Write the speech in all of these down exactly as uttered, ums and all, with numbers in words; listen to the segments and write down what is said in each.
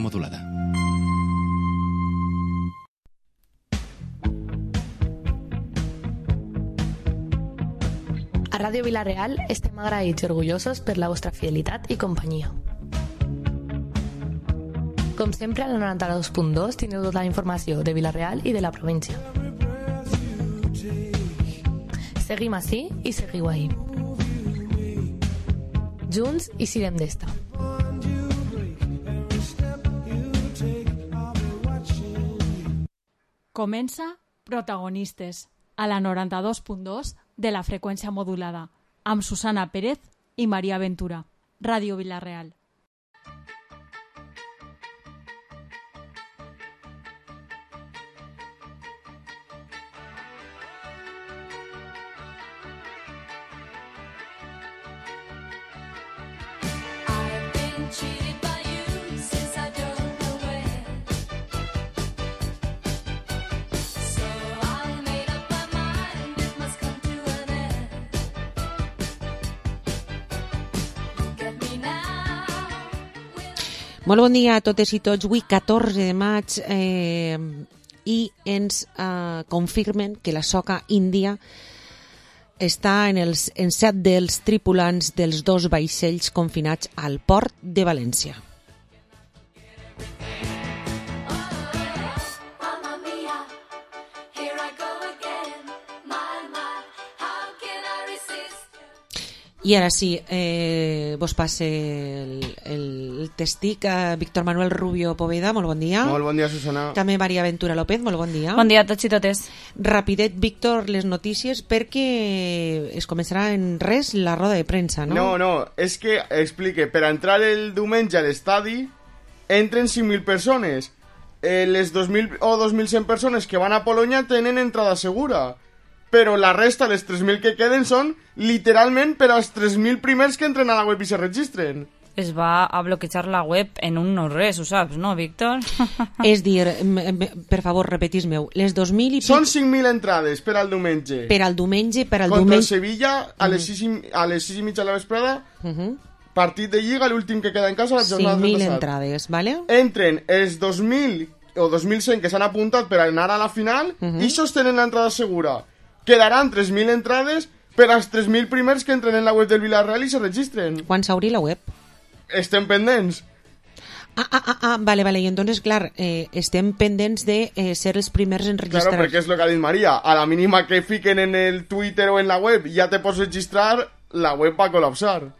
modulada. A Ràdio Vila-real estem agraïts i orgullosos per la vostra fidelitat i companyia. Com sempre, al noranta-dos punt dos tindreu tota la informació de Vila-real i de la província. Seguim ací i seguiu ahí. Junts i sirem d'esta. Comença Protagonistes, a la noranta-dos punt dos de la freqüència modulada, amb Susana Pérez i Maria Ventura. Ràdio Vila-real. Molt bon dia a totes i tots. Avui, catorze de maig, eh, i ens eh, confirmen que la soca índia està en, els, en set dels tripulants dels dos vaixells confinats al port de València. I ara sí, eh, vos passe el, el testic a Víctor Manuel Rubio Poveda. Molt bon dia. Molt bon dia, Susana. També Maria Ventura López, molt bon dia. Bon dia a tots i totes. Rapidet, Víctor, les notícies, perquè es començarà en res la roda de premsa, no? No, no, és que, explique, per entrar el diumenge a l'estadi entren cinc mil persones. Eh, les dos mil o dos mil cent persones que van a Polònia tenen entrada segura. Però la resta, les tres mil que queden, són literalment per als tres mil primers que entren a la web i se registren. Es va a bloquejar la web en un no res, ho saps, no, Víctor? És dir, per favor, repetis-meu, les dos mil i... Són cinc mil entrades per al diumenge. Per al diumenge, per al Contra diumenge... el Sevilla, a les sis i, a les sis i mitja de la vesprada, uh-huh. Partit de Lliga, l'últim que queda en casa, la jornada cinc mil de passat. entrades, vale? Entren els dos mil o dos mil cent que s'han apuntat per anar a la final, uh-huh. I això tenen l'entrada segura. Quedaran tres mil entrades per als tres mil primers que entren en la web del Villarreal i se registren. Quan s'obri la web? Estem pendents. Ah, ah, ah, ah, vale, vale, i entonces, clar, eh, estem pendents de eh, ser els primers en registrar. Claro, perquè és el que ha dit Maria. A la mínima que fiquen en el Twitter o en la web ja te pots registrar, la web va a col·lapsar.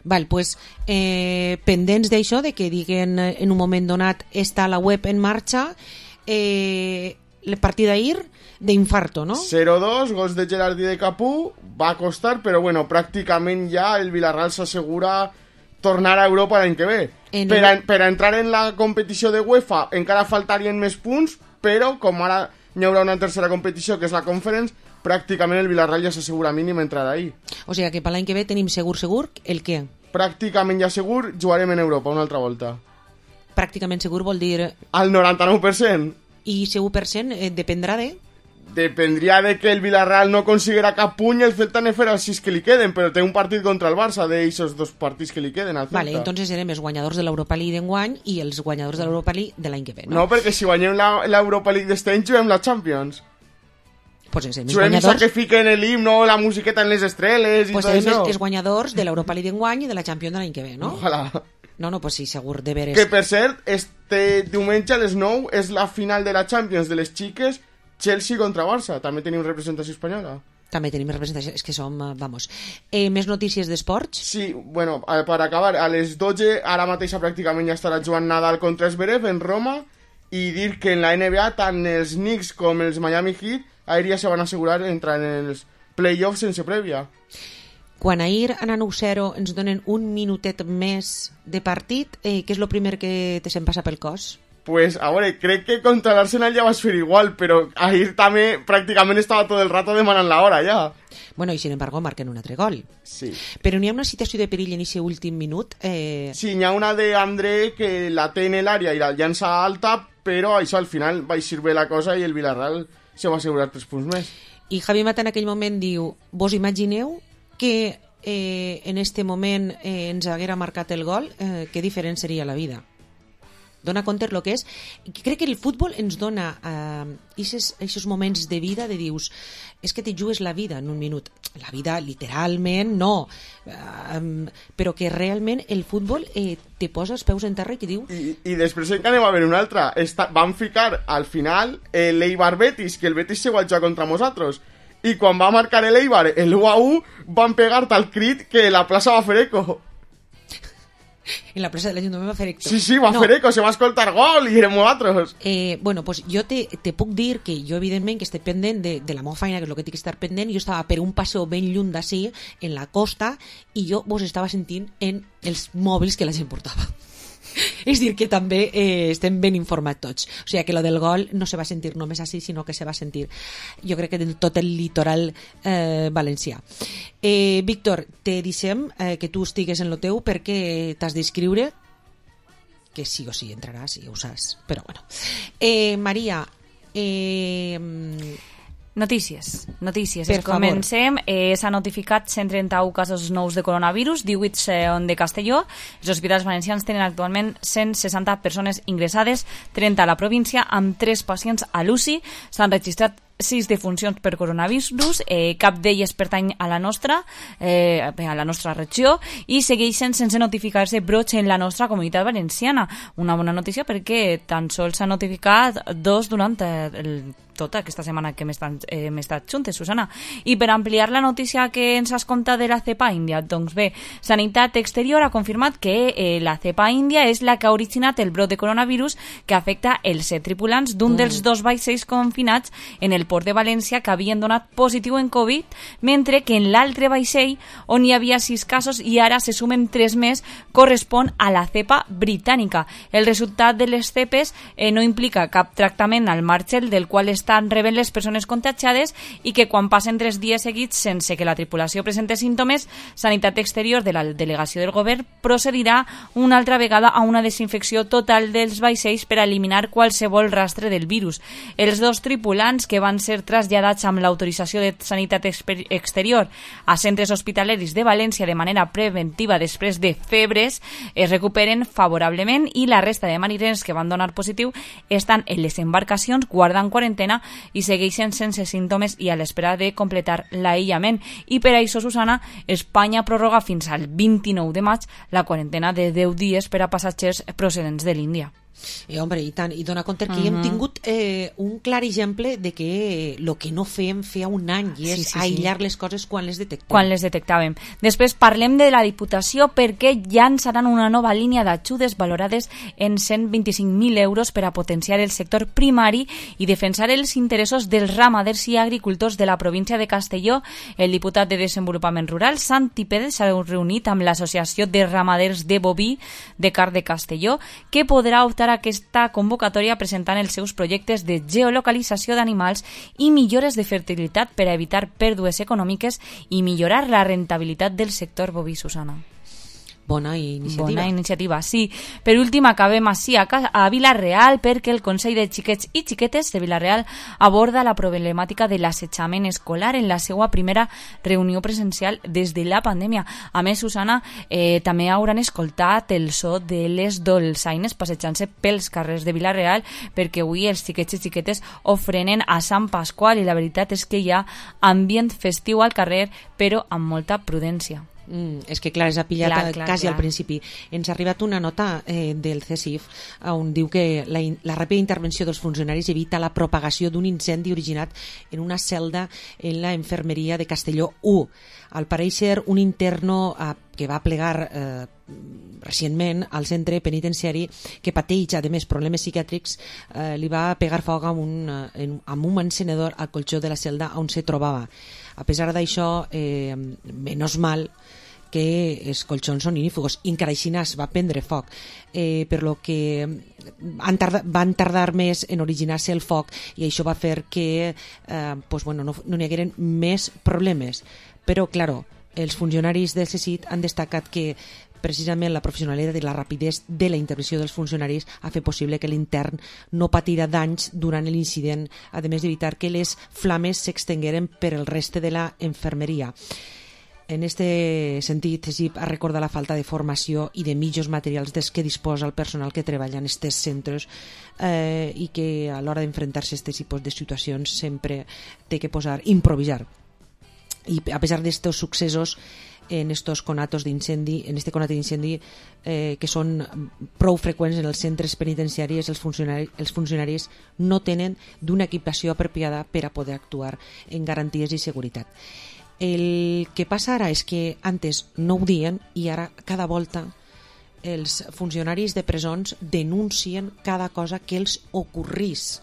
Val, pues, eh, pendents d'això, de que diguen en un moment donat està la web en marxa, eh, la partida d'ahir d'infarto, no? zero dos, gols de Gerard i de Capú, va costar, però bueno, pràcticament ja el Villarreal s'assegura tornar a Europa l'any que ve. En per, a, per a entrar en la competició de UEFA encara faltarien més punts, però com ara hi haurà una tercera competició que és la Conference, pràcticament el Villarreal ja s'assegura mínim entrar ahí. O sigui que per l'any que ve tenim segur, segur, el què? Pràcticament ja segur jugarem en Europa una altra volta. Pràcticament segur vol dir... Al noranta-nou per cent. I segur per cent eh, dependrà de... Dependria de que el Villarreal no consiguera cap puny i el Celta ne farà sis que li queden, però té un partit contra el Barça d'eixos dos partits que li queden al Celta. Vale, entonces serem els guanyadors de l'Europa League d'enguany i els guanyadors de l'Europa League de l'any que ve, no? No, perquè si guanyem l'Europa League d'este any juguem la Champions. Pues serem els guanyadors... Juguem que fiquen l'himno, la musiqueta en les estreles i pues tot això. Pues serem els guanyadors de l'Europa League d'enguany i de la Champions de l'any que ve, no? Ojalà. No, no, pues sí, segur, de veres. Que per cert, este diumenge a les nou és la final de la Champions de les xiques, Chelsea contra Barça. També tenim representació espanyola. També tenim representació, és que som, vamos. Eh, més notícies d'esports? Sí, bueno, per acabar, a les dotze, ara mateixa pràcticament ja estarà jugant Nadal contra Zverev en Roma, i dir que en la N B A tant els Knicks com els Miami Heat ahir ja se van assegurar entrar en els playoffs sense prèvia. Quan ahir a nou zero ens donen un minutet més de partit, eh, què és el primer que te se'n passa pel cos? Pues, a veure, crec que contra l'Arsenal ja vas fer igual, però ahir també pràcticament estava tot el rato demanant l'hora ja. Bueno, i sin embargo marquen un altre gol. Sí. Però n'hi ha una situació de perill en aquest últim minut? Eh... Sí, n'hi ha una d'André que la té en l'àrea i la llança alta, però això al final va eixir bé la cosa i el Villarreal se va assegurar tres punts més. I Javi Mata en aquell moment diu, vos imagineu que eh, en este moment eh, ens haguera marcat el gol, eh, que diferent seria la vida? dona compte el que és. Crec que el futbol ens dona aquests uh, moments de vida de dius, és que te jugues la vida en un minut. La vida literalment no, uh, però que realment el futbol eh, te posa els peus en terra i te diu... I, i després encara anem a veure una altra. Està, van ficar al final eh, l'Eibar Betis, que el Betis se va jugar contra nosaltres. I quan va marcar el Eibar el u a u, van pegar tal crit que la plaça va fer eco. En la plaça de l'Ajuntament va fer eco. Sí, sí, va no. fer eco, se va escoltar gol i érem nosaltres. Eh, bueno, pues jo te, te puc dir que jo evidentment que estic pendent de, de la meva feina, que és el que tinc que estar pendent. Jo estava per un passeo ben lluny d'ací, en la costa, i jo vos estava sentint en els mòbils que la gent portava. És dir, que també eh, estem ben informats tots. O sigui, que lo del gol no se va sentir només així, sinó que se va sentir, jo crec que de tot el litoral eh, valencià. Eh, Víctor, te deixem eh, que tu estigues en lo teu perquè t'has d'inscriure, que sí o sí entraràs, ja ho saps, però bueno. Eh, Maria, eh... Notícies, notícies. Per Comencem. Eh, S'ha notificat cent trenta-un casos nous de coronavirus, divuit són de Castelló. Els hospitals valencians tenen actualment cent seixanta persones ingressades, trenta a la província, amb tres pacients a l'U C I. S'han registrat sis defuncions per coronavirus, eh, cap d'elles pertany a la nostra eh, a la nostra regió, i segueixen sense notificar-se brots en la nostra comunitat valenciana. Una bona notícia perquè tan sols s'ha notificat dos durant el tota aquesta setmana que hem estat, eh, hem estat juntes, Susana. I per ampliar la notícia que ens has contat de la cepa índia, doncs bé, Sanitat Exterior ha confirmat que eh, la cepa índia és la que ha originat el brot de coronavirus que afecta els set tripulants d'un mm. dels dos vaixells confinats en el port de València que havien donat positiu en Covid, mentre que en l'altre vaixell, on hi havia sis casos i ara se sumen tres més, correspon a la cepa britànica. El resultat de les cepes eh, no implica cap tractament al marge del qual es estan rebent les persones contagiades i que quan passen tres dies seguits sense que la tripulació presente símptomes, Sanitat Exterior de la delegació del govern procedirà una altra vegada a una desinfecció total dels vaixells per a eliminar qualsevol rastre del virus. Els dos tripulants que van ser traslladats amb l'autorització de Sanitat Exterior a centres hospitaleris de València de manera preventiva després de febres es recuperen favorablement i la resta de mariners que van donar positiu estan en les embarcacions guardant quarantena i segueixen sense símptomes i a l'espera de completar l'aïllament. I per això, Susana, Espanya prorroga fins al vint-i-nou de maig la quarantena de deu dies per a passatgers procedents de l'Índia. Eh, home, i tant, i dona compte que uh-huh. hem tingut eh, un clar exemple de que el que no fèiem feia un any i és sí, sí, aïllar sí. les coses quan les detectàvem. Quan les detectàvem. Després parlem de la Diputació perquè llançaran una nova línia d'ajudes valorades en cent vint-i-cinc mil euros per a potenciar el sector primari i defensar els interessos dels ramaders i agricultors de la província de Castelló. El diputat de Desenvolupament Rural, Santi Pérez, s'ha reunit amb l'Associació de Ramaders de Boví de Car de Castelló, que podrà optar a aquesta convocatòria presentant els seus projectes de geolocalització d'animals i millores de fertilitat per a evitar pèrdues econòmiques i millorar la rentabilitat del sector boví, Susana. Bona iniciativa. Bona iniciativa, sí. Per últim, acabem així a, a Vila-real perquè el Consell de Xiquets i Xiquetes de Vila-real aborda la problemàtica de l'assetjament escolar en la seva primera reunió presencial des de la pandèmia. A més, Susana, eh, també hauran escoltat el so de les dolçaines passejant-se pels carrers de Vila-real perquè avui els xiquets i xiquetes ofrenen a Sant Pasqual i la veritat és que hi ha ambient festiu al carrer, però amb molta prudència. Mm, és que clar, és apillat clar, clar, quasi clar. Al principi. Ens ha arribat una nota eh, del C S I F on diu que la, la ràpida intervenció dels funcionaris evita la propagació d'un incendi originat en una celda en la infermeria de Castelló u. Al pareixer, un interno eh, que va plegar eh, recentment al centre penitenciari que pateix, a més, problemes psiquiàtrics, eh, li va pegar foc amb un, eh, amb un encenedor al colxó de la celda on se trobava. A pesar d'això, eh, menys mal que els colxons són inífugos, encara així va prendre foc, eh, per lo que han tardar, van tardar més en originar-se el foc i això va fer que eh, pues, bueno, no, no n'hi hagueren més problemes. Però, claro, els funcionaris del C S I T han destacat que precisament la professionalitat i la rapidesa de la intervenció dels funcionaris ha fet possible que l'intern no patirà danys durant l'incident, a més d'evitar que les flames s'extengueren per el reste de la infermeria. En este sentit, Egip ha recordat la falta de formació i de mitjos materials dels que disposa el personal que treballa en aquests centres eh, i que a l'hora d'enfrontar-se a aquests tipus de situacions sempre té que posar, improvisar. I a pesar d'estos successos en estos conatos d'incendi, en este conat d'incendi eh, que són prou freqüents en els centres penitenciaris, els funcionaris, els funcionaris no tenen d'una equipació apropiada per a poder actuar en garanties i seguretat. El que passa ara és que antes no ho diuen i ara cada volta els funcionaris de presons denuncien cada cosa que els ocorrís.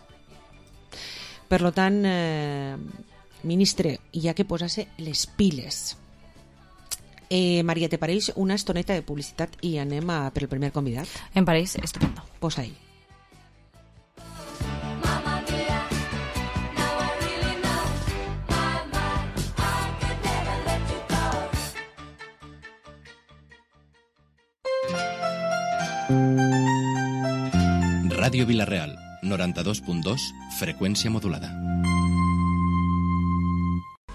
Per tant, eh, ministre, hi ha que posar-se les piles. Eh, Maria, te pareix una estoneta de publicitat i anem a, per el primer convidat? Em pareix estupendo. Posa-hi. Radio Vilareal, noranta-dos punt dos, frecuencia modulada.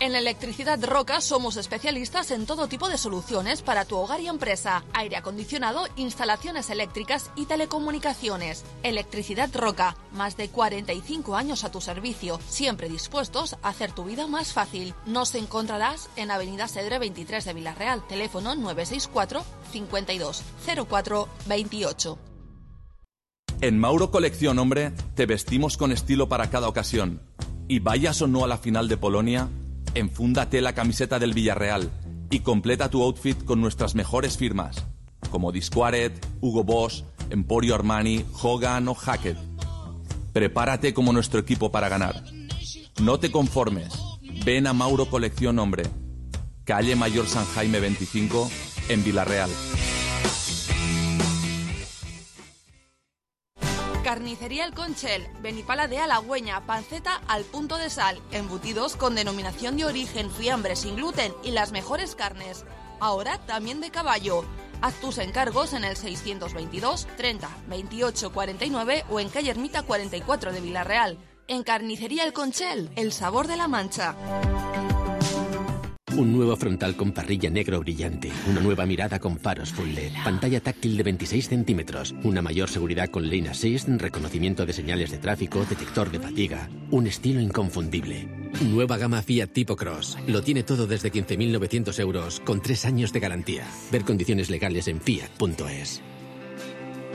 En Electricidad Roca somos especialistas en todo tipo de soluciones para tu hogar y empresa, aire acondicionado, instalaciones eléctricas y telecomunicaciones. Electricidad Roca, más de cuarenta y cinco años a tu servicio, siempre dispuestos a hacer tu vida más fácil. Nos encontrarás en Avenida Cedre veintitrés de Vilareal, teléfono nueve seis cuatro, cincuenta y dos, cero cuatro, veintiocho. En Mauro Colección Hombre te vestimos con estilo para cada ocasión. Y vayas o no a la final de Polonia, enfúndate la camiseta del Villarreal y completa tu outfit con nuestras mejores firmas, como Disquaret, Hugo Boss, Emporio Armani, Hogan o Hackett. Prepárate como nuestro equipo para ganar. No te conformes. Ven a Mauro Colección Hombre, calle Mayor San Jaime veinticinco, en Vilareal. Carnicería El Conchel, Benipala de Halagüeña, panceta al punto de sal, embutidos con denominación de origen, fiambre sin gluten y las mejores carnes. Ahora también de caballo. Haz tus encargos en el seiscientos veintidós, treinta, veintiocho, cuarenta y nueve o en calle Ermita cuarenta y cuatro de Vilareal. En Carnicería El Conchel, el sabor de la Mancha. Un nuevo frontal con parrilla negro brillante, una nueva mirada con faros full L E D, pantalla táctil de veintiséis centímetros, una mayor seguridad con Lane Assist, reconocimiento de señales de tráfico, detector de fatiga, un estilo inconfundible. Nueva gama Fiat Tipo Cross, lo tiene todo desde quince mil novecientos euros, con tres años de garantía. Ver condiciones legales en fiat punto es.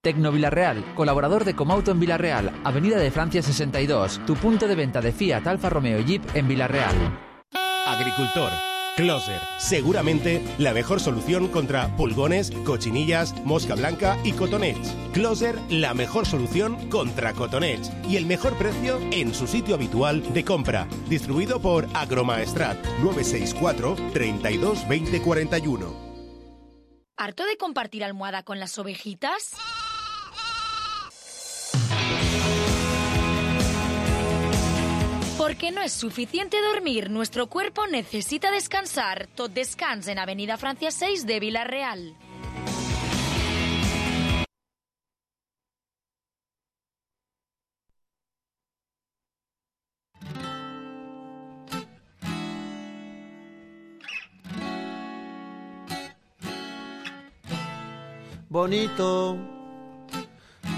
Tecno Vilareal, colaborador de Comauto en Vilareal, Avenida de Francia sesenta y dos, tu punto de venta de Fiat, Alfa Romeo y Jeep en Vilareal. Agricultor. Closer, seguramente la mejor solución contra pulgones, cochinillas, mosca blanca y cotonets. Closer, la mejor solución contra cotonets y el mejor precio en su sitio habitual de compra. Distribuido por Agromaestrat, nueve seis cuatro, treinta y dos, veinte, cuarenta y uno. ¿Harto de compartir almohada con las ovejitas? Porque no es suficiente dormir, nuestro cuerpo necesita descansar. Tot Descans en Avenida Francia seis de Vilareal. Bonito,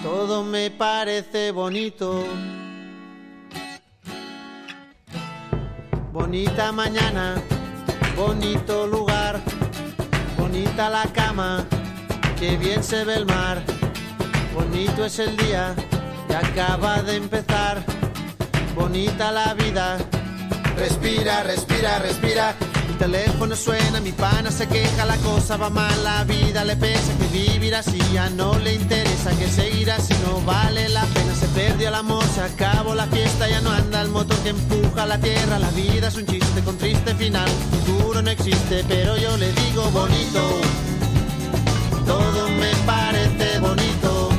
todo me parece bonito. Bonita mañana, bonito lugar, bonita la cama, que bien se ve el mar. Bonito es el día que acaba de empezar, bonita la vida. Respira, respira, respira. Mi teléfono suena, mi pana se queja, la cosa va mal, la vida le pesa, que vivir así ya no le interesa, que seguir así no vale la pena. Se perdió el amor, se acabó la fiesta, ya no anda el motor que empuja la tierra. La vida es un chiste con triste final, futuro no existe, pero yo le digo bonito, todo me parece bonito.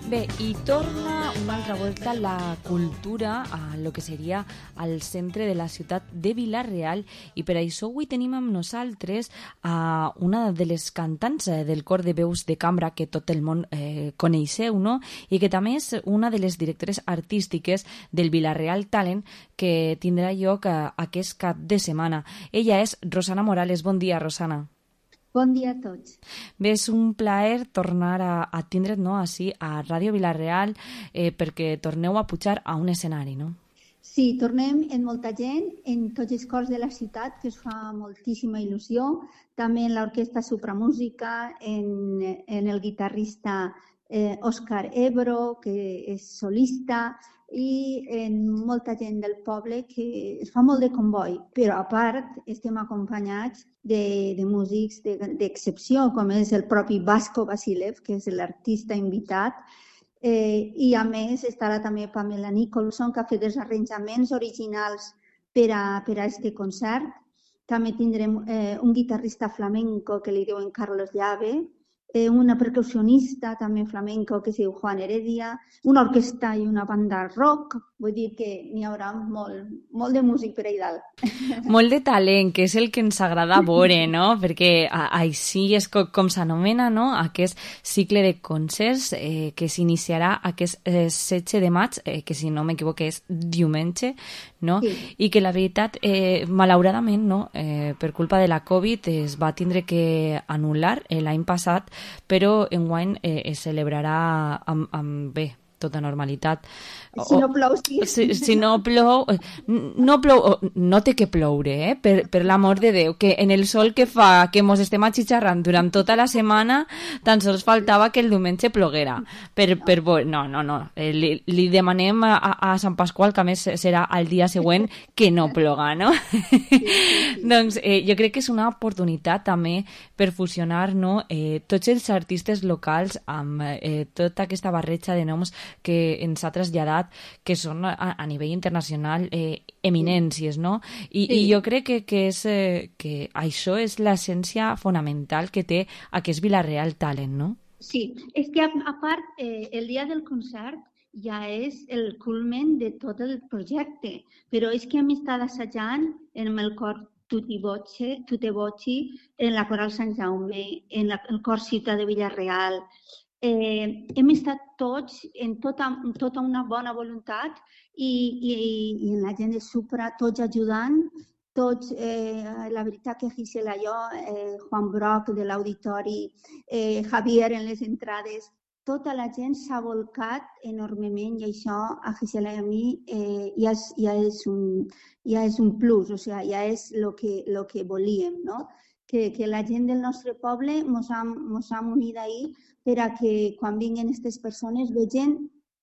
Bé, i torna una altra volta la cultura a lo que seria al centre de la ciutat de Vila-real i per això avui tenim amb nosaltres a una de les cantants del cor de veus de cambra que tot el món eh, coneixeu, no? I que també és una de les directores artístiques del Vila-real Talent que tindrà lloc a, aquest cap de setmana. Ella és Rosana Morales. Bon dia, Rosana. Bon dia a tots. Bé, és un plaer tornar a, a tindre't, no, així a Ràdio Vila-real eh, perquè torneu a pujar a un escenari, no? Sí, tornem en molta gent, en tots els cors de la ciutat, que us fa moltíssima il·lusió, també en l'Orquestra Supramúsica, en, en el guitarrista eh, Òscar Ebro, que és solista, i en molta gent del poble que es fa molt de comboi, però a part estem acompanyats de, de músics d'excepció, com és el propi Vasco Vasilev, que és l'artista invitat, eh, i a més estarà també Pamela Nicholson, que ha fet els arranjaments originals per a, per a este concert. També tindrem eh, un guitarrista flamenco que li diuen Carlos Llave, eh, una percussionista també flamenco que es diu Juan Heredia, una orquestra i una banda rock, vull dir que n'hi haurà molt, molt de músic per ahí dalt. Molt de talent, que és el que ens agrada veure, no? Perquè a, així és com, com s'anomena, no? Aquest cicle de concerts eh, que s'iniciarà aquest eh, setze de maig, eh, que si no m'equivoco és diumenge, no? Sí. I que la veritat, eh, malauradament, no? Eh, per culpa de la Covid es va tindre que anul·lar eh, l'any passat, però enguany eh, es celebrarà amb, amb bé, tota normalitat. Si no plou, sí. Si, si no plou, no plou, no té que ploure, eh? per, per l'amor de Déu, que en el sol que fa que mos estem atxitxarrant durant tota la setmana, tan sols faltava que el diumenge ploguera. Per, per, no, no, no. Li, li demanem a, a Sant Pasqual, que a més serà el dia següent, que no ploga, no? Sí, sí, sí. Doncs eh, jo crec que és una oportunitat també per fusionar, no, eh, tots els artistes locals amb eh, tota aquesta barreja de noms que ens ha traslladat, que són a, a nivell internacional eh, eminències, no? I, sí. I jo crec que, que, és, eh, que això és l'essència fonamental que té aquest Vila-real Talent, no? Sí, és que a, a part, eh, el dia del concert ja és el culmen de tot el projecte, però és que hem estat assajant en el cor Tutti Voce, Tutte Voci, en la Coral Sant Jaume, en la, el cor Ciutat de Vila-real. Eh, hem estat tots en tota, tota una bona voluntat i, i, i en la gent de Supra, tots ajudant, tots, eh, la veritat que Gisela i jo, eh, Juan Broc de l'Auditori, eh, Javier en les entrades, tota la gent s'ha volcat enormement i això a Gisela i a mi eh, ja, és, ja, és un, ja és un plus, o sigui, ja és el que, lo que volíem, no? Que, que la gent del nostre poble mos ha, mos ha unit ahir per a que quan vinguin aquestes persones vegin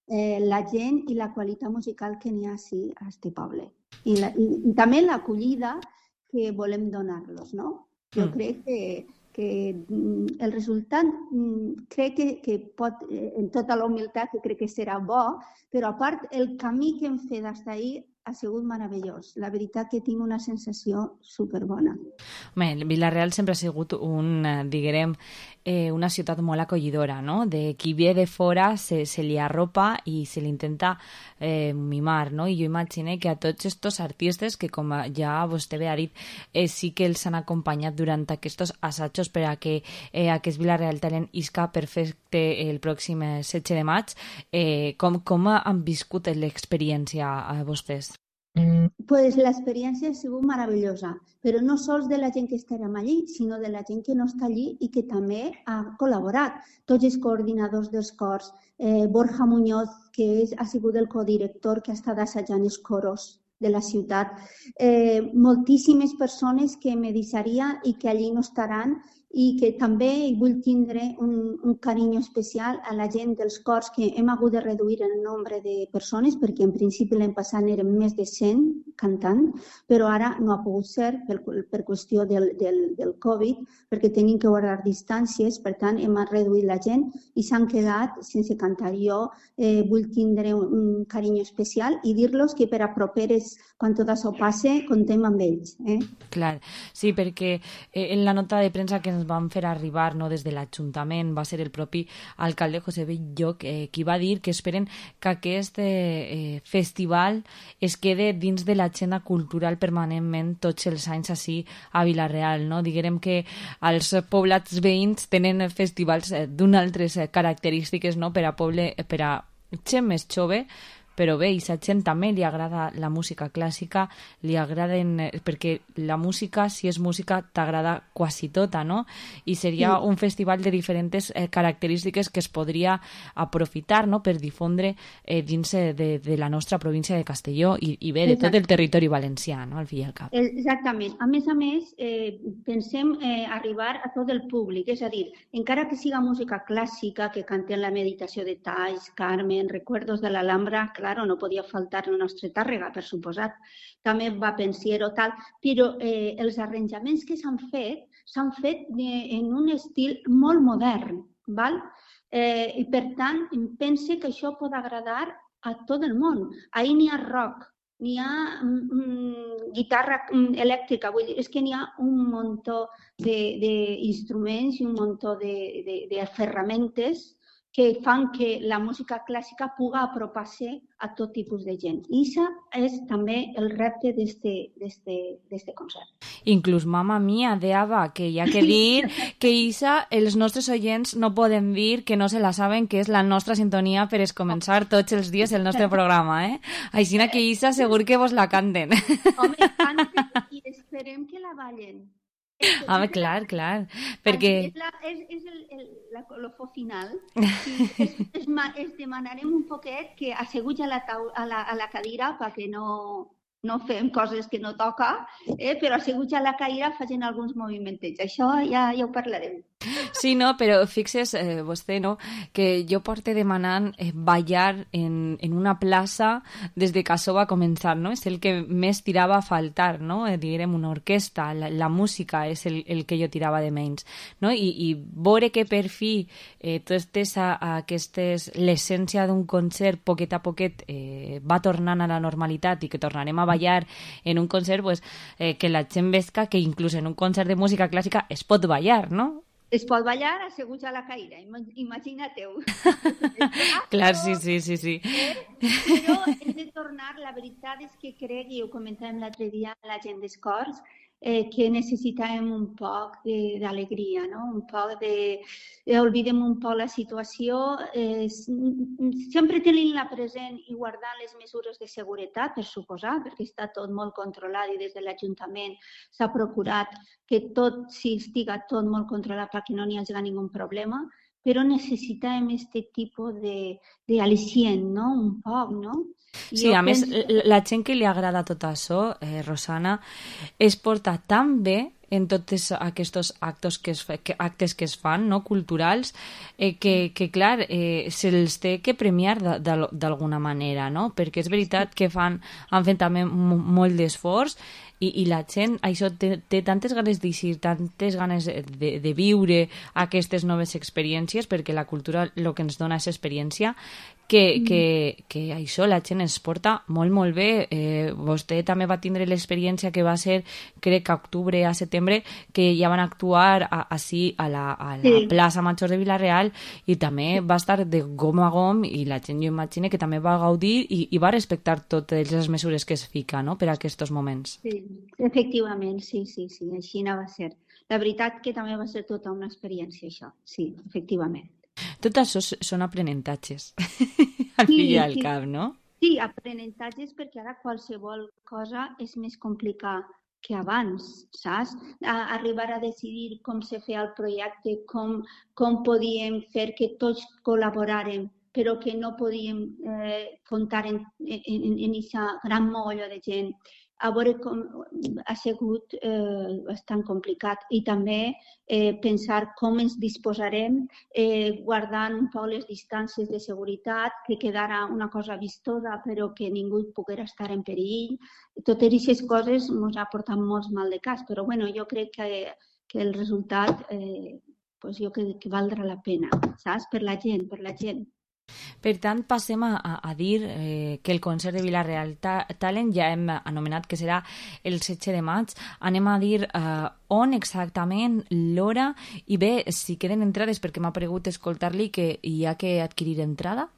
eh, la gent i la qualitat musical que n'hi ha sí, a aquest poble. I, la, i, i també l'acollida que volem donar-los, no? Jo mm. crec que, que el resultat crec que, que pot, en tota la humilitat, que crec que serà bo, però a part el camí que hem fet fins ahir ha sigut meravellós. La veritat que tinc una sensació superbona. Bé, Vila-real sempre ha sigut un, diguem, eh, una ciutat molt acollidora, no? De qui ve de fora se, se li arropa i se li intenta eh, mimar, no? I jo imagino que a tots estos artistes que, com ja vostè bé ha dit, eh, sí que els han acompanyat durant aquests assajos per a que eh, aquest Vila-real Talent isca perfecte el pròxim setze de maig, eh, com, com han viscut l'experiència a vostès? Pues l'experiència ha sigut meravellosa, però no sols de la gent que estarem allí, sinó de la gent que no està allí i que també ha col·laborat. Tots els coordinadors dels cors, eh, Borja Muñoz, que és, ha sigut el codirector que ha estat assajant els coros de la ciutat, eh, moltíssimes persones que me deixaria i que allí no estaran i que també vull tindre un, un carinyo especial a la gent dels cors que hem hagut de reduir el nombre de persones perquè en principi l'any passat eren més de cent cantant, però ara no ha pogut ser per, per qüestió del, del, del Covid perquè tenim que guardar distàncies, per tant hem reduït la gent i s'han quedat sense cantar. Jo eh, vull tindre un, un carinyo especial i dir-los que per a properes, quan tot això passe, contem amb ells. Eh? Clar, sí, perquè eh, en la nota de premsa que ens ens van fer arribar, no, des de l'Ajuntament, va ser el propi alcalde José Belloc eh, qui va dir que esperen que aquest eh, festival es quede dins de l'agenda cultural permanentment tots els anys així a Vila-real, no? Diguem que els poblats veïns tenen festivals eh, d'unes altres eh, característiques, no? Per a poble, per a gent més jove, però bé, i a gent també li agrada la música clàssica, li agraden, perquè la música, si és música, t'agrada quasi tota, no? I seria sí. un festival de diferents eh, característiques que es podria aprofitar, no?, per difondre eh, dins de, de la nostra província de Castelló i, i bé, de tot el territori valencià, no?, al fi i al cap. Exactament. A més a més, eh, pensem eh, arribar a tot el públic, és a dir, encara que siga música clàssica, que cantem la meditació de Talls, Carmen, Recuerdos de l'Alhambra, claro, no podia faltar el nostre Tàrrega, per suposat. També va Pensiero, tal, però eh, els arranjaments que s'han fet s'han fet eh, en un estil molt modern, val? Eh, i per tant, pense que això pot agradar a tot el món. Ahir n'hi ha rock, n'hi ha mm, guitarra elèctrica, vull dir, és que n'hi ha un muntó d'instruments i un muntó de, de, de ferramentes que fan que la música clàssica puga apropar-se a tot tipus de gent. I això és també el repte d'aquest concert. Inclús, mama mia, deava que hi ha que dir que Isa, els nostres oients no poden dir que no se la saben, que és la nostra sintonia per començar tots els dies el nostre programa, eh? Així que Isa segur que vos la canten. Home, canten i esperem que la ballen. Home, clar, clar, perquè... És, la, és, és el, el, la colofó final. I es, es, es demanarem un poquet que asseguts a la, tau, a la, a la cadira perquè no, no fem coses que no toca, eh? Però asseguts a la cadira facin alguns movimentets. Això ja, ja ho parlarem. Sí, no, però fixes, eh, vostè, no?, que jo porte demanant eh, ballar en, en una plaça des de que això va començar, no? És el que més tirava a faltar, no? Eh, diguem, una orquestra, la, la música és el, el que jo tirava de menys, no? I, i veure que per fi eh, totes aquestes, l'essència d'un concert poquet a poquet eh, va tornant a la normalitat i que tornarem a ballar en un concert, pues, eh, que la gent vesca que inclús en un concert de música clàssica es pot ballar, no? Es pot ballar asseguts a la caïra, imagina-teu. Clar, sí, sí, sí, sí. Però hem de tornar, la veritat és que crec, i ho comentàvem l'altre dia amb la gent d'Escorts, eh, que necessitàvem un poc d'alegria, no? Un poc de... Oblidem un poc la situació, eh, sempre tenint-la present i guardant les mesures de seguretat, per suposar, perquè està tot molt controlat i des de l'Ajuntament s'ha procurat que tot si estiga tot molt controlat perquè no n'hi hagi ningú problema, però necessitàvem aquest tipus d'al·licient, no? Un poc, no? Sí, a més, la gent que li agrada tot això, eh, Rosana, es porta tan bé en tots aquests actes que es, que, actes que es fan, no?, culturals, eh, que, que, clar, eh, se'ls té que premiar d'alguna manera, no? Perquè és veritat que fan, han fet també molt d'esforç i, i la gent, això, té, té tantes ganes d'eixir, tantes ganes de, de viure aquestes noves experiències, perquè la cultura el que ens dona és experiència, que, mm. que, que això la gent es porta molt, molt bé. Eh, vostè també va tindre l'experiència que va ser, crec que a octubre, a setembre, que ja van actuar a, així a la, a la sí. plaça Major de Vila-real i també va estar de gom a gom i la gent, jo imagino, que també va gaudir i, i va respectar totes les mesures que es fica, no?, per a aquests moments. Sí, efectivament, sí, sí, sí, així no va ser. La veritat que també va ser tota una experiència, això, sí, efectivament. Tot això són aprenentatges, al fi i al cap, no? Sí, aprenentatges perquè ara qualsevol cosa és més complicada que abans, saps? A arribar a decidir com se feia el projecte, com, com podíem fer que tots col·laboràrem, però que no podíem eh, comptar en aquesta gran mogolló de gent. A veure com ha sigut eh, bastant complicat i també eh, pensar com ens disposarem eh, guardant un poc les distàncies de seguretat, que quedara una cosa vistosa però que ningú poguera estar en perill. Totes aquestes coses ens ha portat molt mal de cas, però bueno, jo crec que, que el resultat eh, pues jo crec que valdrà la pena, saps? Per la gent, per la gent. Per tant, passem a, a dir eh, que el concert de Vila-real Ta Talent ja hem anomenat que serà el setze de maig. Anem a dir eh, on exactament, l'hora, i bé, si queden entrades, perquè m'ha pregut escoltar-li que hi ha que adquirir entrada.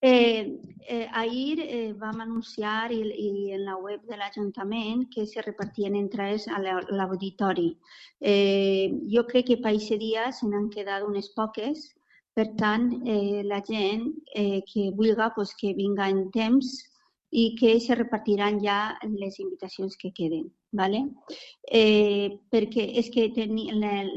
Eh, eh, ahir eh, vam anunciar i, i en la web de l'Ajuntament que se repartien entrades a l'auditori. Eh, jo crec que per aquest dia se n'han quedat unes poques. Per tant, eh, la gent eh, que vulgui pues, que vinga en temps i que se repartiran ja les invitacions que queden. ¿vale? Eh, perquè és que teni,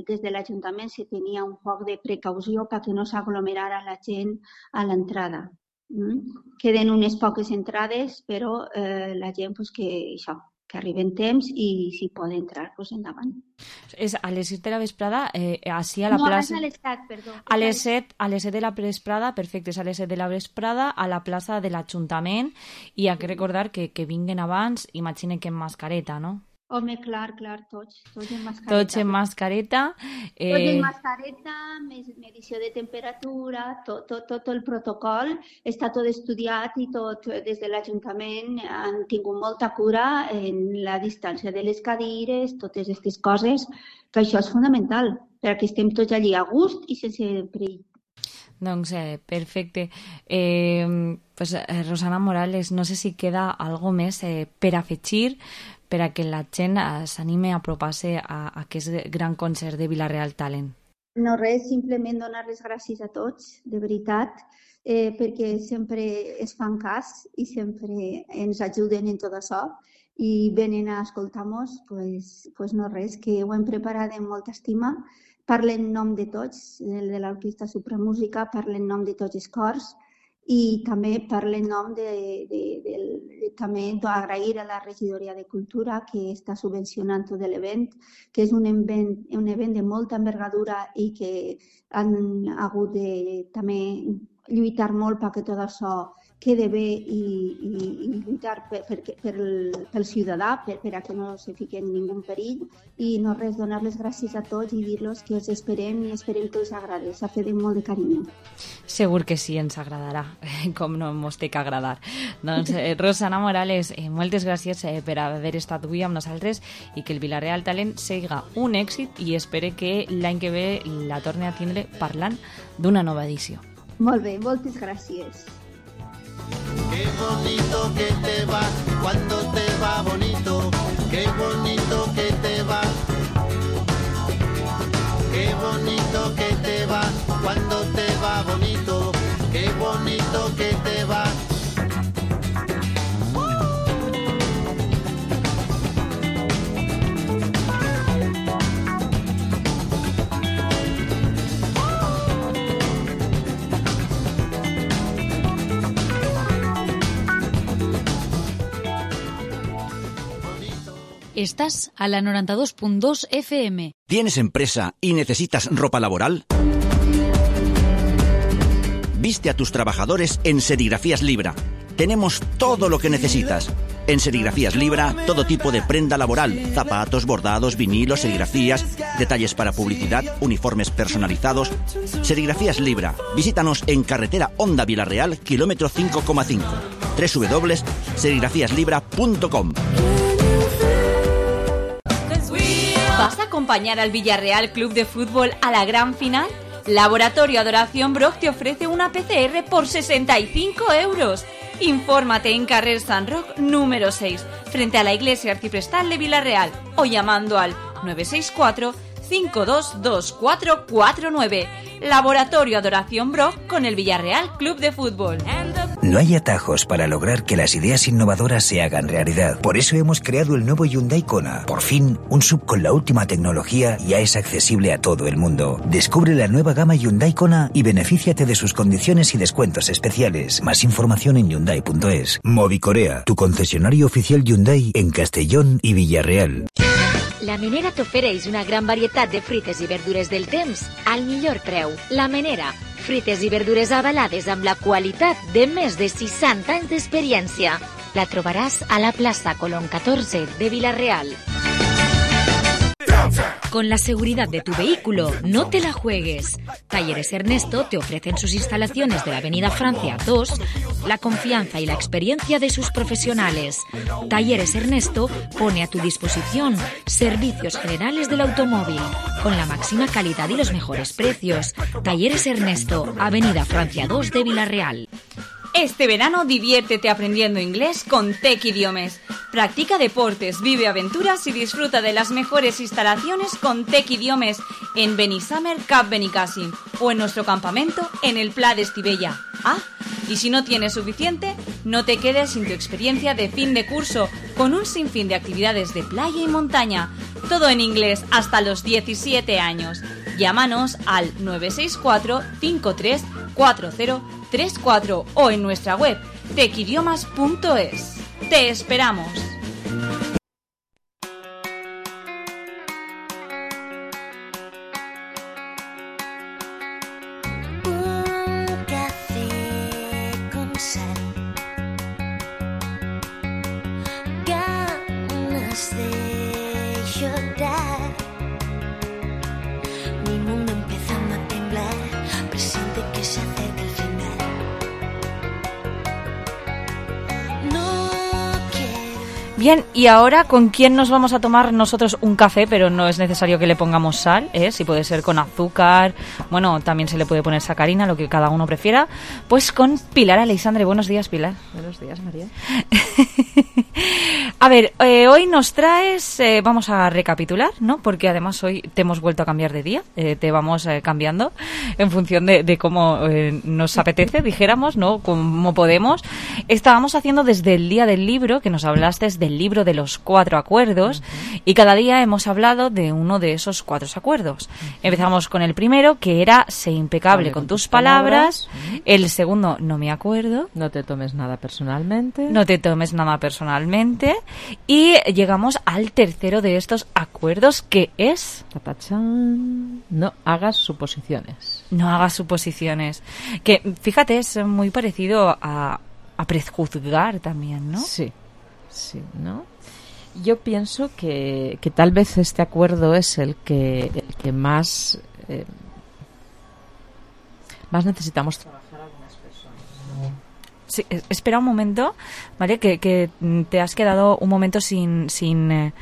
des de l'Ajuntament se tenia un poc de precaució perquè no s'aglomerara la gent a l'entrada. Mm? Queden unes poques entrades, però eh, la gent pues, que, això, que arribi en temps i si pot entrar, pues, endavant. És a les set de la vesprada, eh, així a la no, plaça... No, a les set, perdó. A les set, a les set de la vesprada, perfecte, és a les set de la vesprada a la plaça de l'Ajuntament i hi ha que recordar que, que vinguen abans, imagine que en mascareta, no? Home, clar, clar, tots, tots en mascareta. Tots en mascareta. Eh... Tots en mascareta, medició de temperatura, tot, tot, tot el protocol està tot estudiat i tot des de l'Ajuntament han tingut molta cura en la distància de les cadires, totes aquestes coses, que això és fonamental, perquè estem tots allí a gust i sense perill. Doncs eh, perfecte. Eh, pues, eh, Rosana Morales, no sé si queda algo més eh, per afegir per a que la gent eh, s'anime a apropar-se a, a aquest gran concert de Vila-real Talent. No res, simplement donar les gràcies a tots, de veritat, eh, perquè sempre es fan cas i sempre ens ajuden en tot això i venen a escoltar-nos, pues, pues no res, que ho hem preparat amb molta estima. Parlen en nom de tots, el de l'Orquestra Supramúsica, parlen en nom de tots els cors i també parlen en nom de, de, de, de també d'agrair a la Regidoria de Cultura que està subvencionant tot l'event, que és un event, un event de molta envergadura i que han hagut de també lluitar molt perquè tot això quede bé i, i, i lluitar per, per, per el, pel ciutadà, per, per a que no se fiqui en ningú perill i no res, donar les gràcies a tots i dir-los que us esperem i esperem que us agradi, s'ha fet molt de carinyo. Segur que sí, ens agradarà, com no mos té que agradar. Doncs eh, Rosana Morales, eh, moltes gràcies eh, per haver estat avui amb nosaltres i que el Vila-real Talent siga un èxit i espere que l'any que ve la torni a tindre parlant d'una nova edició. Molt bé, moltes gràcies. Qué bonito que te va cuando te va bonito, qué bonito que te va, qué bonito que te va cuando te va bonito, qué bonito que te va. Estás a la noventa y dos punto dos F M. ¿Tienes empresa y necesitas ropa laboral? Viste a tus trabajadores en Serigrafías Libra. Tenemos todo lo que necesitas. En Serigrafías Libra, todo tipo de prenda laboral, zapatos, bordados, vinilos, serigrafías, detalles para publicidad, uniformes personalizados. Serigrafías Libra. Visítanos en carretera Honda Vila-real, kilómetro cinco coma cinco. doble u doble u doble u punto serigrafías libra punto com. ¿Vas a acompañar al Villarreal Club de Fútbol a la gran final? Laboratorio Adoración Broc te ofrece una P C R por sesenta y cinco euros. Infórmate en Carrer San Roc número seis, frente a la Iglesia Arciprestal de Vila-real, o llamando al nueve seis cuatro, cinco dos dos cuatro cuatro nueve. Laboratorio Adoración Broc con el Villarreal Club de Fútbol. No hay atajos para lograr que las ideas innovadoras se hagan realidad. Por eso hemos creado el nuevo Hyundai Kona. Por fin, un S U V con la última tecnología ya es accesible a todo el mundo. Descubre la nueva gama Hyundai Kona y benefíciate de sus condiciones y descuentos especiales. Más información en hyundai punto es. Movicorea, tu concesionario oficial Hyundai en Castellón y Villarreal. La Menera t'ofereix una gran varietat de fruites i verdures del temps al millor preu. La Menera, fruites i verdures avalades amb la qualitat de més de seixanta anys d'experiència. La trobaràs a la plaça Colón catorze de Vila-real. Con la seguridad de tu vehículo, no te la juegues. Talleres Ernesto te ofrecen sus instalaciones de la Avenida Francia dos, la confianza y la experiencia de sus profesionales. Talleres Ernesto pone a tu disposición servicios generales del automóvil, con la máxima calidad y los mejores precios. Talleres Ernesto, Avenida Francia dos de Villarreal. Este verano diviértete aprendiendo inglés con Tec Idiomes. Practica deportes, vive aventuras y disfruta de las mejores instalaciones con Tec Idiomes en Benissamer Cap Benicàssim o en nuestro campamento en el Pla d'Estivella. Ah, y si no tienes suficiente, no te quedes sin tu experiencia de fin de curso con un sinfín de actividades de playa y montaña. Todo en inglés hasta los diecisiete años. Llámanos al nueve seis cuatro cinco tres cuatro cero tres cuatro o en nuestra web tec idiomas punto es. ¡Te esperamos! Un café con sal, ganas de llorar, mi mundo empezando a temblar, presiente que se acerca el final. No quiero. Bien, y ahora, ¿con quién nos vamos a tomar nosotros un café? Pero no es necesario que le pongamos sal, ¿eh? Si puede ser con azúcar, bueno, también se le puede poner sacarina, lo que cada uno prefiera. Pues con Pilar Aleixandre. Buenos días, Pilar. Buenos días, María. A ver, eh, hoy nos traes, eh, vamos a recapitular, ¿no? Porque además hoy te hemos vuelto a cambiar de día, eh, te vamos eh, cambiando en función de, de cómo eh, nos apetece, dijéramos, ¿no? Como podemos. Estábamos haciendo desde el día del libro, que nos hablaste del libro de los cuatro acuerdos, uh-huh. Y cada día hemos hablado de uno de esos cuatro acuerdos. Uh-huh. Empezamos con el primero, que era sé impecable con, con tus palabras. palabras. Uh-huh. El segundo, no me acuerdo. No te tomes nada personalmente. No te tomes nada personalmente. Y llegamos al tercero de estos acuerdos, que es... Tapachán. No hagas suposiciones. No hagas suposiciones. Que, fíjate, es muy parecido a, a prejuzgar también, ¿no? Sí, sí, ¿no? Yo pienso que, que tal vez este acuerdo es el que, el que más, eh, más necesitamos trabajar algunas personas. Sí, espera un momento, ¿vale? Que, que te has quedado un momento sin sin eh,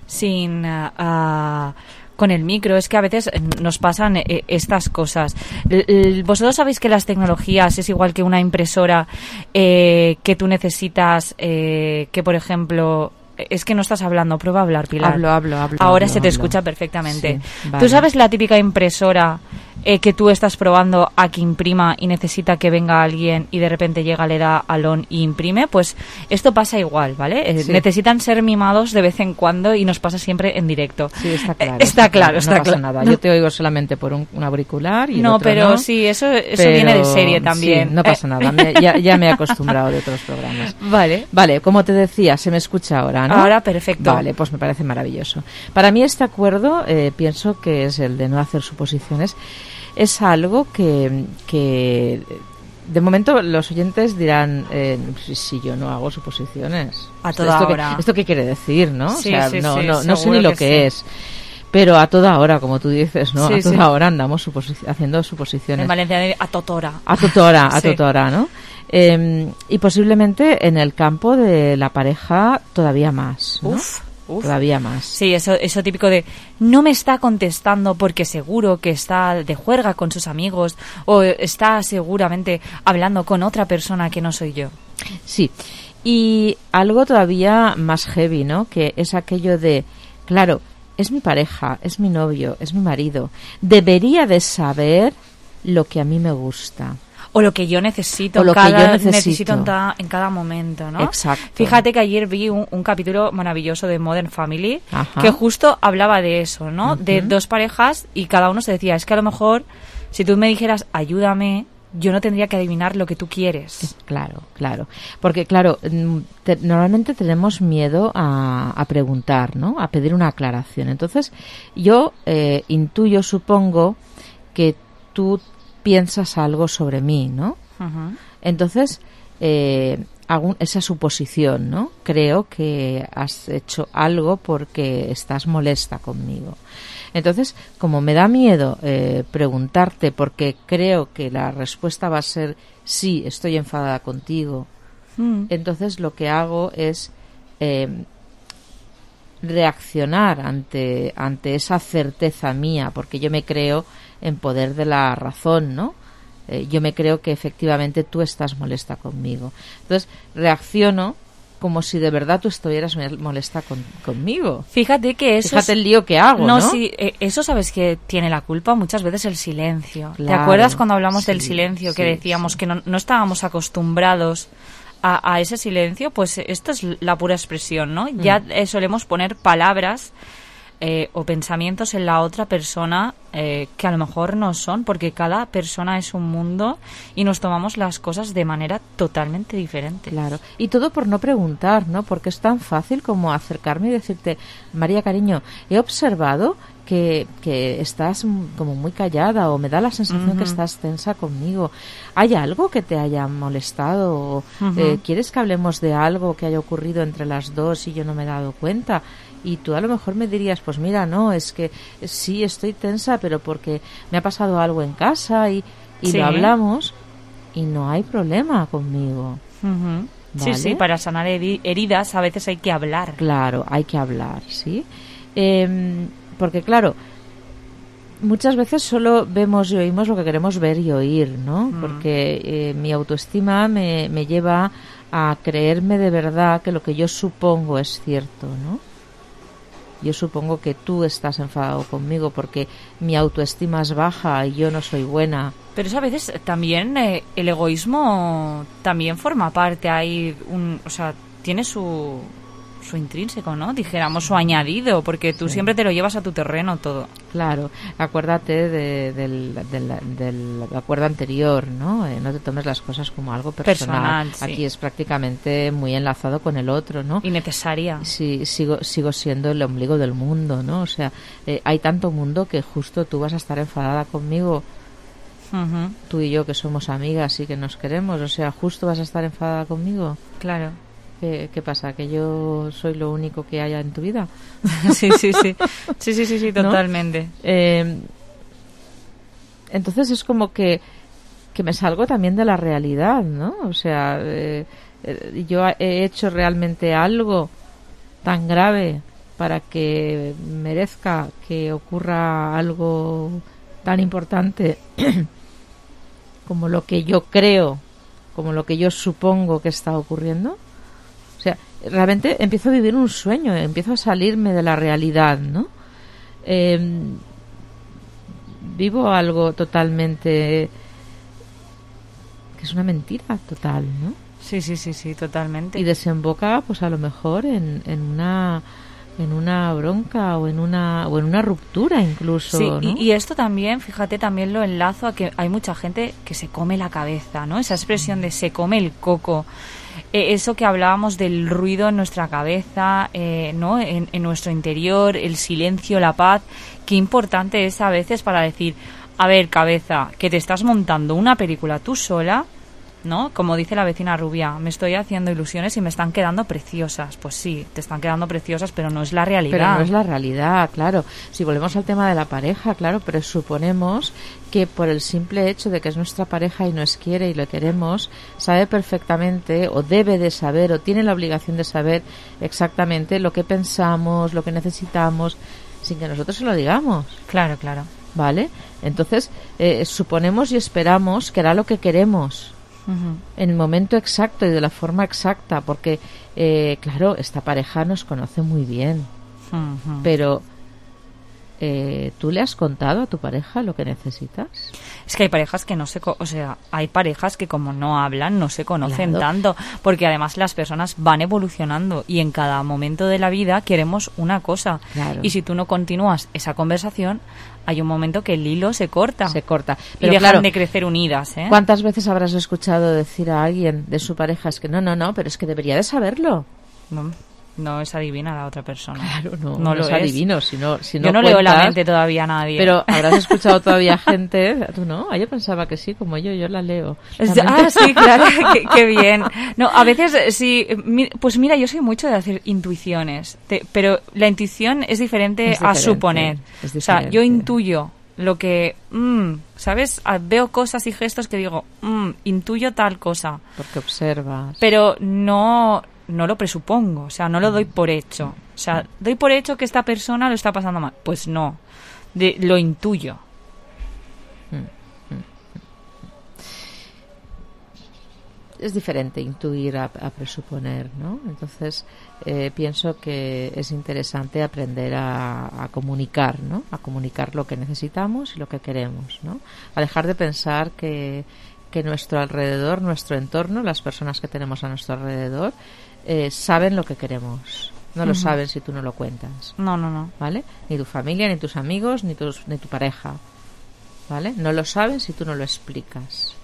sin uh, uh, con el micro. Es que a veces nos pasan eh, estas cosas. L- l- Vosotros sabéis que las tecnologías es igual que una impresora eh, que tú necesitas, eh, que por ejemplo... Es que no estás hablando, prueba a hablar, Pilar. Hablo, hablo, hablo. Ahora hablo, se te hablo. escucha perfectamente. Sí, vale. ¿Tú sabes la típica impresora eh, que tú estás probando a que imprima y necesita que venga alguien y de repente llega, le da al on y imprime? Pues esto pasa igual, ¿vale? Eh, Sí. Necesitan ser mimados de vez en cuando y nos pasa siempre en directo. Sí, está claro. Eh, está, claro, está no pasa claro. nada. No. Yo te oigo solamente por un, un auricular y el No, otro pero no. sí, eso, eso Pero, viene de serie también. Sí, no pasa Eh. nada. Me- ya, ya me he acostumbrado de otros programas. Vale. Vale, como te decía, se me escucha ahora, ¿no? Ahora perfecto. Vale, pues me parece maravilloso. Para mí este acuerdo, eh, pienso que es el de no hacer suposiciones, es algo que, que de momento los oyentes dirán, eh, si, si yo no hago suposiciones. A toda ¿Esto hora. Qué, ¿Esto qué quiere decir, no? Sí, o sea, sí, no, sí, no, no sé seguro ni lo que que, sí. es. Pero a toda hora, como tú dices, ¿no? Sí, a toda sí. hora andamos suposi- haciendo suposiciones. En Valencia, a totora. A tutora, a Sí. tutora, ¿no? Eh, y posiblemente en el campo de la pareja todavía más, ¿no? Uf, uf. Todavía más. Sí, eso, eso típico de no me está contestando porque seguro que está de juerga con sus amigos o está seguramente hablando con otra persona que no soy yo. Sí. Y algo todavía más heavy, ¿no? Que es aquello de, claro, es mi pareja, es mi novio, es mi marido. Debería de saber lo que a mí me gusta. O lo que yo necesito, O lo en cada, que yo necesito. necesito en, ta- en cada momento, ¿no? Exacto. Fíjate que ayer vi un, un capítulo maravilloso de Modern Family Ajá. que justo hablaba de eso, ¿no? Ujú. De dos parejas y cada uno se decía, es que a lo mejor si tú me dijeras ayúdame, yo no tendría que adivinar lo que tú quieres. Claro, claro. Porque, claro, mm, te- normalmente tenemos miedo a, a preguntar, ¿no? A pedir una aclaración. Entonces, yo eh, intuyo, supongo, que tú piensas algo sobre mí, ¿no? Ujú. Entonces, eh, hago esa suposición, ¿no? Creo que has hecho algo porque estás molesta conmigo. Entonces, como me da miedo eh, preguntarte, porque creo que la respuesta va a ser sí, estoy enfadada contigo, mm. entonces lo que hago es eh, reaccionar ante, ante esa certeza mía, porque yo me creo en poder de la razón, ¿no? Eh, yo me creo que efectivamente tú estás molesta conmigo. Entonces, reacciono como si de verdad tú estuvieras molesta con, conmigo. Fíjate que eso... Fíjate el lío que hago, ¿no? No, sí, eh, eso sabes que tiene la culpa muchas veces el silencio. Claro, ¿te acuerdas cuando hablamos sí, del silencio que sí, decíamos sí. que no, no estábamos acostumbrados a, a ese silencio? Pues esto es la pura expresión, ¿no? Mm. Ya eh, solemos poner palabras eh, o pensamientos en la otra persona eh, que a lo mejor no son, porque cada persona es un mundo y nos tomamos las cosas de manera totalmente diferente. Claro, y todo por no preguntar, ¿no? Porque es tan fácil como acercarme y decirte, María, cariño, he observado que, que estás como muy callada, o me da la sensación uh-huh. que estás tensa conmigo. ¿Hay algo que te haya molestado? O, uh-huh. eh, ¿quieres que hablemos de algo que haya ocurrido entre las dos y yo no me he dado cuenta? Y tú a lo mejor me dirías, pues mira, no, es que sí estoy tensa, pero porque me ha pasado algo en casa y, y sí. lo hablamos y no hay problema conmigo. Uh-huh. ¿Vale? Sí, sí, para sanar heridas a veces hay que hablar. Claro, hay que hablar, ¿sí? Eh, porque claro, muchas veces solo vemos y oímos lo que queremos ver y oír, ¿no? Uh-huh. Porque eh, mi autoestima me, me lleva a creerme de verdad que lo que yo supongo es cierto, ¿no? Yo supongo que tú estás enfadado conmigo porque mi autoestima es baja y yo no soy buena. Pero eso a veces también, eh, el egoísmo también forma parte ahí, un, o sea, tiene su, su intrínseco, ¿no? Dijéramos su añadido, porque tú sí. siempre te lo llevas a tu terreno todo. Claro, acuérdate de, del, del, del acuerdo anterior, ¿no? Eh, no te tomes las cosas como algo personal. personal sí. Aquí es prácticamente muy enlazado con el otro, ¿no? Innecesaria. Sí, sigo, sigo siendo el ombligo del mundo, ¿no? O sea, eh, hay tanto mundo que justo tú vas a estar enfadada conmigo. Uh-huh. Tú y yo que somos amigas y que nos queremos, o sea, justo vas a estar enfadada conmigo. Claro. ¿Qué, ¿Qué pasa? ¿Que yo soy lo único que haya en tu vida? sí, sí, sí. Sí, sí, sí, sí, totalmente. ¿No? Eh, entonces es como que, que me salgo también de la realidad, ¿no? O sea, eh, eh, yo he hecho realmente algo tan grave para que merezca que ocurra algo tan importante como lo que yo creo, como lo que yo supongo que está ocurriendo. O sea, realmente empiezo a vivir un sueño, empiezo a salirme de la realidad, ¿no? Eh, vivo algo totalmente que es una mentira total, ¿no? Sí, sí, sí, sí, totalmente. Y desemboca, pues a lo mejor en, en una en una bronca o en una o en una ruptura incluso, sí, ¿no? y, y esto también, fíjate, también lo enlazo a que hay mucha gente que se come la cabeza, ¿no? Esa expresión de se come el coco. Eh, eso que hablábamos del ruido en nuestra cabeza, eh, ¿no? En, en nuestro interior, el silencio, la paz. Qué importante es a veces para decir, a ver, cabeza, que te estás montando una película tú sola, ¿no? Como dice la vecina rubia, me estoy haciendo ilusiones y me están quedando preciosas. Pues sí, te están quedando preciosas, pero no es la realidad. Pero no es la realidad, claro. Si volvemos al tema de la pareja, claro, pero suponemos que por el simple hecho de que es nuestra pareja y nos quiere y lo queremos, sabe perfectamente o debe de saber o tiene la obligación de saber exactamente lo que pensamos, lo que necesitamos, sin que nosotros se lo digamos. Claro, claro. ¿Vale? Entonces, eh, suponemos y esperamos que hará lo que queremos. Uh-huh. En el momento exacto y de la forma exacta, porque eh, claro, esta pareja nos conoce muy bien, uh-huh. pero eh, ¿tú le has contado a tu pareja lo que necesitas? Es que hay parejas que no se, co- o sea, hay parejas que como no hablan no se conocen Claro. tanto, porque además las personas van evolucionando y en cada momento de la vida queremos una cosa. Claro. Y si tú no continúas esa conversación, hay un momento que el hilo se corta. Se corta. Y Pero dejan claro, de crecer unidas, ¿eh? ¿cuántas veces habrás escuchado decir a alguien de su pareja es que no, no, no, pero es que debería de saberlo? No. no es adivina la otra persona. Claro, no, no, no lo es es. adivino. Si no, si no Yo no cuentas, leo la mente todavía a nadie. Pero habrás escuchado todavía gente... Tú no, yo pensaba que sí, como yo, yo la leo. Es- La mente- ah, sí, claro, qué, qué bien. No, a veces sí, mi- pues mira, yo soy mucho de hacer intuiciones, te- pero la intuición es diferente, Es a diferente, suponer. es O sea, diferente. yo intuyo lo que, mm, ¿sabes? Ah, veo cosas y gestos que digo, mm, intuyo tal cosa. Porque observas. Pero no, no lo presupongo, o sea, no lo doy por hecho. O sea, doy por hecho que esta persona lo está pasando mal. Pues no, de, lo intuyo. Es diferente intuir a, a presuponer, ¿no? Entonces, eh, pienso que es interesante aprender a, a comunicar, ¿no? A comunicar lo que necesitamos y lo que queremos, ¿no? A dejar de pensar que, que nuestro alrededor, nuestro entorno, las personas que tenemos a nuestro alrededor, eh, saben lo que queremos. No lo Ujú. saben si tú no lo cuentas. No, no, no. ¿Vale? Ni tu familia, ni tus amigos, ni, tus, ni tu pareja. ¿Vale? No lo saben si tú no lo explicas.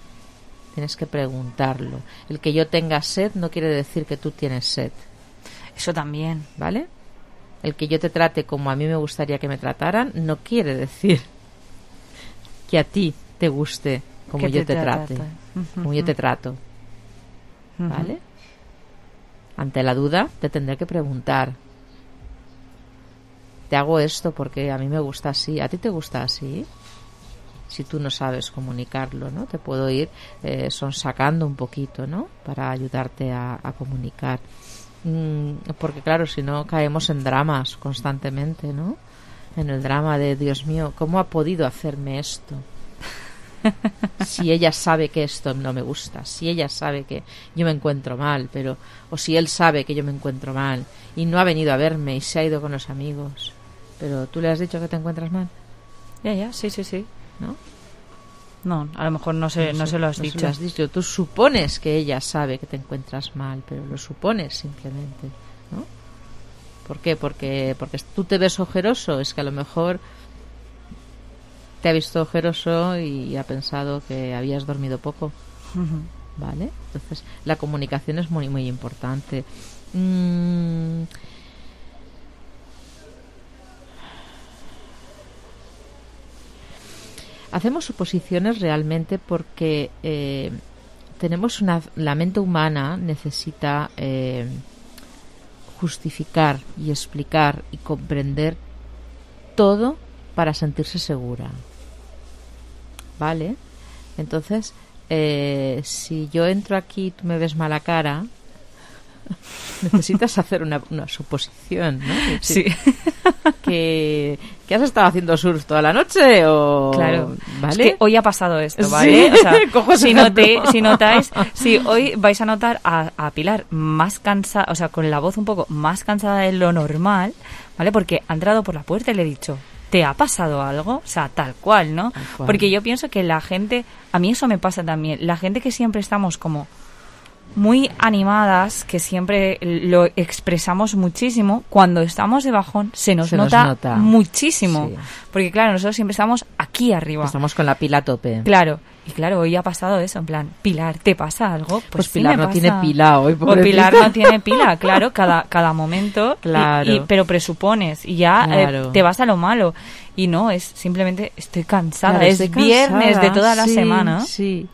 Tienes que preguntarlo. El que yo tenga sed no quiere decir que tú tienes sed. Eso también. ¿Vale? El que yo te trate como a mí me gustaría que me trataran no quiere decir que a ti te guste como Que yo te te trate. trate. Ujú, Como yo te ujú. trato. Ujú. ¿Vale? Ante la duda te tendré que preguntar. Te hago esto porque a mí me gusta así. ¿A ti te gusta así? Si tú no sabes comunicarlo, ¿no? Te puedo ir eh, sonsacando un poquito, ¿no? Para ayudarte a, a comunicar. Mm, porque claro, si no caemos en dramas constantemente, ¿no? En el drama de, Dios mío, ¿cómo ha podido hacerme esto? Si ella sabe que esto no me gusta, si ella sabe que yo me encuentro mal, pero o si él sabe que yo me encuentro mal y no ha venido a verme y se ha ido con los amigos, pero tú le has dicho que te encuentras mal, Ya, ya, sí, sí, sí. ¿no? No, a lo mejor no se, no se- se lo has no se dicho. lo has dicho. Tú supones que ella sabe que te encuentras mal, pero lo supones simplemente, ¿no? ¿Por qué? Porque, porque tú te ves ojeroso, es que a lo mejor te ha visto ojeroso y ha pensado que habías dormido poco. Ujú. ¿Vale? Entonces, la comunicación es muy, muy importante. Mm. Hacemos suposiciones realmente porque eh, tenemos una... La mente humana necesita eh, justificar y explicar y comprender todo para sentirse segura. ¿Vale? Entonces, eh, si yo entro aquí y tú me ves mala cara, necesitas hacer una, una suposición, ¿no? Es Sí. decir, que, que has estado haciendo surf toda la noche o... Claro, ¿vale? es que hoy ha pasado esto, Sí. ¿vale? O sea, Cojo ese si, ejemplo. noté- si notáis, si hoy vais a notar a, a Pilar más cansada, o sea, con la voz un poco más cansada de lo normal, ¿vale? Porque ha entrado por la puerta y le he dicho, ¿te ha pasado algo? O sea, tal cual, ¿no? Tal cual. Porque yo pienso que la gente, a mí eso me pasa también, la gente que siempre estamos como muy animadas, que siempre lo expresamos muchísimo, cuando estamos de bajón se nos, Se nos nota, nota. muchísimo. Sí. Porque claro, nosotros siempre estamos aquí arriba. Estamos con la pila a tope. Claro, y claro, hoy ha pasado eso, en plan, Pilar, ¿te pasa algo? Pues, Pues sí Pilar me no pasa. tiene pila hoy, O pobrecita. Pilar no tiene pila, claro, cada, cada momento, y- Claro. y- pero presupones, y ya eh, Claro. te vas a lo malo. Y no, es simplemente, estoy cansada, Claro, es estoy viernes cansada, de toda la sí, semana. Sí,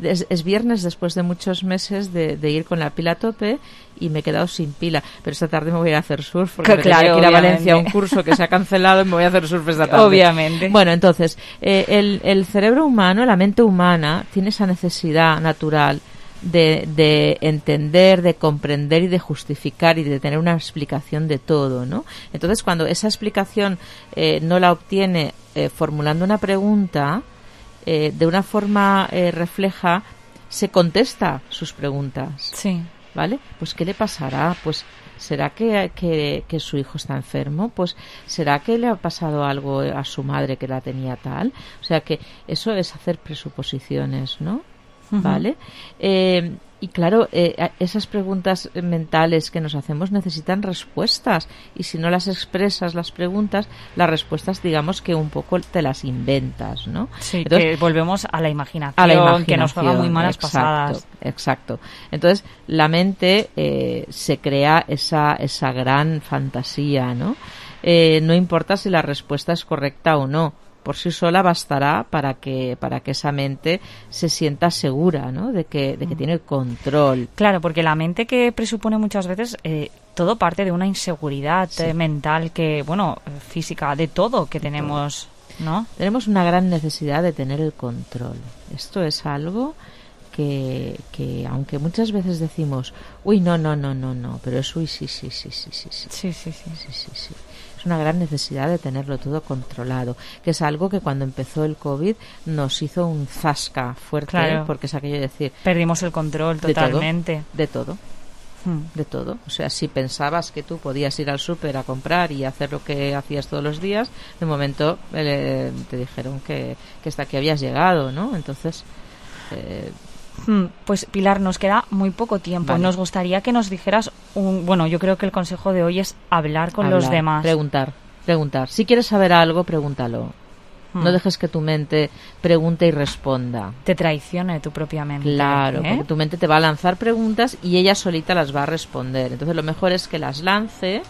es, es viernes después de muchos meses de, de ir con la pila a tope y me he quedado sin pila. Pero esta tarde me voy a ir a hacer surf porque Que me tenía claro, que ir a obviamente. Valencia a un curso que se ha cancelado y me voy a hacer surf esta tarde. Obviamente. Bueno, entonces, eh, el, el cerebro humano, la mente humana, tiene esa necesidad natural de, de entender, de comprender y de justificar y de tener una explicación de todo, ¿no? Entonces, cuando esa explicación eh, no la obtiene eh, formulando una pregunta, eh, de una forma eh, refleja, se contesta sus preguntas. Sí. ¿Vale? Pues ¿qué le pasará? Pues ¿será que, que, que su hijo está enfermo? Pues ¿será que le ha pasado algo a su madre que la tenía tal? O sea que eso es hacer presuposiciones, ¿no? uh-huh. ¿vale? Eh, y claro, eh, esas preguntas mentales que nos hacemos necesitan respuestas, y si no las expresas las preguntas, las respuestas digamos que un poco te las inventas, ¿no? Sí, Entonces, que volvemos a la imaginación, a la imaginación que nos juega muy malas exacto, pasadas. Exacto. Entonces, la mente eh, se crea esa, esa gran fantasía, ¿no? Eh, no importa si la respuesta es correcta o no, por sí sola bastará para que para que esa mente se sienta segura, ¿no? De que de que tiene control. Claro, porque la mente que presupone muchas veces eh, todo parte de una inseguridad sí. eh, mental, que bueno, física, de todo que tenemos, ¿no? Tenemos una gran necesidad de tener el control. Esto es algo que que aunque muchas veces decimos, uy, no, no, no, no, no, pero es uy, sí, sí, sí, sí, sí, sí, sí, sí, sí, sí, sí, sí. Una gran necesidad de tenerlo todo controlado, que es algo que cuando empezó el COVID nos hizo un zasca fuerte, claro. ¿eh? Porque es aquello de decir... Perdimos el control totalmente. De todo, de todo, hmm. de todo. O sea, si pensabas que tú podías ir al súper a comprar y hacer lo que hacías todos los días, de momento eh, te dijeron que, que hasta aquí habías llegado, ¿no? Entonces... Eh, Pues Pilar, nos queda muy poco tiempo. Vale. Nos gustaría que nos dijeras un, bueno, yo creo que el consejo de hoy es hablar con hablar, los demás. Preguntar, preguntar. Si quieres saber algo, pregúntalo. Hmm. No dejes que tu mente pregunte y responda. Te traicione tu propia mente. Claro, ¿eh? porque tu mente te va a lanzar preguntas y ella solita las va a responder. Entonces lo mejor es que las lance,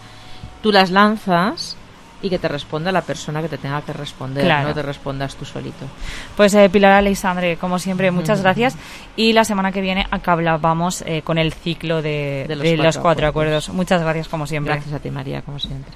tú las lanzas y que te responda la persona que te tenga que responder, claro. No te respondas tú solito. Pues eh, Pilar Aleixandre, como siempre, muchas gracias. Y la semana que viene acabamos eh, con el ciclo de, de, los, de cuatro los cuatro acuerdos. acuerdos. Muchas gracias, como siempre. Gracias a ti, María, como siempre.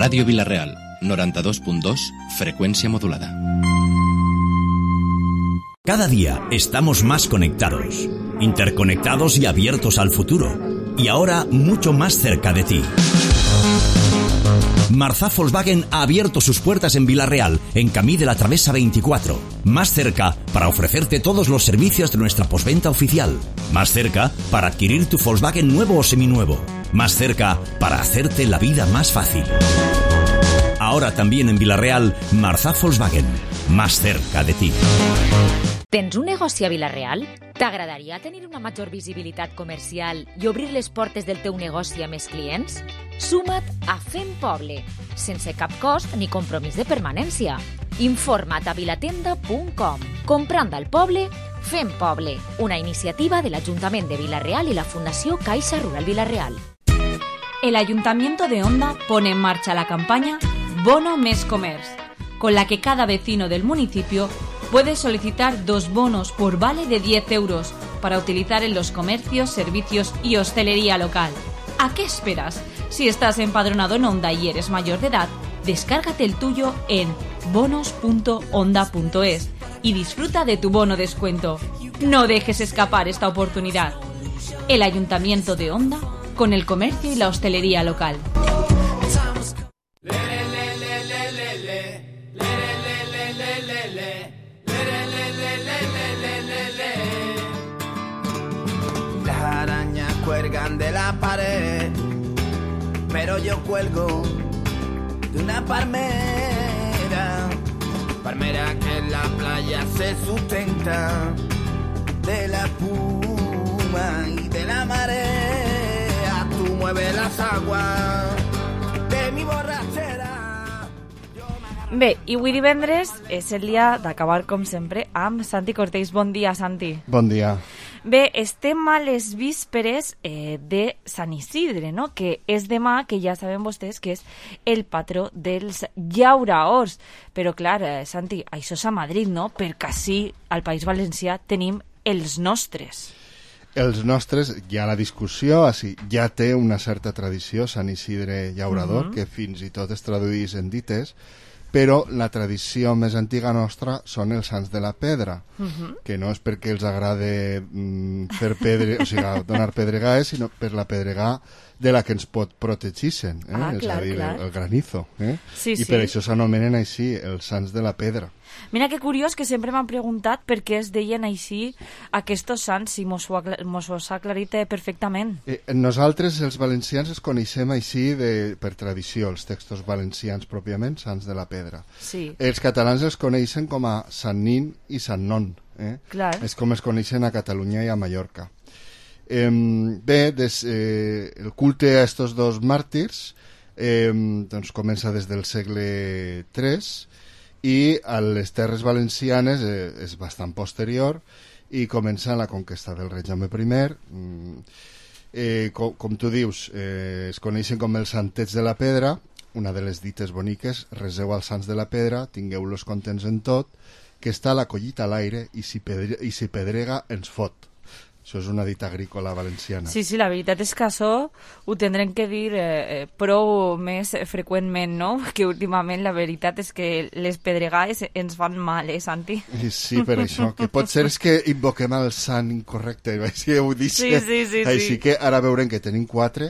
Ràdio Vila-real, noranta-dos punt dos, frecuencia modulada. Cada día estamos más conectados, interconectados y abiertos al futuro. Y ahora mucho más cerca de ti. Marzá Volkswagen ha abierto sus puertas en Vila-real, en Camí de la Travesa veinticuatro. Más cerca para ofrecerte todos los servicios de nuestra postventa oficial. Más cerca para adquirir tu Volkswagen nuevo o seminuevo. Más cerca para hacerte la vida más fácil. Ahora también en Vila-real, Marzá Volkswagen. Más cerca de ti. Tens un negoci a Vila-real? T'agradaria tenir una major visibilitat comercial i obrir les portes del teu negoci a més clients? Suma't a Fem Poble, sense cap cost ni compromís de permanència. Informa't a vilatenda punt com. Comprant al poble, Fem Poble, una iniciativa de l'Ajuntament de Vila-real y la Fundació Caixa Rural Vila-real. El Ayuntamiento de Onda pone en marcha la campaña Bono Mes Comerç, con la que cada vecino del municipio puede solicitar dos bonos por vale de diez euros para utilizar en los comercios, servicios y hostelería local. ¿A qué esperas? Si estás empadronado en Onda y eres mayor de edad, descárgate el tuyo en bonos punto onda punto es y disfruta de tu bono descuento. No dejes escapar esta oportunidad. El Ayuntamiento de Onda con el comercio y la hostelería local. Las arañas cuelgan de la pared, pero yo cuelgo de una palmera, palmera que en la playa se sustenta de la espuma y de la marea. Tú mueves las aguas de mi borrachera. Bé, i avui divendres és el dia d'acabar, com sempre, amb Santi Cortells. Bon dia, Santi. Bon dia. Bé, estem a les vísperes eh, de Sant Isidre, no? Que és demà, que ja saben vostès que és el patró dels llauraors. Però, clar, eh, Santi, això és a Madrid, no? Perquè així, al País Valencià, tenim els nostres. Els nostres, hi ha la discussió, així, ja té una certa tradició, Sant Isidre Llaurador, uh-huh. que fins i tot es traduís en dites, però la tradició més antiga nostra són els Sants de la Pedra, uh-huh. que no és perquè els agrade mm, fer pedre, o sigui, donar pedregades, sinó per la pedregà de la que ens pot protegixen, eh? Ah, és clar, a dir, clar. el, el granizo. Eh? Sí, I sí. per això s'anomenen així, els Sants de la Pedra. Mira que curiós que sempre m'han preguntat per què es deien així aquests sants, si mos ho, acla mos ho ha aclarit perfectament. Eh, nosaltres, els valencians, els coneixem així de, per tradició, els textos valencians pròpiament, Sants de la Pedra. Sí. Els catalans els coneixen com a Sant Nin i Sant Non. Eh? Clar. És com es coneixen a Catalunya i a Mallorca. Eh, bé, des, eh, el culte a estos dos màrtirs eh, doncs comença des del segle tres i a les terres valencianes eh, és bastant posterior i comença la conquesta del rei Jaume primer. Mm, eh, com, com tu dius, eh, es coneixen com els Santets de la Pedra, una de les dites boniques, reseu als Sants de la Pedra, tingueu-los contents en tot, que està la collita a l'aire i si, pedre, i si pedrega ens fot. Això és una dita agrícola valenciana. Sí, sí, la veritat és que això ho tindrem que dir eh, prou més freqüentment, no? Que últimament la veritat és que les pedregades ens fan mal, eh, Santi? Sí, per això, que pot ser és que invoquem el sant incorrecte, així ho dic. Sí, sí, sí. Així sí. que ara veurem que tenim quatre.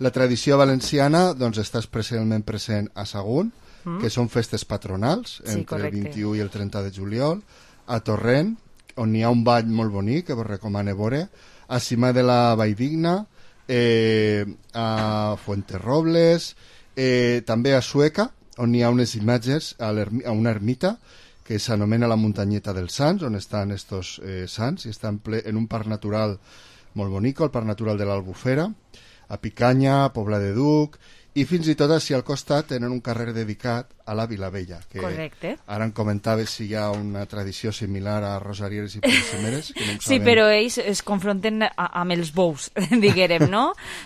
La tradició valenciana doncs, està especialment present a Sagunt, mm. que són festes patronals, sí, entre correcte. el vint-i-u i el trenta de juliol, a Torrent, on hi ha un ball molt bonic que vos recomano veure, a Cima de la Valldigna, eh, a Fuenterrobles, eh, també a Sueca, on hi ha unes imatges a, a una ermita que s'anomena la Muntanyeta dels Sants, on estan estos eh, sants, i estan ple, en un parc natural molt bonic, el parc natural de l'Albufera, a Picanya, a Pobla de Duc, i fins i tot així al costat tenen un carrer dedicat a la Vilavella, que correcte. Ara em comentaves si hi ha una tradició similar a Rosarieres i Polsemeres, que no sí, però ells es confronten a, amb els bous, diguérem, no?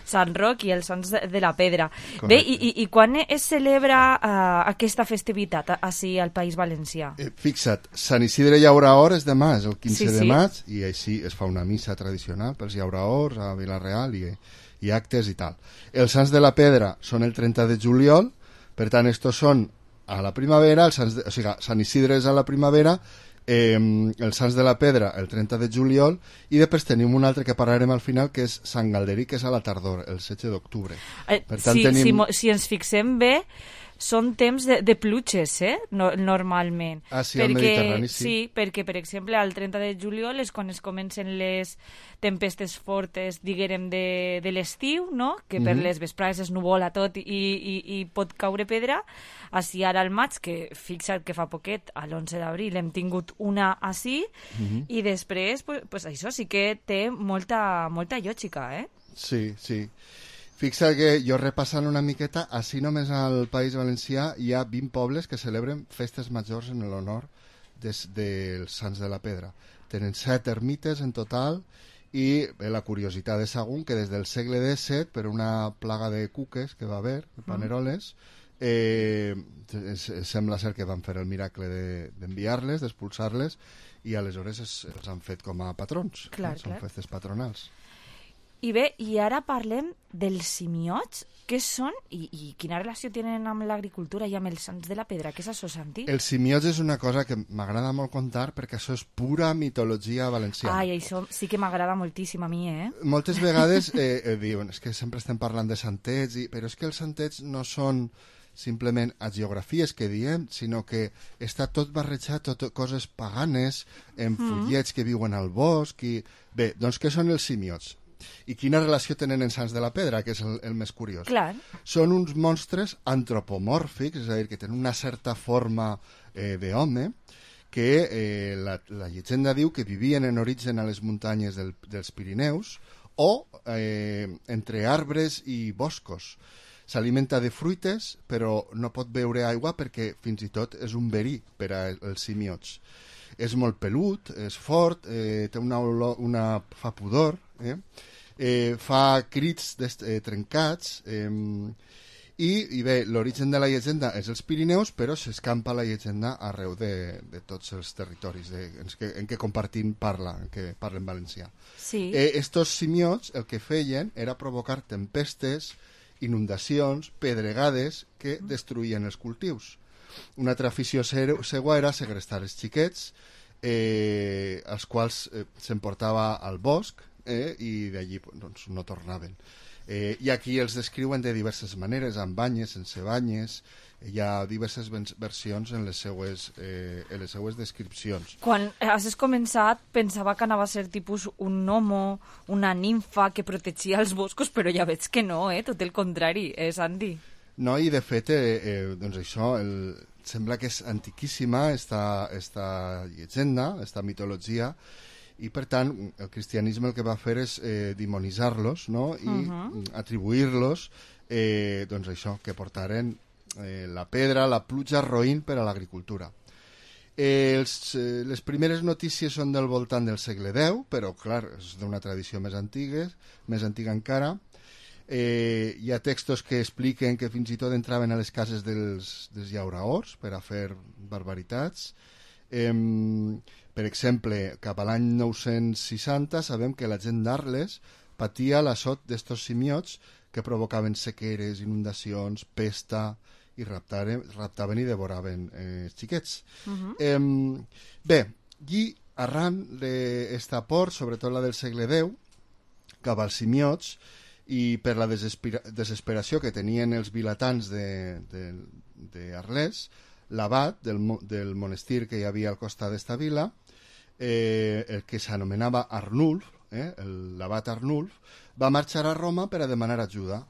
Sant Roc i els Sants de, de la Pedra. Correcte. Bé, i, i, i quan es celebra uh, aquesta festivitat així al País Valencià? Eh, fixa't, Sant Isidre Llauraor és demà, és el quinze sí, de sí. maig, i així es fa una missa tradicional pels llauraors a Vila-real i... i actes i tal. Els Sants de la Pedra són el trenta de juliol, per tant, estos són a la primavera, els Sants de, o sigui, Sant Isidre és a la primavera, eh, els Sants de la Pedra el trenta de juliol, i després tenim un altre que parlarem al final, que és Sant Galderí, que és a la tardor, el setze d'octubre. Eh, si, tenim... si, si ens fixem bé, són temps de, de pluges, eh? No, normalment. Ah, sí, perquè, al Mediterrani, sí. Sí, perquè, per exemple, al trenta de juliol és quan es comencen les tempestes fortes, diguérem, de, de l'estiu, no? Que per mm -hmm. les vesprades es nuvola tot i, i, i pot caure pedra. Així ara al maig, que fixa't que fa poquet, a l'onze d'abril, hem tingut una així, mm -hmm. i després, pues, pues això sí que té molta, molta lògica, eh? Sí, sí. Fixa que jo repassant una miqueta, així només al País Valencià hi ha vint pobles que celebren festes majors en l'honor dels, dels Sants de la Pedra. Tenen set ermites en total i bé, la curiositat de Sagunt, que des del segle disset, per una plaga de cuques que va haver, de paneroles, eh, sembla ser que van fer el miracle d'enviar-les, de, d'expulsar-les, i aleshores es, els han fet com a patrons. Clar, eh? Són clar. festes patronals. I bé, i ara parlem dels simiots. Què són i, i quina relació tenen amb l'agricultura i amb els Sants de la Pedra? Què és això, Santi? Els simiots és una cosa que m'agrada molt contar perquè això és pura mitologia valenciana. Ai, això sí que m'agrada moltíssim a mi, eh? Moltes vegades eh, eh, diuen, és que sempre estem parlant de santets, i, però és que els santets no són simplement agiografies que diem, sinó que està tot barrejat, tot coses paganes, en follets mm. que viuen al bosc. I... Bé, doncs què són els simiots? I quina relació tenen en Sants de la Pedra, que és el, el més curiós? Clar. Són uns monstres antropomòrfics, és a dir, que tenen una certa forma eh, d'home, que eh, la, la llegenda diu que vivien en origen a les muntanyes del, dels Pirineus o eh, entre arbres i boscos. S'alimenta de fruites, però no pot beure aigua perquè fins i tot és un verí per als simiots. És molt pelut, és fort, eh, té una, olor, una fa pudor, eh? Eh, fa crits eh, trencats, eh, I, i bé, l'origen de la llegenda és els Pirineus, però s'escampa la llegenda arreu de, de tots els territoris de, en, què, en què compartim parla, en què parlen valencià. Sí. Eh, estos simiots el que feien era provocar tempestes, inundacions, pedregades que destruïen els cultius. Una altra afició seua era segrestar els xiquets, eh, els quals eh, s'emportava al bosc eh, i d'allí doncs, no tornaven. Eh, I aquí els descriuen de diverses maneres, amb banyes, sense banyes, hi ha diverses versions en les seues, eh, en les seues descripcions. Quan has començat pensava que anava a ser tipus un gnomo, una nimfa que protegia els boscos, però ja veig que no, eh? Tot el contrari, eh, Santi? No, i de fet, eh, eh, doncs això, el, sembla que és antiquíssima esta, esta llegenda, esta mitologia, i per tant el cristianisme el que va fer és eh, demonitzar-los, no? I uh-huh. atribuir-los eh, doncs això, que portaren eh, la pedra, la pluja, roïn per a l'agricultura. Eh, els, eh, les primeres notícies són del voltant del segle deu, però clar, és d'una tradició més antiga, més antiga encara. Eh, hi ha textos que expliquen que fins i tot entraven a les cases dels, dels llauraors per a fer barbaritats. Eh, per exemple, cap a l'any nou-cents seixanta sabem que la gent d'Arles patia l'assot d'estos simiots que provocaven sequeres, inundacions, pesta i raptaven, raptaven i devoraven eh, els xiquets. Uh-huh. Eh, bé, i arran d'esta por, sobretot la del segle deu, cap als simiots, i per la desespera desesperació que tenien els vilatans d'Arles, l'abat del, del monestir que hi havia al costat d'esta vila, eh, el que s'anomenava Arnulf, eh, l'abat Arnulf, va marxar a Roma per a demanar ajuda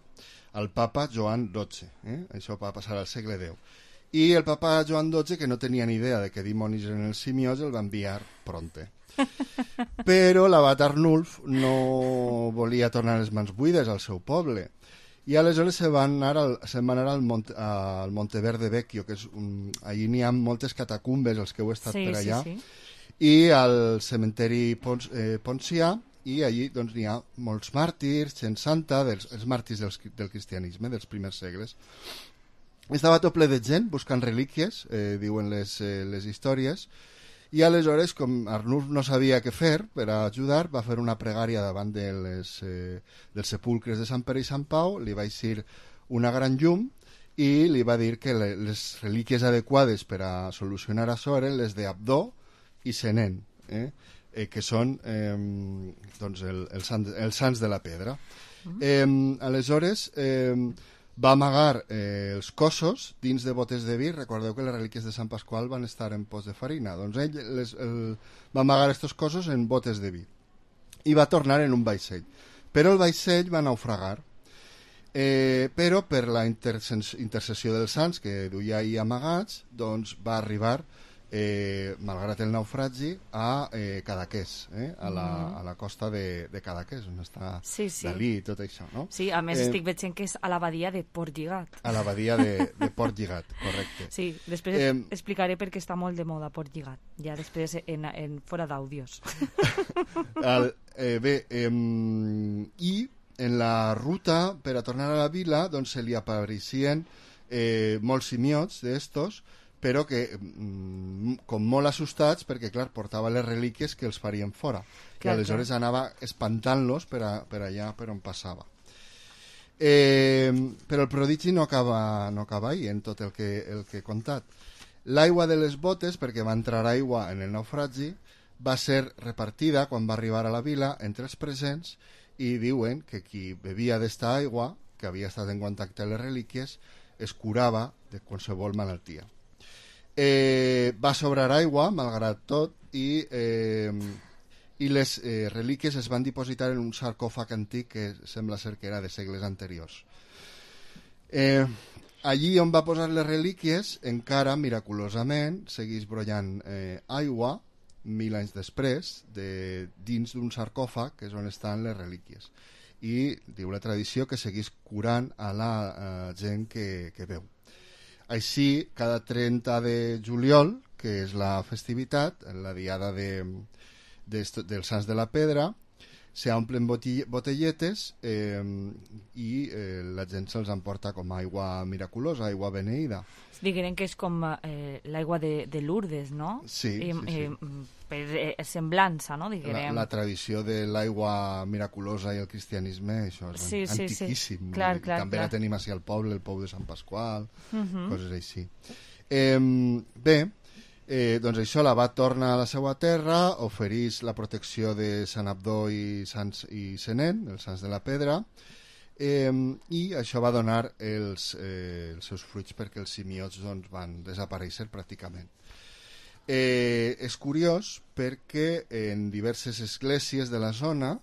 al papa Joan dotze. Eh? Això va passar al segle deu. I el papa Joan dotze, que no tenia ni idea de què dimonis eren els simiots, el va enviar pronte. Però l'abat Arnulf no volia tornar les mans buides al seu poble. I aleshores se van anar al, se van anar al, Monte, al Monteverde Vecchio, que és un, allí n'hi ha moltes catacumbes, els que heu estat sí, per allà, sí, sí. I al cementeri Pons, eh, Poncià, i allí doncs, n'hi ha molts màrtirs, gent santa, dels, els màrtirs del, del cristianisme, dels primers segles. Estava tot ple de gent buscant relíquies, eh, diuen les, eh, les històries, i aleshores, com Arnulf no sabia què fer per ajudar, va fer una pregària davant de les, eh, dels sepulcres de Sant Pere i Sant Pau, li va eixir una gran llum i li va dir que le, les relíquies adequades per a solucionar això eren les d'Abdó i Senén, eh? Eh, que són eh, doncs el, el sant, els sants de la pedra. Uh-huh. Eh, aleshores... Eh, va amagar eh, els cossos dins de botes de vi. Recordeu que les relíquies de Sant Pasqual van estar en pots de farina. Doncs ell les, el, va amagar aquests cossos en botes de vi i va tornar en un vaixell. Però el vaixell va naufragar. Eh, però per la intercessió dels sants que duia ahir amagats, doncs va arribar, eh, malgrat el naufragi, a eh, Cadaqués, eh, a, la, a la costa de, de Cadaqués, on està sí, sí. Dalí i tot això, no? Sí, a més eh, estic veient que és a l'abadia de Port Lligat. A l'abadia de, de Port Lligat, correcte. Sí, després eh, explicaré perquè està molt de moda Port Lligat, ja després en, en fora d'àudios. eh, bé, eh, i en la ruta per a tornar a la vila doncs se li apareixien eh, molts simiots d'estos, però que mm, com molt assustats perquè clar, portava les relíquies que els farien fora clar, i aleshores clar. Anava espantant-los per, a, per allà per on passava. Eh, però el prodigi no acaba, no acaba ahí en tot el que, el que he contat. L'aigua de les botes, perquè va entrar aigua en el naufragi, va ser repartida quan va arribar a la vila entre els presents i diuen que qui bevia d'esta aigua, que havia estat en contacte amb les relíquies, es curava de qualsevol malaltia. Eh, va sobrar aigua, malgrat tot, i, eh, i les eh, relíquies es van dipositar en un sarcòfag antic que sembla ser que era de segles anteriors. Eh, allí on va posar les relíquies, encara, miraculosament, segueix brollant eh, aigua, mil anys després, de, dins d'un sarcòfag, que és on estan les relíquies. I diu la tradició que segueix curant a la eh, gent que, que veu. Així, cada trenta de juliol, que és la festivitat, la diada de, de, dels Sants de la Pedra, se omplen botelletes eh, i eh, la gent se'ls emporta com aigua miraculosa, aigua beneïda. Diguem que és com eh, l'aigua de, de Lourdes, no? Sí, I, sí, sí. I, per eh, semblança, no? La, la tradició de l'aigua miraculosa i el cristianisme, això és sí, sí, antiquíssim. Sí. Clar, clar, també clar. la tenim així al poble, el pou de Sant Pasqual, uh -huh. coses així. Eh, bé, Eh, doncs això, l'abat torna a la seva terra, ofereix la protecció de Sant Abdó i, Sants, i Senén, els Sants de la Pedra, eh, i això va donar els, eh, els seus fruits perquè els simiots doncs, van desaparèixer pràcticament. Eh, és curiós perquè en diverses esglésies de la zona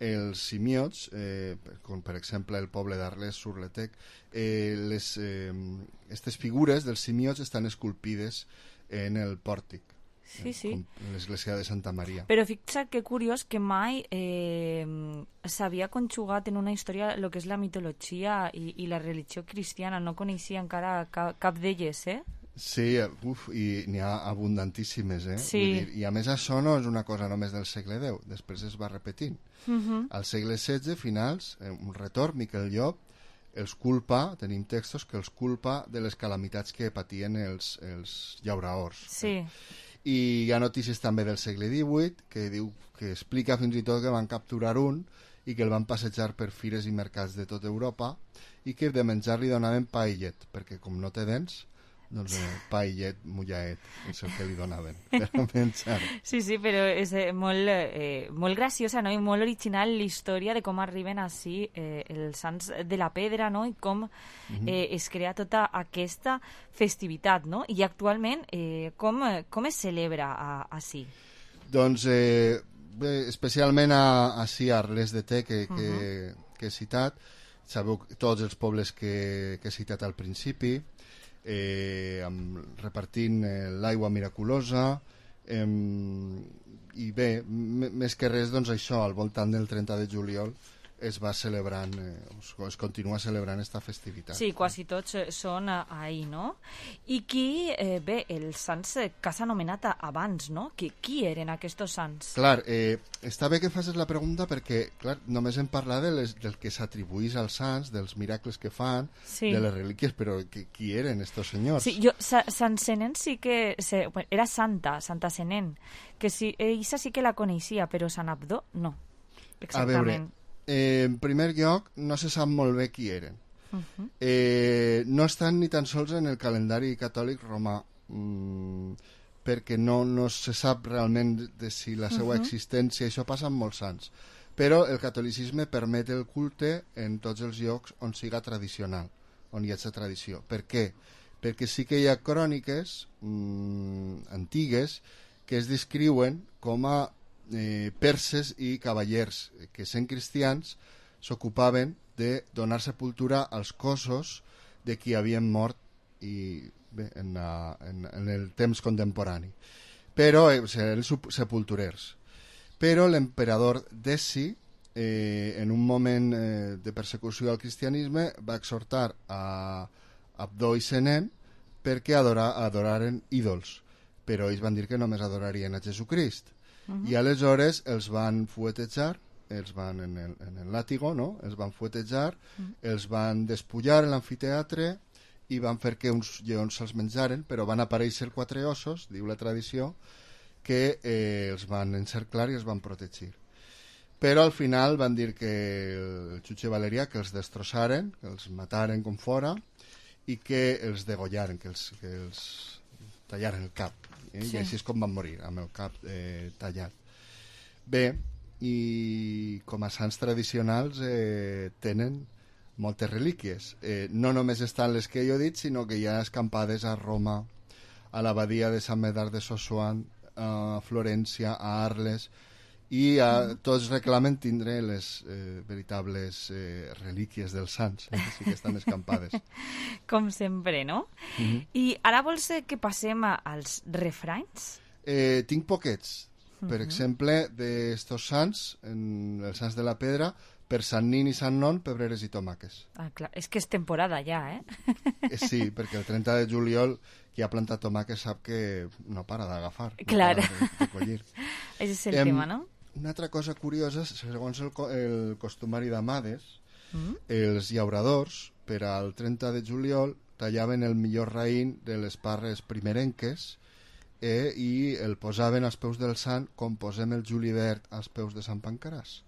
els simiots, eh, com per exemple el poble d'Arles-sur-Letec, eh, les, eh, aquestes figures dels simiots estan esculpides en el pòrtic, sí, sí. en l'església de Santa Maria. Però fixa't que curiós que mai eh, s'havia conjugat en una història el que és la mitologia i, i la religió cristiana. No coneixia encara cap, cap d'elles, eh? Sí, uf, i n'hi ha abundantíssimes, eh? Sí. Vull dir, i a més això no és una cosa només del segle deu, després es va repetint. Uh -huh. Al segle setze, finals, un retorn, Miquel Llop els culpa, tenim textos que els culpa de les calamitats que patien els, els llauraors. Sí. I hi ha notícies també del segle divuit que diu que explica fins i tot que van capturar un i que el van passejar per fires i mercats de tota Europa i que de menjar li donaven pa i llet, perquè com no té dents, doncs eh, pa i llet, mullaet, és el que li donaven per menjar. Sí, sí, però és eh, molt, eh, molt graciosa, no? I molt original la història de com arriben així eh, els Sants de la Pedra, no? I com eh, es crea tota aquesta festivitat, no? I actualment eh, com, com es celebra a, així? Doncs eh, bé, especialment a, així a Arles de Té que, que, uh -huh. que he citat, sabeu tots els pobles que, que he citat al principi, Eh, amb, repartint eh, l'aigua miraculosa eh, i bé, més que res doncs això, al voltant del trenta de juliol es va celebrant, eh, es continua celebrant esta festivitat. Sí, quasi tots són ahir, no? I qui, eh, bé, els sants que s'ha anomenat abans, no? Qui, qui eren aquests sants? Clar, eh, està bé que facis la pregunta perquè, clar, només hem parlat de les, del que s'atribuís als sants, dels miracles que fan, sí. de les relíquies, però que, qui eren estos senyors? Sí, jo, sa, Sant Senén sí que... Se, bueno, era santa, Santa Senén, que sí, ella sí que la coneixia, però Sant Abdó no, exactament. A veure, Eh, en primer lloc, no se sap molt bé qui eren. Uh-huh. eh, no estan ni tan sols en el calendari catòlic romà, mm, perquè no, no se sap realment de si la seva uh-huh. existència, això passa amb molts sants. Però el catolicisme permet el culte en tots els llocs on siga tradicional, on hi hagi tradició. Per què? Perquè sí que hi ha cròniques mm, antigues que es descriuen com a Eh, perses i cavallers que sent cristians s'ocupaven de donar sepultura als cossos de qui havien mort i, bé, en, la, en, en el temps contemporani, però eh, eren sepulturers. Però l'emperador Deci eh, en un moment eh, de persecució al cristianisme va exhortar a Abdó i Senén perquè adora, adoraren ídols, però ells van dir que només adorarien a Jesucrist. Uh-huh. I aleshores els van fuetejar, els van en el, en el làtigo, no? Els van fuetejar, uh-huh. els van despullar en l'amfiteatre i van fer que uns lleons se'ls menjaren, però van aparèixer quatre ossos, diu la tradició, que eh, els van encerclar i els van protegir. Però al final van dir que el jutge Valerià que els destrossaren, que els mataren com fora i que els degollaren, que els, que els tallaren el cap. Eh? Sí. I així és com van morir, amb el cap eh, tallat. Bé, i com a sants tradicionals eh, tenen moltes relíquies. Eh, no només estan les que jo he dit, sinó que hi ha escampades a Roma, a l'abadia de Sant Medard de Sossuan, a Florència, a Arles, i a, tots reclamen tindre les eh, veritables eh, relíquies dels sants, eh, sí que estan escampades. Com sempre, no? Uh-huh. I ara vols que passem als refranys? Eh, tinc poquets. Per uh-huh. exemple, d'estos sants, en els sants de la Pedra, per Sant Nin i Sant Non, pebreres i tomàques. Ah, clar. És que és temporada ja, eh? eh? Sí, perquè el trenta de juliol qui ha plantat tomàques sap que no para d'agafar, clar. No para de, de collir. Ese és el em, tema, no? una altra cosa curiosa, segons el, el costumari d'Amades, Mm? els llauradors, per al trenta de juliol, tallaven el millor raïm de les parres primerenques eh, i el posaven als peus del sant com posem el julivert als peus de Sant Pancaràs,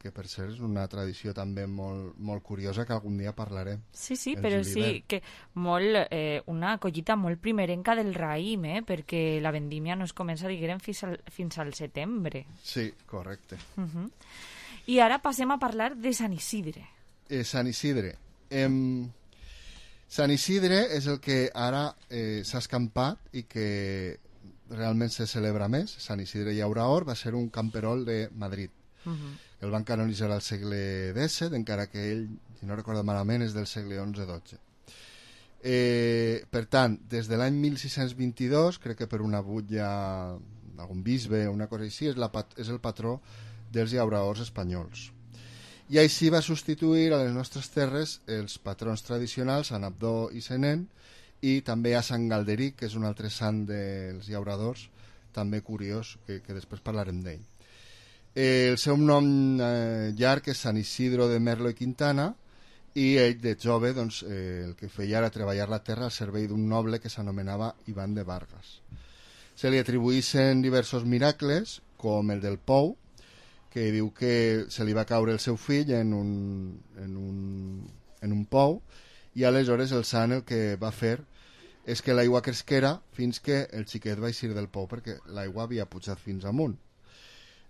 que per cert és una tradició també molt, molt curiosa que algun dia parlarem. Sí, sí, el però julivert. sí que molt, eh, una collita molt primerenca del raïm, eh, perquè la vendímia no es comença, diguem, fins al, fins al setembre. Sí, correcte. Uh -huh. I ara passem a parlar de Sant Isidre. Eh, Sant Isidre. Em... Sant Isidre és el que ara eh, s'ha escampat i que realment se celebra més. Sant Isidre Llauraor va ser un camperol de Madrid. Uh -huh. El van canonitzar al segle dèsset, encara que ell, si no recordo malament, és del segle onze dotze. Eh, per tant, des de l'any mil sis-cents vint-i-dos, crec que per una butlla d'algun bisbe o una cosa així, és, la, és el patró dels llauraors espanyols. I així va substituir a les nostres terres els patrons tradicionals, Sant Abdó i Senén, i també a Sant Galderic, que és un altre sant dels llauradors, també curiós, que, que després parlarem d'ell. Eh, el seu nom eh, llarg és Sant Isidro de Merlo i Quintana, i ell de jove doncs, eh, el que feia era treballar la terra al servei d'un noble que s'anomenava Ivan de Vargas. Se li atribuïssin diversos miracles, com el del pou, que diu que se li va caure el seu fill en un, en un, en un pou, i aleshores el sant el que va fer és que l'aigua cresquera fins que el xiquet va eixir del pou, perquè l'aigua havia pujat fins amunt.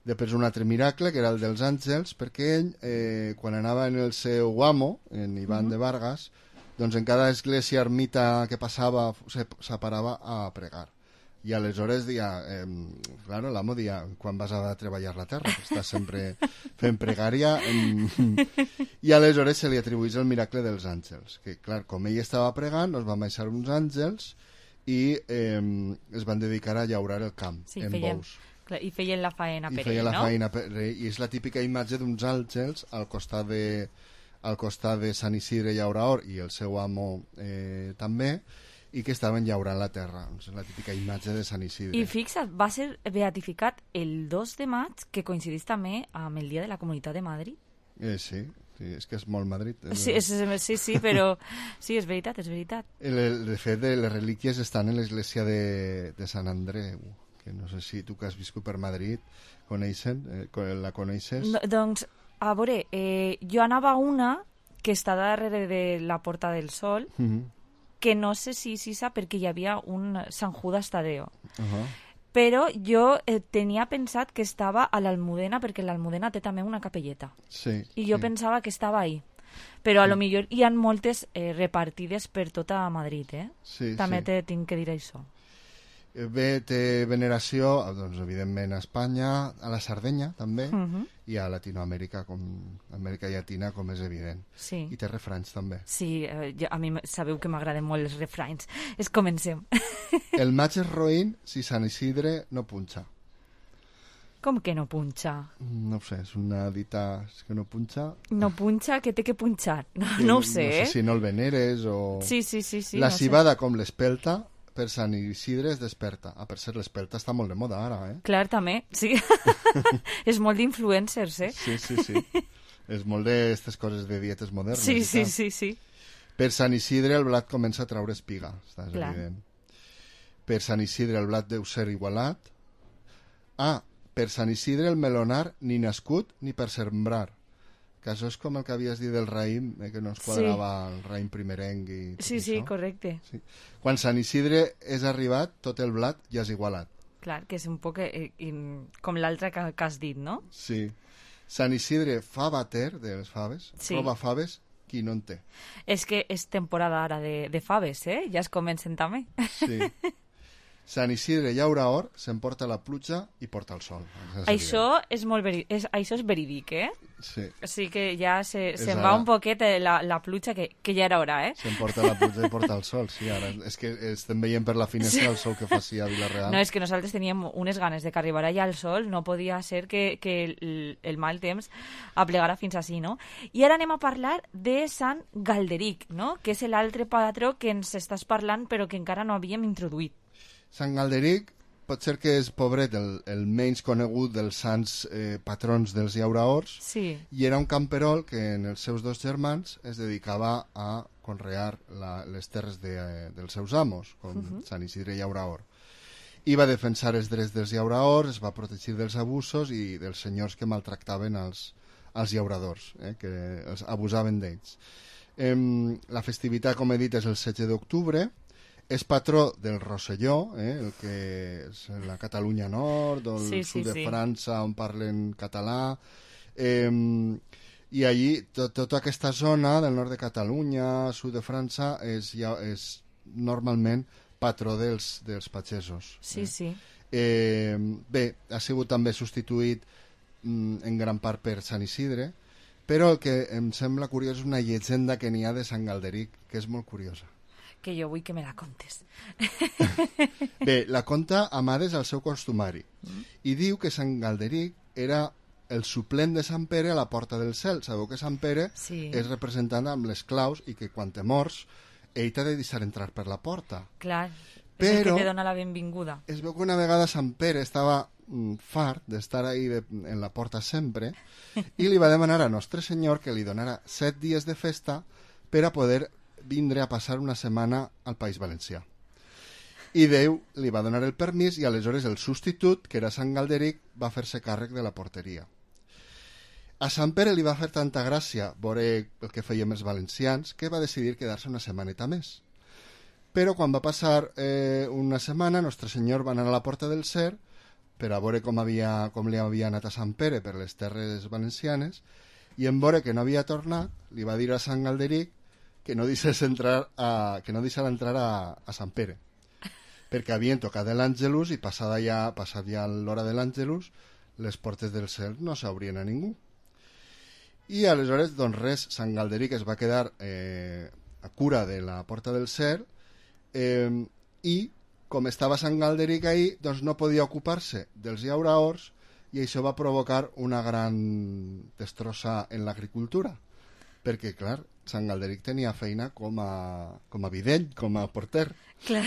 Després un altre miracle, que era el dels àngels, perquè ell, eh, quan anava en el seu amo, en Ivan uh-huh. de Vargas, doncs en cada església ermita que passava s'aparava a pregar. I aleshores dia, eh, claro, l'amo dia, quan vas a treballar la terra, que estàs sempre fent pregària, eh, i aleshores se li atribuís el miracle dels àngels, que clar, com ell estava pregant, doncs van baixar uns àngels i eh, es van dedicar a llaurar el camp, sí, en feien, bous. clar, I feien la faena per I feien ell, la no? faena per ell, i és la típica imatge d'uns àngels al costat de, al costat de Sant Isidre Llauraor i el seu amo eh, també, i que estaven llaurant la terra. És la típica imatge de Sant Isidre. I fixa't, va ser beatificat el dos de maig, que coincidís també amb el Dia de la Comunitat de Madrid. Eh, sí, sí, és que és molt Madrid. Sí, és, sí, sí, però sí, és veritat, és veritat. El, de fet, les relíquies estan en l'església de, de Sant Andreu, que no sé si tu que has viscut per Madrid coneixen, eh, la coneixes? No, doncs, a veure, eh, jo anava a una que està darrere de la Porta del Sol, Mm-hmm. que no sé si si sap perquè hi havia un Sant Judas Tadeo. Uh-huh. Però jo eh, tenia pensat que estava a l'Almudena, perquè l'Almudena té també una capelleta. Sí, I jo sí. pensava que estava ahí. Però a lo millor hi ha moltes eh, repartides per tota Madrid, eh? Sí, també sí. te tinc que dir això. Bé, té veneració, doncs, evidentment, a Espanya, a la Sardenya, també, Uh-huh. i a Latinoamèrica, com Amèrica Llatina, com és evident. Sí. I té refranys, també. Sí, eh, jo, a mi m- sabeu que m'agraden molt els refranys. Es comencem. El maig és roïn si Sant Isidre no punxa. Com que no punxa? No ho sé, és una dita és que no punxa. No punxa, que té que punxar. No, que no ho sé, No sé eh? si no el veneres o... Sí, sí, sí, sí, La no sé. cibada com l'espelta, per Sant Isidre es desperta. Ah, per cert, l'espelta està molt de moda ara, eh? Clar, també, sí. És molt d'influencers, eh? Sí, sí, sí. És molt d'aquestes coses de dietes modernes. Sí, i sí, tal. sí, sí. Per Sant Isidre el blat comença a traure espiga, està és Clar. evident. Per Sant Isidre el blat deu ser igualat. Ah, per Sant Isidre el melonar ni nascut ni per sembrar. Que això és com el que havies dit del raïm, eh, que no es quadrava sí. el raïm primerenc i tot Sí, sí, això. correcte. Sí. Quan Sant Isidre és arribat, tot el blat ja és igualat. Clar, que és un poc eh, in, com l'altre que, que has dit, no? Sí. Sant Isidre fa bater de les faves, Sí. roba faves, qui no en té. És que és temporada ara de, de faves, eh? Ja es comencen també. Sí. Sant Isidre llaura or, s'emporta la pluja i porta el sol. És Això és molt veri és, això és verídic, eh? Sí. Sí que ja se, És se'n ara. va un poquet eh, la, la pluja, que, que ja era hora, eh? S'emporta la pluja i porta el sol, sí. Ara és que estem veient per la finestra Sí. el sol que fa sí a Vila-real. No, és que nosaltres teníem unes ganes de que arribara ja el sol, no podia ser que, que el, el mal temps aplegara fins així, no? I ara anem a parlar de Sant Galderic, no? Que és l'altre patró que ens estàs parlant però que encara no havíem introduït. Sant Galderic pot ser que és, pobret, el, el menys conegut dels sants eh, patrons dels llauraors, sí. I era un camperol que en els seus dos germans es dedicava a conrear la, les terres de, eh, dels seus amos, com uh-huh. Sant Isidre Llauraor. I va defensar els drets dels llauraors, es va protegir dels abusos i dels senyors que maltractaven els, els llauradors, eh, que els abusaven d'ells. Eh, la festivitat, com he dit, és el setze d'octubre, és patró del Rosselló, eh, el que és la Catalunya Nord o el sí, sud sí, de sí. França on parlen català, eh, i allí tot, tota aquesta zona del nord de Catalunya, sud de França, és, ja, és normalment patró dels, dels pagesos. Sí, eh. sí. Eh, bé, ha sigut també substituït mm, en gran part per Sant Isidre, però el que em sembla curiós és una llegenda que n'hi ha de Sant Galderic, que és molt curiosa. Que jo vull que me la contes. Bé, la conta Amades al seu costumari mm. i diu que Sant Galderic era el suplent de Sant Pere a la Porta del Cel. Sabeu que Sant Pere sí. és representant amb les claus i que quan te mors ell t'ha de deixar entrar per la porta. Clar, però és el que te dona la benvinguda. Es veu que una vegada Sant Pere estava mm, fart d'estar ahí de, en la porta sempre i li va demanar a Nostre Senyor que li donara set dies de festa per a poder vindre a passar una setmana al País Valencià. I Déu li va donar el permís i aleshores el substitut, que era Sant Galderic, va fer-se càrrec de la porteria. A Sant Pere li va fer tanta gràcia veure el que fèiem els valencians que va decidir quedar-se una setmaneta més. Però quan va passar eh, una setmana, Nostre Senyor va anar a la Porta del Cer per a veure com, havia, com li havia anat a Sant Pere per les terres valencianes i en veure que no havia tornat, li va dir a Sant Galderic que no deixés entrar a, que no deixara entrar a, a Sant Pere, perquè havien tocat l'Àngelus i passada ja, passat ja l'hora de l'Àngelus, les portes del cel no s'obrien a ningú. I aleshores, doncs res, Sant Galderic es va quedar eh, a cura de la Porta del Cel eh, i, com estava Sant Galderic ahí, doncs no podia ocupar-se dels llauraors i això va provocar una gran destrossa en l'agricultura, perquè, clar, Sant Galderic tenia feina com a, com a videll, com a porter. Clar.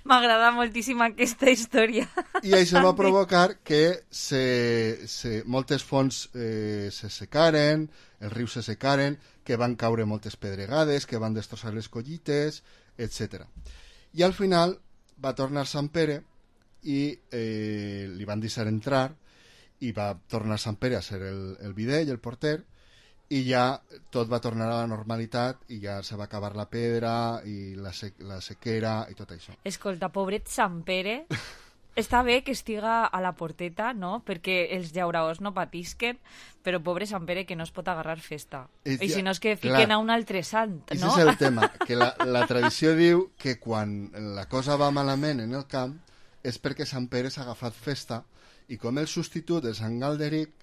M'agrada moltíssim aquesta història. I això va provocar que se, se, moltes fonts eh, se secaren, els rius se secaren, que van caure moltes pedregades, que van destrossar les collites, etcètera. I al final va tornar Sant Pere i eh, li van deixar entrar i va tornar Sant Pere a ser el, el videll, el porter, i ja tot va tornar a la normalitat i ja se va acabar la pedra i la, sec la sequera i tot això. Escolta, pobret Sant Pere, està bé que estiga a la porteta, no?, perquè els llauraors no patisquen, però pobre Sant Pere que no es pot agarrar festa. I, I si no és que fiquen clar, a un altre sant, no? Això és el tema, que la, la tradició diu que quan la cosa va malament en el camp és perquè Sant Pere s'ha agafat festa i com el substitut de Sant Galderic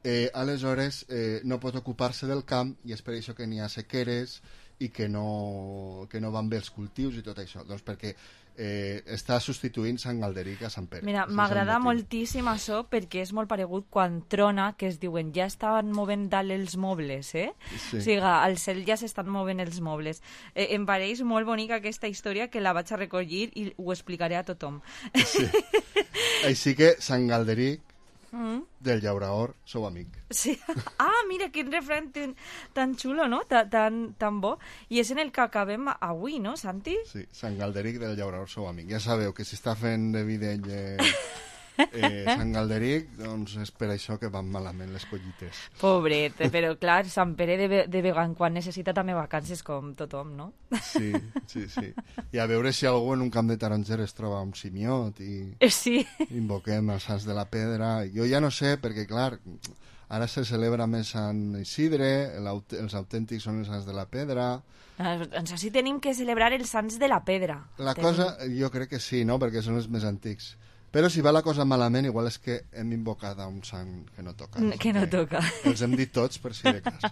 Eh, aleshores eh, no pot ocupar-se del camp i és per això que n'hi ha sequeres i que no, que no van bé els cultius i tot això, doncs perquè eh, està substituint Sant Galderic a Sant Pere. Mira, m'agrada moltíssim això perquè és molt paregut quan trona, que es diuen ja estaven movent dalt els mobles, eh? Sí. O sigui, al cel ja s'estan movent els mobles. Eh, em pareix molt bonica aquesta història que la vaig a recollir i ho explicaré a tothom. Sí. Així que Sant Galderic Mm. del llauraor, sou amic. Sí. Ah, mira, quin refrany tan, tan xulo, no? Ta, tan, tan bo. I és en el que acabem avui, no, Santi? Sí, Sant Galderic del llauraor, sou amic. Ja sabeu que si està fent de videll eh, eh, Sant Galderic, doncs és per això que van malament les collites. Pobret, però clar, Sant Pere de, de vegant quan necessita també vacances com tothom, no? Sí, sí, sí. I a veure si algú en un camp de taronger es troba un simiot i sí. Invoquem els sants de la pedra. Jo ja no sé, perquè clar, ara se celebra més Sant Isidre, els autèntics són els sants de la pedra. Doncs així tenim que celebrar els sants de la pedra. La tenim... cosa, jo crec que sí, no?, perquè són els més antics. Però si va la cosa malament, igual és que hem invocat a un sant que no toca. No, que no toca. Els hem dit tots, per si de cas.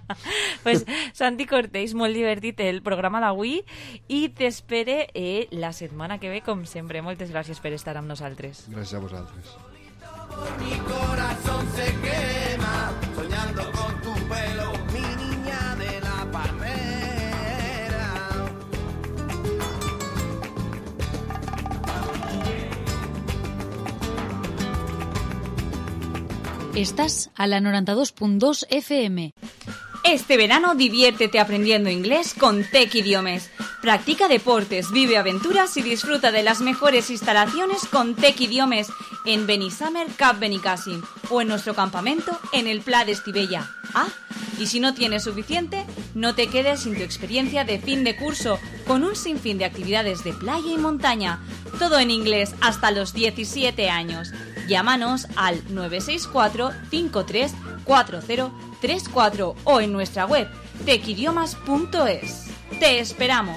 Pues, Santi Cortés, molt divertit el programa d'avui i t'espere eh, la setmana que ve, com sempre. Moltes gràcies per estar amb nosaltres. Gràcies a vosaltres. Mi corazón se quema soñando con tu pelo, mi niña de la palmera. Estás a la noventa y dos punto dos F M. Este verano diviértete aprendiendo inglés con Tech Idiomes. Practica deportes, vive aventuras y disfruta de las mejores instalaciones con Tech Idiomes en Benissamer Cap Benicàssim o en nuestro campamento en el Pla de Estivella. Ah, y si no tienes suficiente, no te quedes sin tu experiencia de fin de curso con un sinfín de actividades de playa y montaña. Todo en inglés hasta los diecisiete años. Llámanos al nueve seis cuatro cinco tres cuatro cero tres cuatro o en nuestra web tech idiomas punto es. ¡Te esperamos!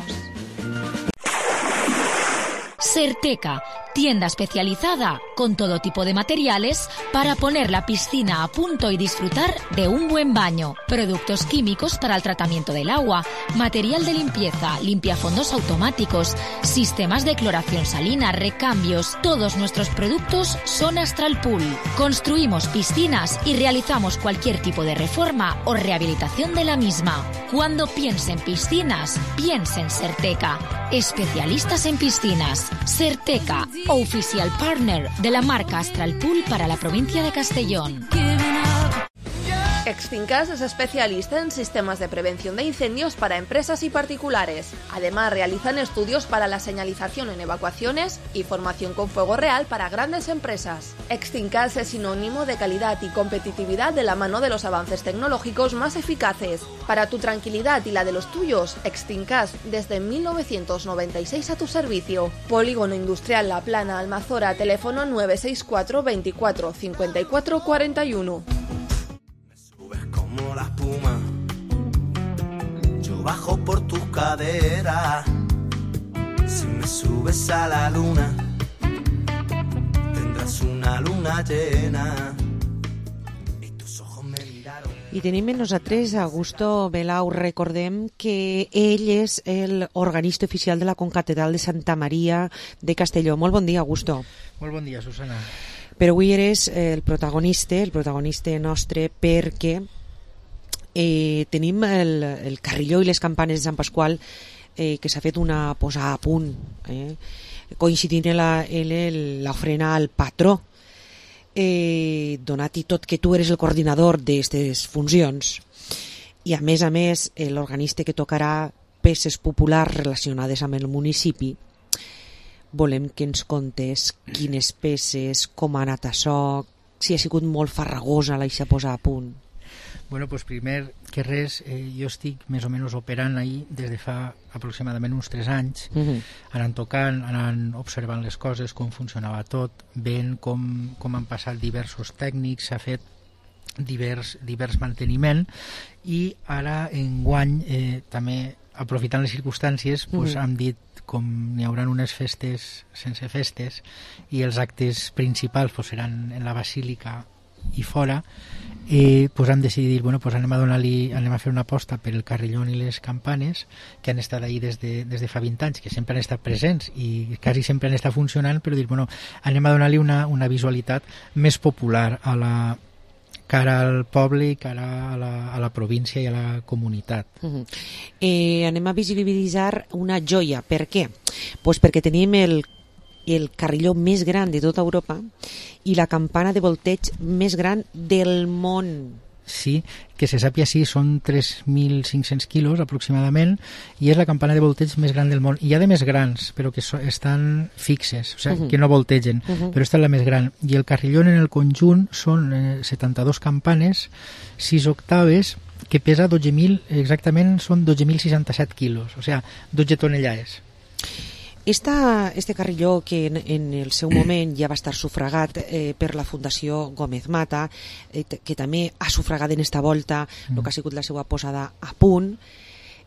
Certeca, tienda especializada con todo tipo de materiales para poner la piscina a punto y disfrutar de un buen baño. Productos químicos para el tratamiento del agua, material de limpieza, limpiafondos automáticos, sistemas de cloración salina, recambios. Todos nuestros productos son Astral Pool. Construimos piscinas y realizamos cualquier tipo de reforma o rehabilitación de la misma. Cuando piense en piscinas, piense en Certeca. Especialistas en piscinas. Certeca, oficial partner de la marca Astral Pool para la provincia de Castellón. Extincas es especialista en sistemas de prevención de incendios para empresas y particulares. Además, realizan estudios para la señalización en evacuaciones y formación con fuego real para grandes empresas. Extincas es sinónimo de calidad y competitividad de la mano de los avances tecnológicos más eficaces. Para tu tranquilidad y la de los tuyos, Extincas desde mil novecientos noventa y seis a tu servicio. Polígono Industrial La Plana, Almazora, teléfono nueve seis cuatro veinticuatro cincuenta y cuatro cuarenta y uno. Como la espuma, yo bajo por tus caderas. Si me subes a la luna, tendrás una luna llena. Y tus ojos me miraron. I tenim amb nosaltres Augusto Belau. Recordem que ell és el organista oficial de la Concatedral de Santa Maria de Castelló. Molt bon dia, Augusto. Molt bon dia, Susana. Però avui eres el protagonista, el protagonista nostre, perquè eh, tenim el, el carrilló i les campanes de Sant Pasqual eh, que s'ha fet una posada a punt, eh, coincidint en l'ofrena al patró. Eh, donat i tot que tu eres el coordinador d'aquestes funcions i a més a més l'organista que tocarà peces populars relacionades amb el municipi, volem que ens contes quines peces, com ha anat això, si ha sigut molt farragosa la ixa posar a punt. Bueno, pues primer que res, eh, jo estic més o menys operant ahí des de fa aproximadament uns tres anys, uh-huh. anant tocant, anant observant les coses, com funcionava tot, veient com, com han passat diversos tècnics, s'ha fet divers, divers manteniment i ara enguany eh, també aprofitant les circumstàncies pues, uh-huh. hem dit com n'hi haurà unes festes sense festes i els actes principals pues, seran en la basílica i fora, eh, pues hem decidit bueno, pues anem a donar-li, anem a fer una aposta per el carrillón i les campanes que han estat ahí des de, des de fa vint anys, que sempre han estat presents i quasi sempre han estat funcionant, però dir, bueno, anem a donar-li una, una visualitat més popular a la cara al poble i cara a la, a la província i a la comunitat. Uh-huh. eh, anem a visibilitzar una joia. Per què? Pues perquè tenim el el carrilló més gran de tota Europa i la campana de volteig més gran del món. Sí, que se sàpia sí, són tres mil cinc-cents quilos aproximadament i és la campana de volteig més gran del món. Hi ha de més grans, però que so, estan fixes, o sigui, uh-huh. que no voltegen, uh-huh. però esta és la més gran. I el carrilló en el conjunt són eh, setanta-dos campanes, sis octaves, que pesa dotze mil, exactament són dotze mil seixanta-set quilos, o sigui, dotze tonellades. Esta, este carrilló que en, en el seu moment ja va estar sufragat eh, per la Fundació Gómez Mata, eh, que també ha sufragat en esta volta el que ha sigut la seva posada a punt,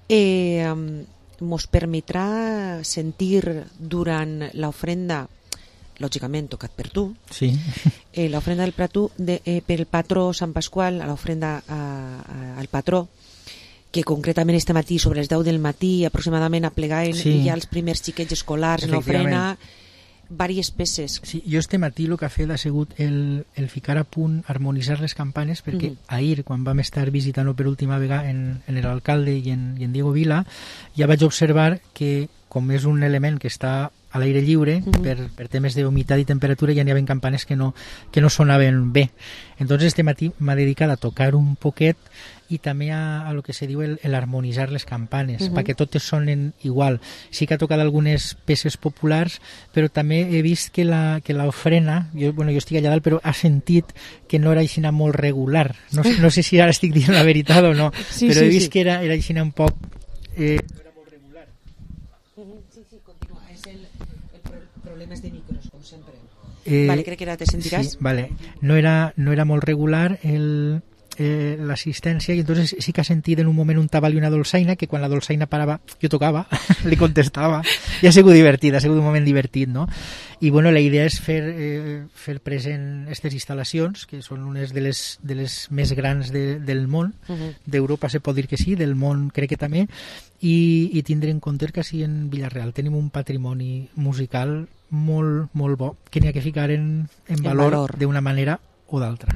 eh, mos permetrà sentir durant l'ofrenda, lògicament tocat per tu, sí. eh, l'ofrenda del plató, de, eh, per el patró Sant Pasqual, a l'ofrenda a, a, al patró, que concretament este matí, sobre les deu del matí, aproximadament aplegaven sí. ja els primers xiquets escolars en l'ofrena, diverses peces. Sí, jo este matí el que ha fet ha sigut el, el ficar a punt, harmonitzar les campanes, perquè uh-huh. ahir, quan vam estar visitant-ho per última vegada en, en l'alcalde i en, i en Diego Vila, ja vaig observar que, com és un element que està a l'aire lliure, uh-huh. per, per temes d'humitat i temperatura, ja n'hi havia campanes que no, que no sonaven bé. Entonces este matí m'ha dedicat a tocar un poquet i també a, a lo que se diu el, el harmonitzar les campanes, uh-huh. perquè totes sonen igual. Sí que ha tocat algunes peces populars, però també he vist que la, que l'ofrena, jo, bueno, jo estic allà dalt, però ha sentit que no era aixina molt regular. No, no sé si ara estic dient la veritat o no, sí, però sí, he vist sí. que era, era aixina un poc... Eh, problemes de micros, com sempre. Eh, vale, crec que ara te sentiràs. Sí, vale. No era, no era molt regular el, eh, l'assistència, i entonces sí que ha sentit en un moment un tabal i una dolçaina, que quan la dolçaina parava jo tocava, li contestava, i ha sigut divertit, ha sigut un moment divertit, no? I bueno, la idea és fer, eh, fer present aquestes instal·lacions, que són unes de les, de les més grans de, del món, uh-huh. d'Europa se pot dir que sí, del món crec que també, i, i tindre en compte que sí, en Villarreal tenim un patrimoni musical molt, molt bo, que n'hi ha que ficar en, en valor, valor. d'una manera o d'altra.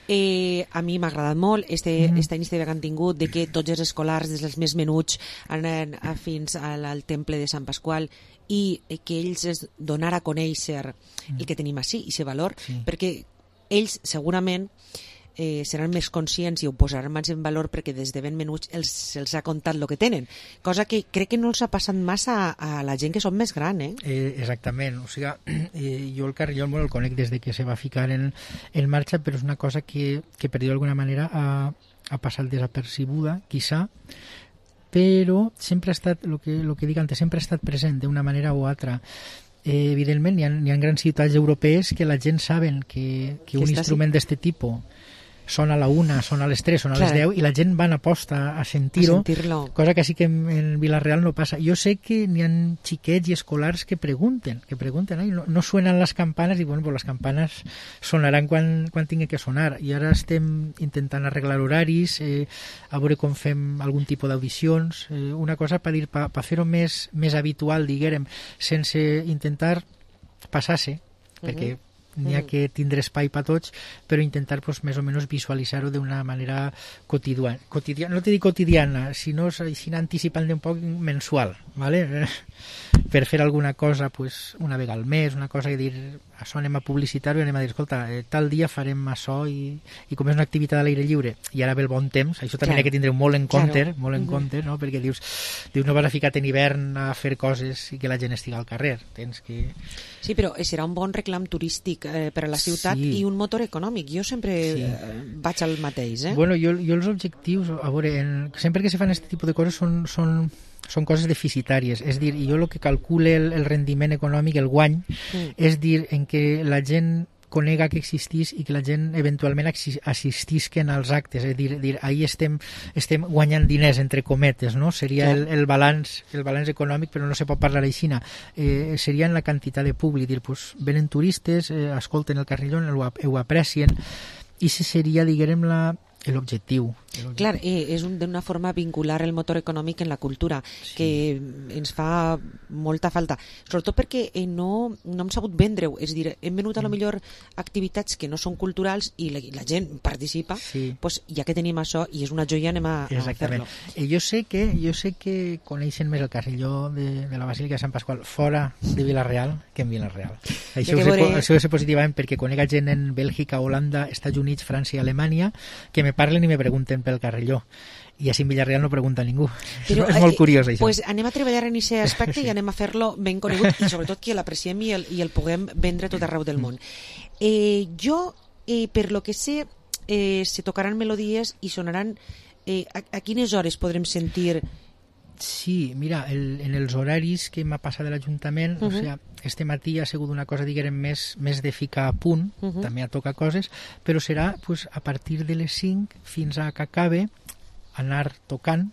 Eh, a mi m'ha agradat molt este, mm. esta iniciativa que han tingut de que tots els escolars, des dels més menuts, anen a, fins al, al temple de Sant Pasqual, i eh, que ells es donar a conèixer mm. el que tenim així, i aquest valor, sí. perquè ells segurament eh, seran més conscients i ho posaran més en valor perquè des de ben menuts els, els ha contat el que tenen, cosa que crec que no els ha passat massa a, a la gent que són més gran, eh? eh exactament, o sigui, eh, jo el Carrilló el conec des de que se va ficar en, en marxa, però és una cosa que, que per dir d'alguna manera ha, ha passat desapercibuda, quizá, però sempre ha estat, el que, lo que dic antes, sempre ha estat present d'una manera o altra. Eh, evidentment, hi ha, hi ha grans ciutats europees que la gent saben que, que, que un instrument d'aquest tipus són a la una, són a les tres, són a les deu, i la gent van a posta a sentir-ho, sentir cosa que sí que en, en Villarreal no passa. Jo sé que n'hi ha xiquets i escolars que pregunten, que pregunten, eh? no, no suenen les campanes, i bueno, pues les campanes sonaran quan, quan tingui que sonar, i ara estem intentant arreglar horaris, eh, a veure com fem algun tipus d'audicions, eh, una cosa per dir, per pa fer-ho més, més habitual, diguem, sense intentar passar-se, uh-huh. perquè n'hi ha que tindre espai per tots, però intentar pues, més o menys visualitzar-ho d'una manera quotidiana. quotidiana. No te dic quotidiana, sinó així anticipant un poc mensual, ¿vale? Per fer alguna cosa pues, una vegada al mes, una cosa que dir, això anem a publicitar-ho i anem a dir, escolta, eh, tal dia farem això, i, i com és una activitat a l'aire lliure, i ara ve el bon temps, això també claro. ha que tindre molt en compte, claro. molt en uh-huh. compte, no? Perquè dius, dius, no vas a ficar en hivern a fer coses i que la gent estigui al carrer, tens que... Sí, però serà un bon reclam turístic eh, per a la ciutat sí. i un motor econòmic. Jo sempre sí. eh, vaig al mateix, eh? Bueno, jo, jo els objectius, a veure, en, sempre que se fan aquest tipus de coses són, són, són coses deficitàries, és dir, jo el que calcule el, el rendiment econòmic, el guany, mm. és dir, en què la gent conega que existís i que la gent eventualment assistisquen als actes, és dir, dir ahir estem, estem guanyant diners, entre cometes, no? Seria el, el, balanç, el balanç econòmic, però no se pot parlar així. Eh, seria en la quantitat de públic, dir, pues, venen turistes, eh, escolten el Carrillón, ho, ho aprecien, i se seria, diguem, la l'objectiu. Clar, eh, és un, d'una forma vincular el motor econòmic en la cultura, sí. que ens fa molta falta, sobretot perquè eh, no, no hem sabut vendre-ho, és a dir, hem venut a lo millor activitats que no són culturals i la, la gent participa, sí. pues, ja que tenim això i és una joia, anem a, a fer-lo. Eh, jo sé que jo sé que coneixen més el Carrilló de, de la Basílica de Sant Pasqual fora de Villarreal que en Villarreal. Això ho sé, això ho sé positivament perquè conec gent en Bèlgica, Holanda, Estats Units, França i Alemanya que me parlen i me pregunten pel Carrilló, i així en Villarreal no pregunta ningú. Però, és molt curiós això. Pues anem a treballar en aquest aspecte i anem a fer-lo ben conegut i sobretot que l'apreciem i el, i el puguem vendre tot arreu del món. Eh, jo, eh, per lo que sé, eh, se tocaran melodies i sonaran eh, a, a quines hores podrem sentir? Sí, mira, el, en els horaris que m'ha passat de l'Ajuntament, uh-huh. o sigui, este matí ha sigut una cosa, diguem, més, més de ficar a punt, uh-huh. també a tocar coses, però serà pues, a partir de les cinc fins a que acabe anar tocant,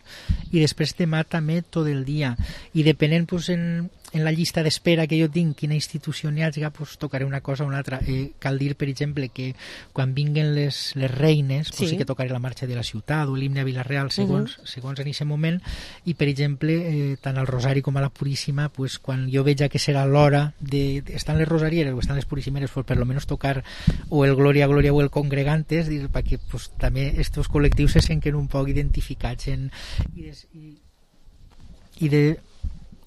i després demà també tot el dia, i depenent pues, en, en la llista d'espera que jo tinc, quina institució n'hi hagi, pues, tocaré una cosa o una altra. Eh, cal dir, per exemple, que quan vinguen les, les reines, pues, sí. sí que tocaré la marxa de la ciutat o l'himne a Villarreal segons, uh-huh. segons en aquest moment, i per exemple eh, tant al Rosari com a la Puríssima, pues, quan jo veig que serà l'hora de, de estan les rosarieres o estan les puríssimeres, pues, per lo menos tocar o el Gloria Gloria o el Congregantes, dir, perquè pues, també estos col·lectius se senten un poc identificats en, i, des, i, i de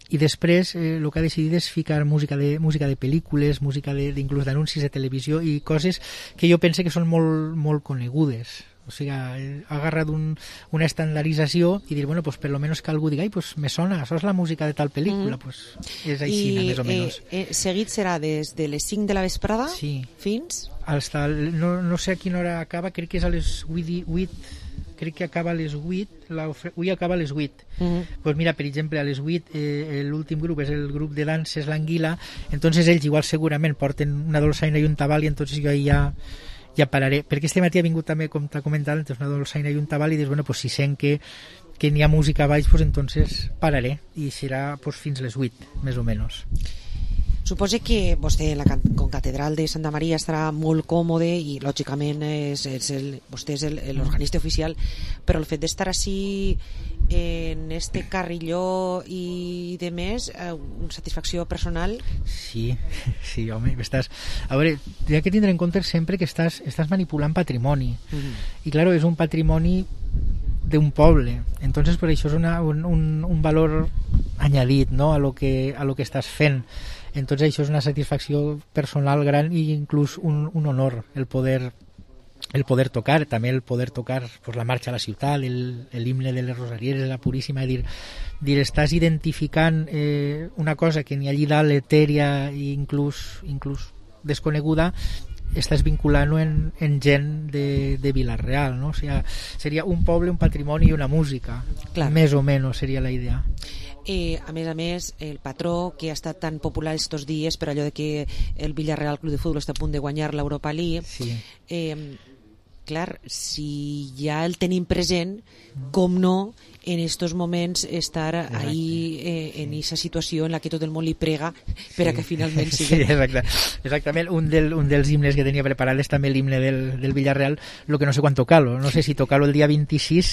i després eh, el que ha decidit és ficar música de, música de pel·lícules, música de, inclús d'anuncis de televisió i coses que jo pense que són molt, molt conegudes. O sigui, ha agarrat un, una estandardització i dir, bueno, pues per lo menos que algú digui, ai, pues me sona, això és la música de tal pel·lícula, mm. pues és així, I, més o menys. Eh, eh, seguit serà des de les cinc de la vesprada sí. fins... Hasta, no, no sé a quina hora acaba, crec que és a les vuit, crec que acaba a les vuit, avui acaba a les vuit. Uh-huh. Pues mira, per exemple, a les vuit eh, l'últim grup és el grup de danses L'Anguila, entonces ells igual segurament porten una dolçaina i un tabal i entonces jo ja ja pararé, perquè este matí ha vingut també, com t'ha comentat, entonces una dolçaina i un tabal i dius, bueno, pues si sent que, que n'hi ha música a baix, pues entonces pararé i serà pues, fins les vuit, més o menys. Suposo que vostè en la concatedral de Santa Maria estarà molt còmode i lògicament és, és el, vostè és l'organista oficial, però el fet d'estar així en este carrilló i de més, una satisfacció personal? Sí, sí, home, estàs... A veure, hi ha que tindre en compte sempre que estàs, estàs manipulant patrimoni. Mm-hmm. I, claro, és un patrimoni d'un poble. Entonces, per això és una, un, un, un valor añadit, ¿no?, a lo que, a lo que estàs fent. Entonces això és una satisfacció personal gran i inclús un, un honor el poder el poder tocar, també el poder tocar pues, la marxa a la ciutat, l'himne de les Rosarieres, de la Puríssima, dir, dir estàs identificant eh, una cosa que ni allí dalt etèria i inclús, inclús desconeguda, estàs vinculant-ho en, en gent de, de Vila-real, no? O sigui, seria un poble, un patrimoni i una música. Clar. Més o menys seria la idea. Eh, a més a més, el patró que ha estat tan popular estos dies per allò de que el Villarreal Club de Futbol està a punt de guanyar l'Europa League, sí. eh, clar, si ja el tenim present, com no en estos moments estar exacte. Ahí eh, en esa situació en la que tot el món li prega per sí. a que finalment sigui. Sí, exacte. Exactament, un, del, un dels himnes que tenia preparat és també l'himne del, del Villarreal, lo que no sé quan tocar-lo, no sé si tocar-lo el dia vint-i-sis,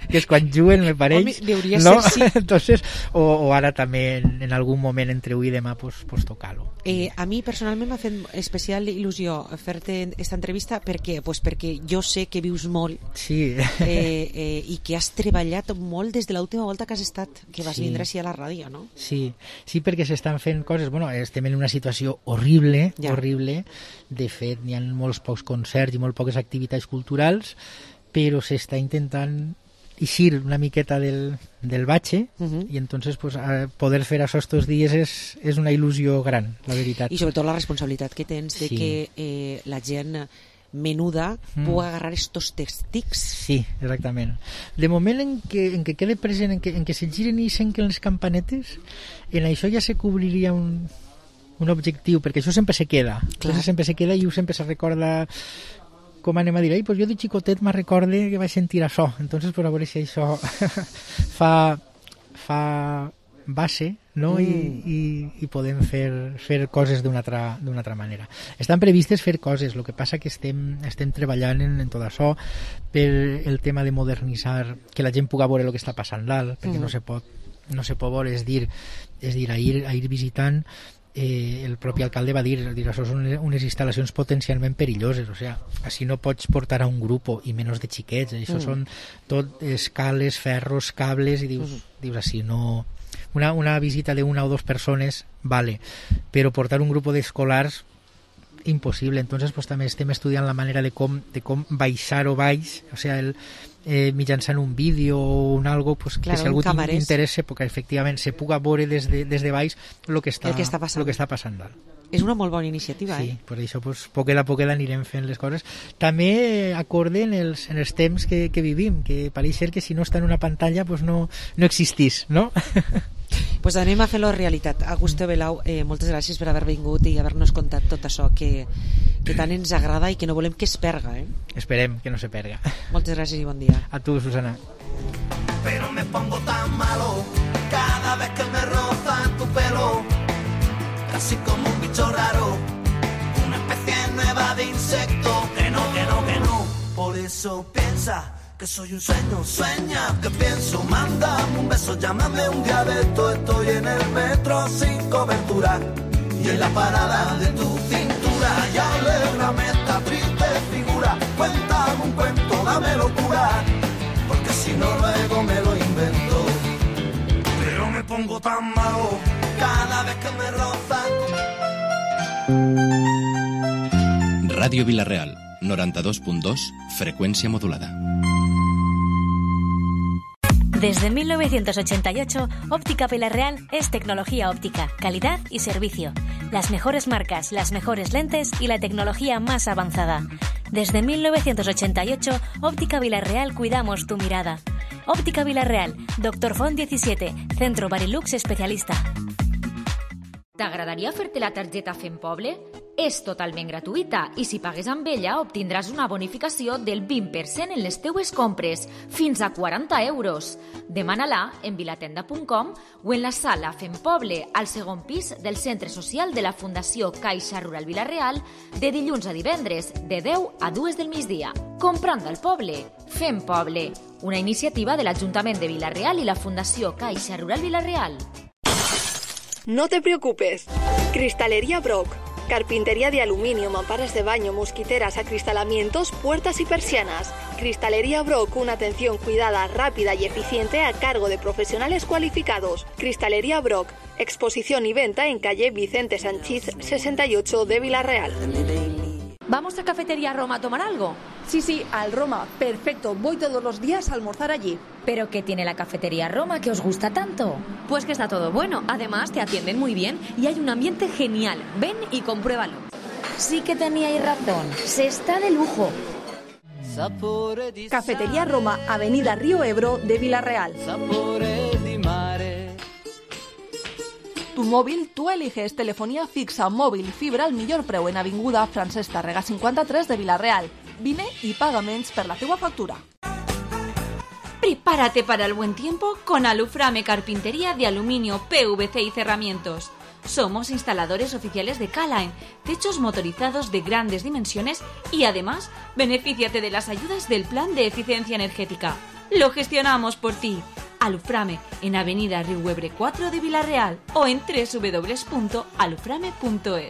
que és quan juguen, me pareix. Home, hauria no? ser, sí. Entonces, o, o ara també en, en algun moment entre avui i demà pues, pues tocar-lo. Eh, a mi personalment m'ha fet especial il·lusió fer-te aquesta entrevista perquè, pues perquè jo sé que vius molt sí. eh, eh, i que has treballat molt des de l'última volta que has estat, que vas sí. vindre així a la ràdio, no? Sí, sí, perquè s'estan fent coses, bueno, estem en una situació horrible, ja. horrible, de fet n'hi ha molts pocs concerts i molt poques activitats culturals, però s'està intentant eixir una miqueta del, del batxe uh-huh. i entonces pues, poder fer això estos dies és, és una il·lusió gran, la veritat. I sobretot la responsabilitat que tens de sí. que eh, la gent menuda mm. pugui agarrar estos tèctics. Sí, exactament. De moment en què, en què quede present, en què, en què se giren i senquen les campanetes, en això ja se cobriria un, un objectiu, perquè això sempre se queda. Clar. Sempre se queda i sempre se recorda, com anem a dir, pues jo de xicotet me recorde que vaig sentir això, entonces pues, a veure si això fa, fa base, no? Mm. I, i, i podem fer, fer coses d'una altra, d'una altra manera. Estan previstes fer coses, el que passa que estem, estem treballant en, en tot això per el tema de modernitzar, que la gent pugui veure el que està passant dalt, perquè mm. no se pot, no se pot veure, és dir, és dir a, ir, a ir visitant. Eh, el propi alcalde va dir, dir això són unes instal·lacions potencialment perilloses, o sigui, així no pots portar a un grup i menys de xiquets, això mm. són tot escales, ferros, cables i dius, mm. dius així no... Una, una visita de una o dos persones vale, però portar un grup d'escolars impossible, entonces pues, també estem estudiant la manera de com, de com baixar-ho baix, o sigui, el, eh, mitjançant un vídeo o un algo pues, claro, que si algú t'interessa perquè efectivament se puga veure des de, des de baix el que està, el que està passant, lo que està passant dalt. És una molt bona iniciativa, sí, eh? Per això, pues, poquet a poquet anirem fent les coses. També acorde en els, en els temps que, que vivim, que pareix ser que si no està en una pantalla pues no, no existís, no? Pues anem a fer-lo realitat. Augusto Belau, eh, moltes gràcies per haver vingut i haver-nos contat tot això que, que tant ens agrada i que no volem que es perga, eh? Esperem que no se perga. Moltes gràcies i bon dia. A tu, Susana. Pero me pongo tan malo cada vez que me roza tu pelo, casi como un bicho raro, una especie nueva de insecto. Que no, que no, que no. Por eso piensa que soy un sueño, sueña que pienso, mándame un beso, llámame un día de esto, estoy en el metro sin cobertura y en la parada de tu cintura, y alégrame esta triste figura, cuéntame un cuento, dame locura, porque si no luego me lo invento. Pero me pongo tan malo cada vez que me roza. Radio Villarreal, noventa y dos punto dos, frecuencia modulada. Desde mil novecientos ochenta y ocho, Óptica Villarreal es tecnología óptica, calidad y servicio. Las mejores marcas, las mejores lentes y la tecnología más avanzada. Desde mil novecientos ochenta y ocho, Óptica Villarreal cuidamos tu mirada. Óptica Villarreal, Doctor Font diecisiete, Centro Barilux especialista. T'agradaria fer-te la targeta Fem Poble? És totalment gratuïta i si pagues amb ella obtindràs una bonificació del vint per cent en les teues compres, fins a quaranta euros. Demana-la en vilatenda punt com o en la sala Fem Poble, al segon pis del Centre Social de la Fundació Caixa Rural Vila-real, de dilluns a divendres, de deu a dues del migdia. Comprant al poble, Fem Poble, una iniciativa de l'Ajuntament de Vila-real i la Fundació Caixa Rural Vila-real. No te preocupes. Cristalería Brock. Carpintería de aluminio, mamparas de baño, mosquiteras, acristalamientos, puertas y persianas. Cristalería Brock, una atención cuidada, rápida y eficiente a cargo de profesionales cualificados. Cristalería Brock, exposición y venta en calle Vicente Sanchiz sesenta y ocho de Vila-real. ¿Vamos a Cafetería Roma a tomar algo? Sí, sí, al Roma. Perfecto, voy todos los días a almorzar allí. ¿Pero qué tiene la Cafetería Roma que os gusta tanto? Pues que está todo bueno. Además, te atienden muy bien y hay un ambiente genial. Ven y compruébalo. Sí que teníais razón. Se está de lujo. Cafetería Roma, Avenida Río Ebro de Vila-real. Tu móvil, tú eliges telefonía fixa, móvil, fibra al millor preu en Avinguda Francesc Tàrrega cinquanta-tres de Vila-real. Vine y pagaments per la teua factura. Prepárate para el buen tiempo con Aluframe Carpintería de Aluminio, P V C y Cerramientos. Somos instaladores oficiales de K-Line, techos motorizados de grandes dimensiones y además benefíciate de las ayudas del Plan de Eficiencia Energética. Lo gestionamos por ti. Aluframe en Avenida Riuebre cuatro de Vila-real o en doble u doble u doble u punto aluframe punto es.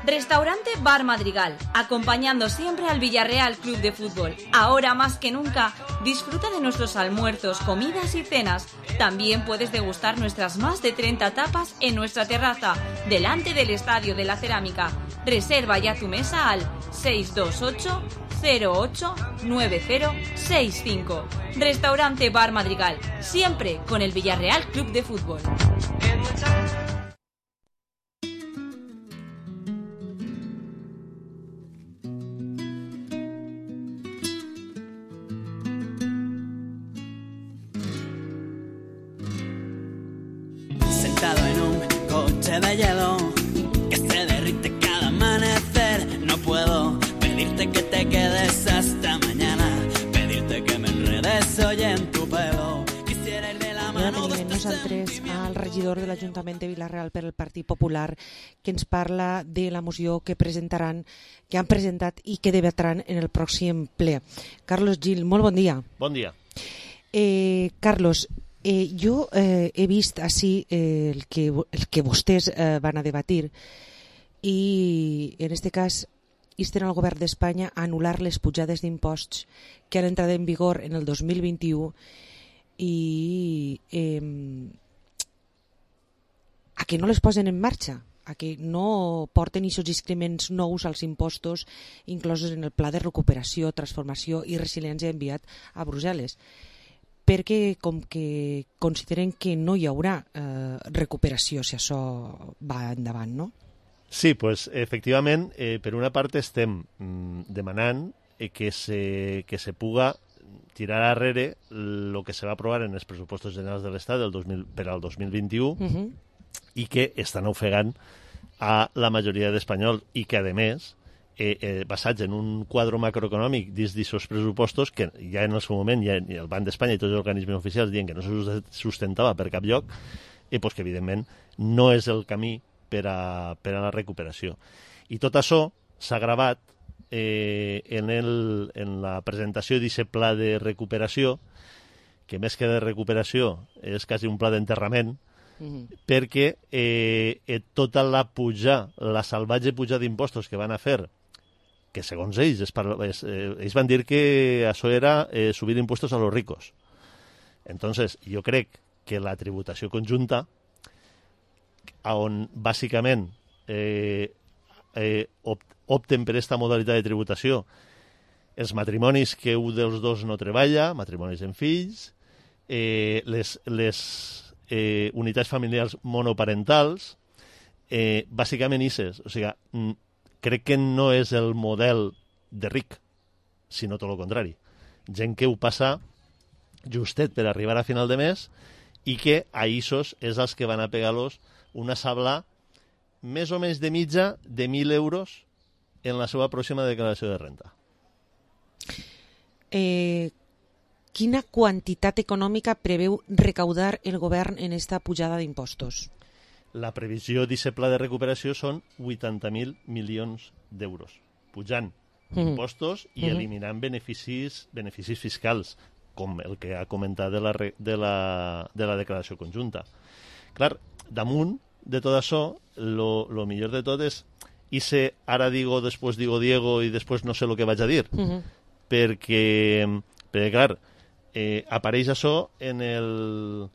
Restaurante Bar Madrigal, acompañando siempre al Villarreal Club de Fútbol. Ahora más que nunca, disfruta de nuestros almuerzos, comidas y cenas. También puedes degustar nuestras más de treinta tapas en nuestra terraza, delante del Estadio de la Cerámica. Reserva ya tu mesa al seis dos ocho cero ocho nueve cero seis cinco. Restaurante Bar Madrigal, siempre con el Villarreal Club de Fútbol. Sentado en un coche de hielo que se derrite cada amanecer, no puedo pedirte que te quedes hasta mañana, pedirte que me enredes hoy en tu pelo. Quisiera ir de la mano de nosaltres al regidor de l'Ajuntament de Vila-real per el Partit Popular, que ens parla de la moció que presentaran, que han presentat i que debatran en el pròxim ple. Carlos Gil, molt bon dia. Bon dia. Eh, Carlos, Eh, jo eh, he vist així eh, el, que, el que vostès eh, van a debatir i en aquest cas insten al govern d'Espanya a anul·lar les pujades d'imposts que han entrat en vigor en el dos mil vint-i-u i eh, a que no les posen en marxa, a que no porten aquests increments nous als impostos inclosos en el pla de recuperació, transformació i resiliència enviat a Brussel·les, perquè com que consideren que no hi haurà eh, recuperació si això va endavant, no? Sí, pues efectivament, eh, per una part estem mm, demanant eh, que, se, que se puga tirar arrere el que se va aprovar en els pressupostos generals de l'Estat del dos mil, per al dos mil vint-i-u uh-huh. i que estan ofegant a la majoria d'espanyols i que, a més, Eh, eh, basats en un quadre macroeconòmic dins d'aquests pressupostos que ja en el seu moment ja el Banc d'Espanya i tots els organismes oficials diuen que no se sustentava per cap lloc i pues, que evidentment no és el camí per a, per a la recuperació. I tot això s'ha gravat eh, en, el, en la presentació d'aquest pla de recuperació, que més que de recuperació és quasi un pla d'enterrament, Mm-hmm. perquè eh, eh, tota la puja, la salvatge puja d'impostos que van a fer, que segons ells, es parla, es, eh, ells van dir que això era eh, subir impostos a los ricos. Entonces, jo crec que la tributació conjunta, on bàsicament eh, eh, opten per aquesta modalitat de tributació els matrimonis que un dels dos no treballa, matrimonis amb fills, eh, les, les eh, unitats familiars monoparentals, eh, bàsicament isses. O sigui, crec que no és el model de ric, sinó tot el contrari. Gent que ho passa justet per arribar a final de mes i que a issos és els que van a pegar-los una sabla més o menys de mitja de mil euros en la seva pròxima declaració de renta. Eh, quina quantitat econòmica preveu recaudar el govern en esta pujada d'impostos? La previsió d'aquest pla de recuperació són vuitanta mil milions d'euros, pujant mm-hmm. impostos i mm-hmm. eliminant beneficis, beneficis fiscals, com el que ha comentat de la, de la, de la declaració conjunta. Clar, damunt de tot això, lo, lo millor de tot és hice ara digo, després digo Diego i després no sé el que vaig a dir. Mm-hmm. Perquè, perquè, clar, eh, apareix això en el,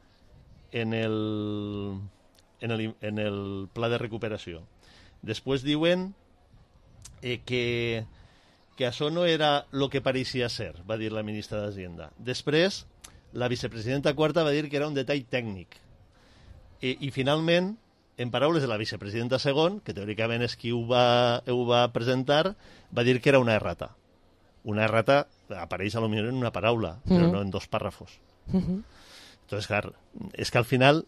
en el, en el, en el pla de recuperació. Després diuen eh, que, que això no era el que pareixia ser, va dir la ministra d'Hacienda. Després, la vicepresidenta quarta va dir que era un detall tècnic. I, i finalment, en paraules de la vicepresidenta segon, que teòricament és qui ho va, ho va presentar, va dir que era una errata. Una errata apareix a lo millor en una paraula, mm-hmm. però no en dos párrafos. Mm-hmm. Entonces, clar, és que al final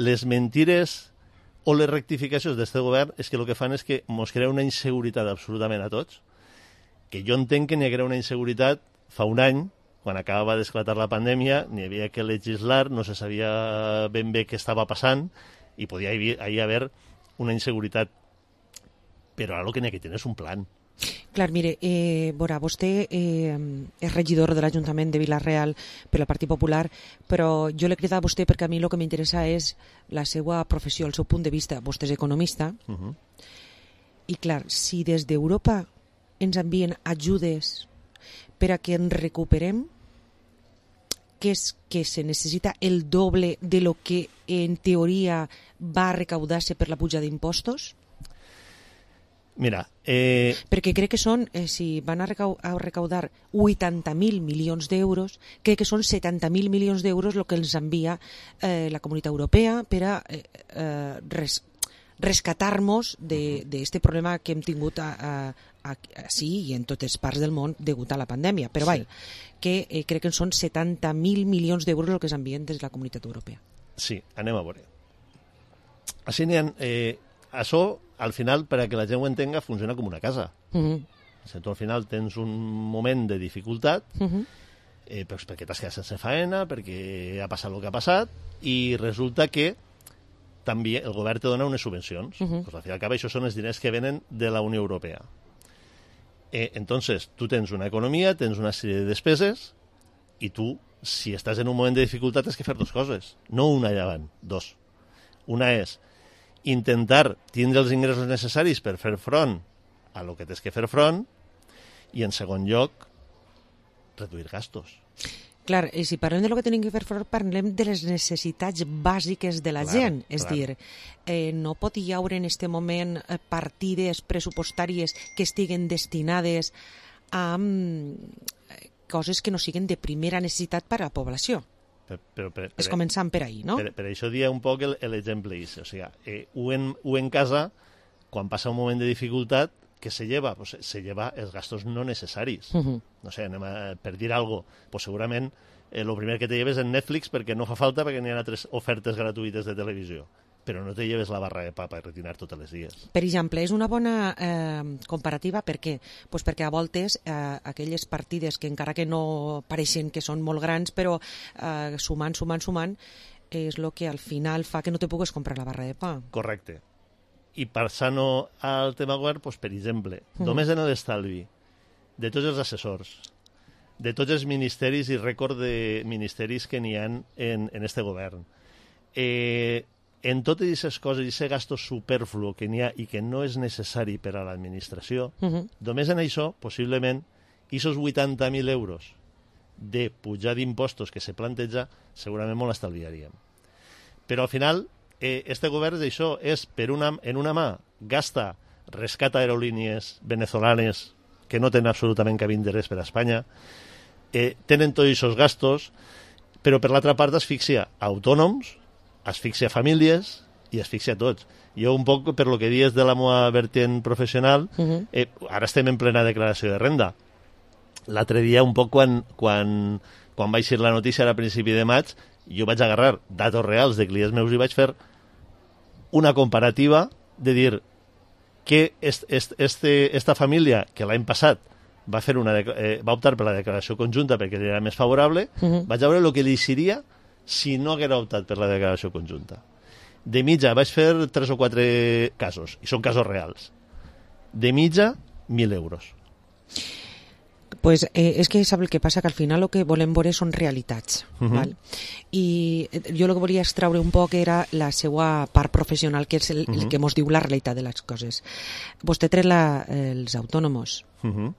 les mentires o les rectificacions d'aquest govern és que el que fan és que ens crea una inseguretat absolutament a tots, que jo entenc que n'hi haguera una inseguretat fa un any, quan acabava d'esclatar la pandèmia, n'hi havia que legislar, no se sabia ben bé què estava passant, i podia hi haver una inseguretat. Però ara el que n'hi ha que tenir és un plan. Clar, mire, eh, Bora, vostè eh, és regidor de l'Ajuntament de Vila-real per el Partit Popular, però jo l'he cridat a vostè perquè a mi el que m'interessa és la seva professió, el seu punt de vista. Vostè és economista, uh-huh. i clar, si des d'Europa ens envien ajudes per a que ens recuperem, que és que se necessita el doble de lo que en teoria va recaudar-se per la puja d'impostos? Mira, eh... perquè crec que són, eh, si van a, recau a recaudar vuitanta mil milions d'euros, crec que són setanta mil milions d'euros el que ens envia eh, la Comunitat Europea per a eh, eh, res rescatar-nos d'aquest problema que hem tingut a, a, a, a, sí, i en totes parts del món degut a la pandèmia. Però, sí. vai, que eh, crec que són setanta mil milions d'euros el que s'envien des de la Comunitat Europea. Sí, anem a veure. Així n'hi ha... Eh, això, al final, per a que la gent ho entenga, funciona com una casa. Uh-huh. Si tu al final tens un moment de dificultat, uh-huh. eh, doncs perquè t'has quedat sense faena, perquè ha passat el que ha passat, i resulta que també el govern te dona unes subvencions. Uh-huh. Pues al final acaba, això són els diners que venen de la Unió Europea. Eh, entonces, tu tens una economia, tens una sèrie de despeses, i tu, si estàs en un moment de dificultat, has que fer dues coses. No una allà avant, dos. Una és intentar tindre els ingressos necessaris per fer front a lo que tens que fer front, i en segon lloc, reduir gastos. Clar, i si parlem de lo que tenim que fer front, parlem de les necessitats bàsiques de la clar, gent. És clar. dir, eh, no pot hi haure en aquest moment partides pressupostàries que estiguen destinades a um, coses que no siguin de primera necessitat per a la població. Per, però, per, per, és començant per ahí, no? Per, per això dia un poc l'exemple és, o sigui, eh, ho, en, ho en casa, quan passa un moment de dificultat, que se lleva? Pues se lleva els gastos no necessaris. Uh-huh. No sé, anem a, per dir alguna cosa, pues segurament el eh, primer que te lleves en Netflix perquè no fa falta, perquè n'hi ha altres ofertes gratuïtes de televisió. Però no te lleves la barra de pa per retirar tots els dies. Per exemple, és una bona eh, comparativa, per què? Pues perquè a voltes eh, aquelles partides que encara que no pareixen que són molt grans, però eh, sumant, sumant, sumant, és el que al final fa que no te pugues comprar la barra de pa. Correcte. I passant al tema govern, pues, per exemple, mm. només en l'estalvi de tots els assessors, de tots els ministeris i rècord de ministeris que n'hi ha en, en este govern, eh, en totes aquestes coses, i aquest gasto superfluo que n'hi ha i que no és necessari per a l'administració, uh-huh. només en això, possiblement, aquests vuitanta mil euros de pujar d'impostos que se planteja, segurament molt estalviaríem. Però al final, eh, este govern d'això és, per una, en una mà, gasta, rescata aerolínies venezolanes que no tenen absolutament cap interès per a Espanya, eh, tenen tots aquests gastos, però per l'altra part asfixia autònoms, asfixia famílies i asfixia tots. Jo un poc, per lo que dius de la meva vertent professional, uh-huh. eh, ara estem en plena declaració de renda. L'altre dia, un poc quan, quan, quan va eixir la notícia a principi de maig, jo vaig agarrar datos reals de clients meus i vaig fer una comparativa de dir que est, est, este, esta família que l'any passat va, fer una, eh, va optar per la declaració conjunta perquè era més favorable, uh-huh. vaig veure el que li seria si no haguera optat per la declaració conjunta. De mitja, vaig fer tres o quatre casos, i són casos reals. De mitja, mil euros. Pues eh, és que sap el que passa, que al final el que volem veure són realitats. Uh-huh. Val? I jo el que volia extraure un poc era la seva part professional, que és el, uh-huh. el que mos diu la realitat de les coses. Vostè tret la, els autònomos. Uh-huh.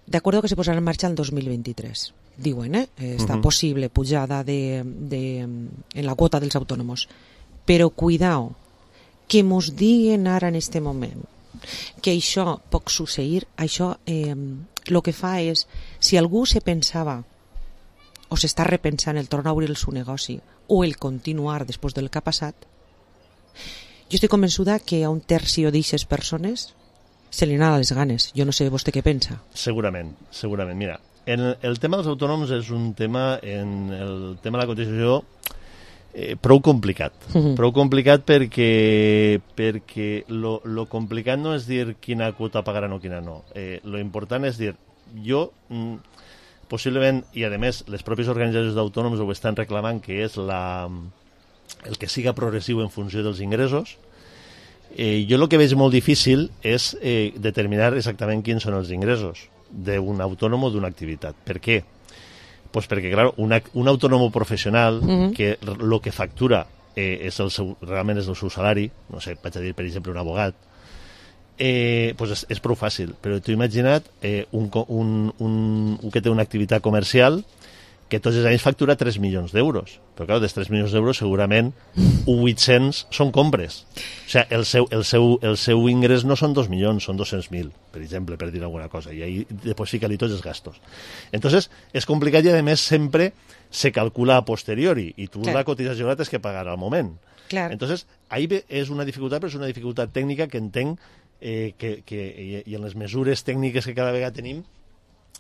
D'acord que se posarà en marxa el dos mil vint-i-tres. Diuen, eh? Està uh-huh. possible pujada de, de, en la quota dels autònomos. Però cuidao, que mos diguen ara en este moment que això pot succeir, això eh, el que fa és, si algú se pensava o s'està repensant el tornar a obrir el seu negoci o el continuar després del que ha passat, jo estic convençuda que a un tercio d'aixes persones se li anava les ganes. Jo no sé vostè què pensa. Segurament, segurament. Mira, en el tema dels autònoms és un tema, en el tema de la cotització, Eh, prou complicat. Uh-huh. Prou complicat perquè perquè lo, lo complicat no és dir quina quota pagaran o quina no. Eh, lo important és dir, jo mm, possiblement, i a més les pròpies organitzacions d'autònoms ho estan reclamant, que és la, el que siga progressiu en funció dels ingressos. Eh, jo el que veig molt difícil és eh, determinar exactament quins són els ingressos d'un autònom o d'una activitat. Per què? Pues perquè, clar, una, un autònom professional uh-huh. que el que factura eh, és el seu, realment és el seu salari, no sé, vaig a dir, per exemple, un abogat, eh, pues és, és prou fàcil. Però t'ho imagina't eh, un, un, un, un que té una activitat comercial que tots els anys factura tres milions d'euros. Però, clar, dels tres milions d'euros segurament vuit-cents són compres. O sigui, el seu, el seu, el seu ingrés no són dos milions, són dos-cents mil, per exemple, per dir alguna cosa. I ahí després fica-li tots els gastos. Entonces, és complicat i, a més, sempre se calcula a posteriori i tu clar. La cotització la tens que pagar al moment. Clar. Entonces, ahí és una dificultat, però és una dificultat tècnica que entenc eh, que, que, i, i en les mesures tècniques que cada vegada tenim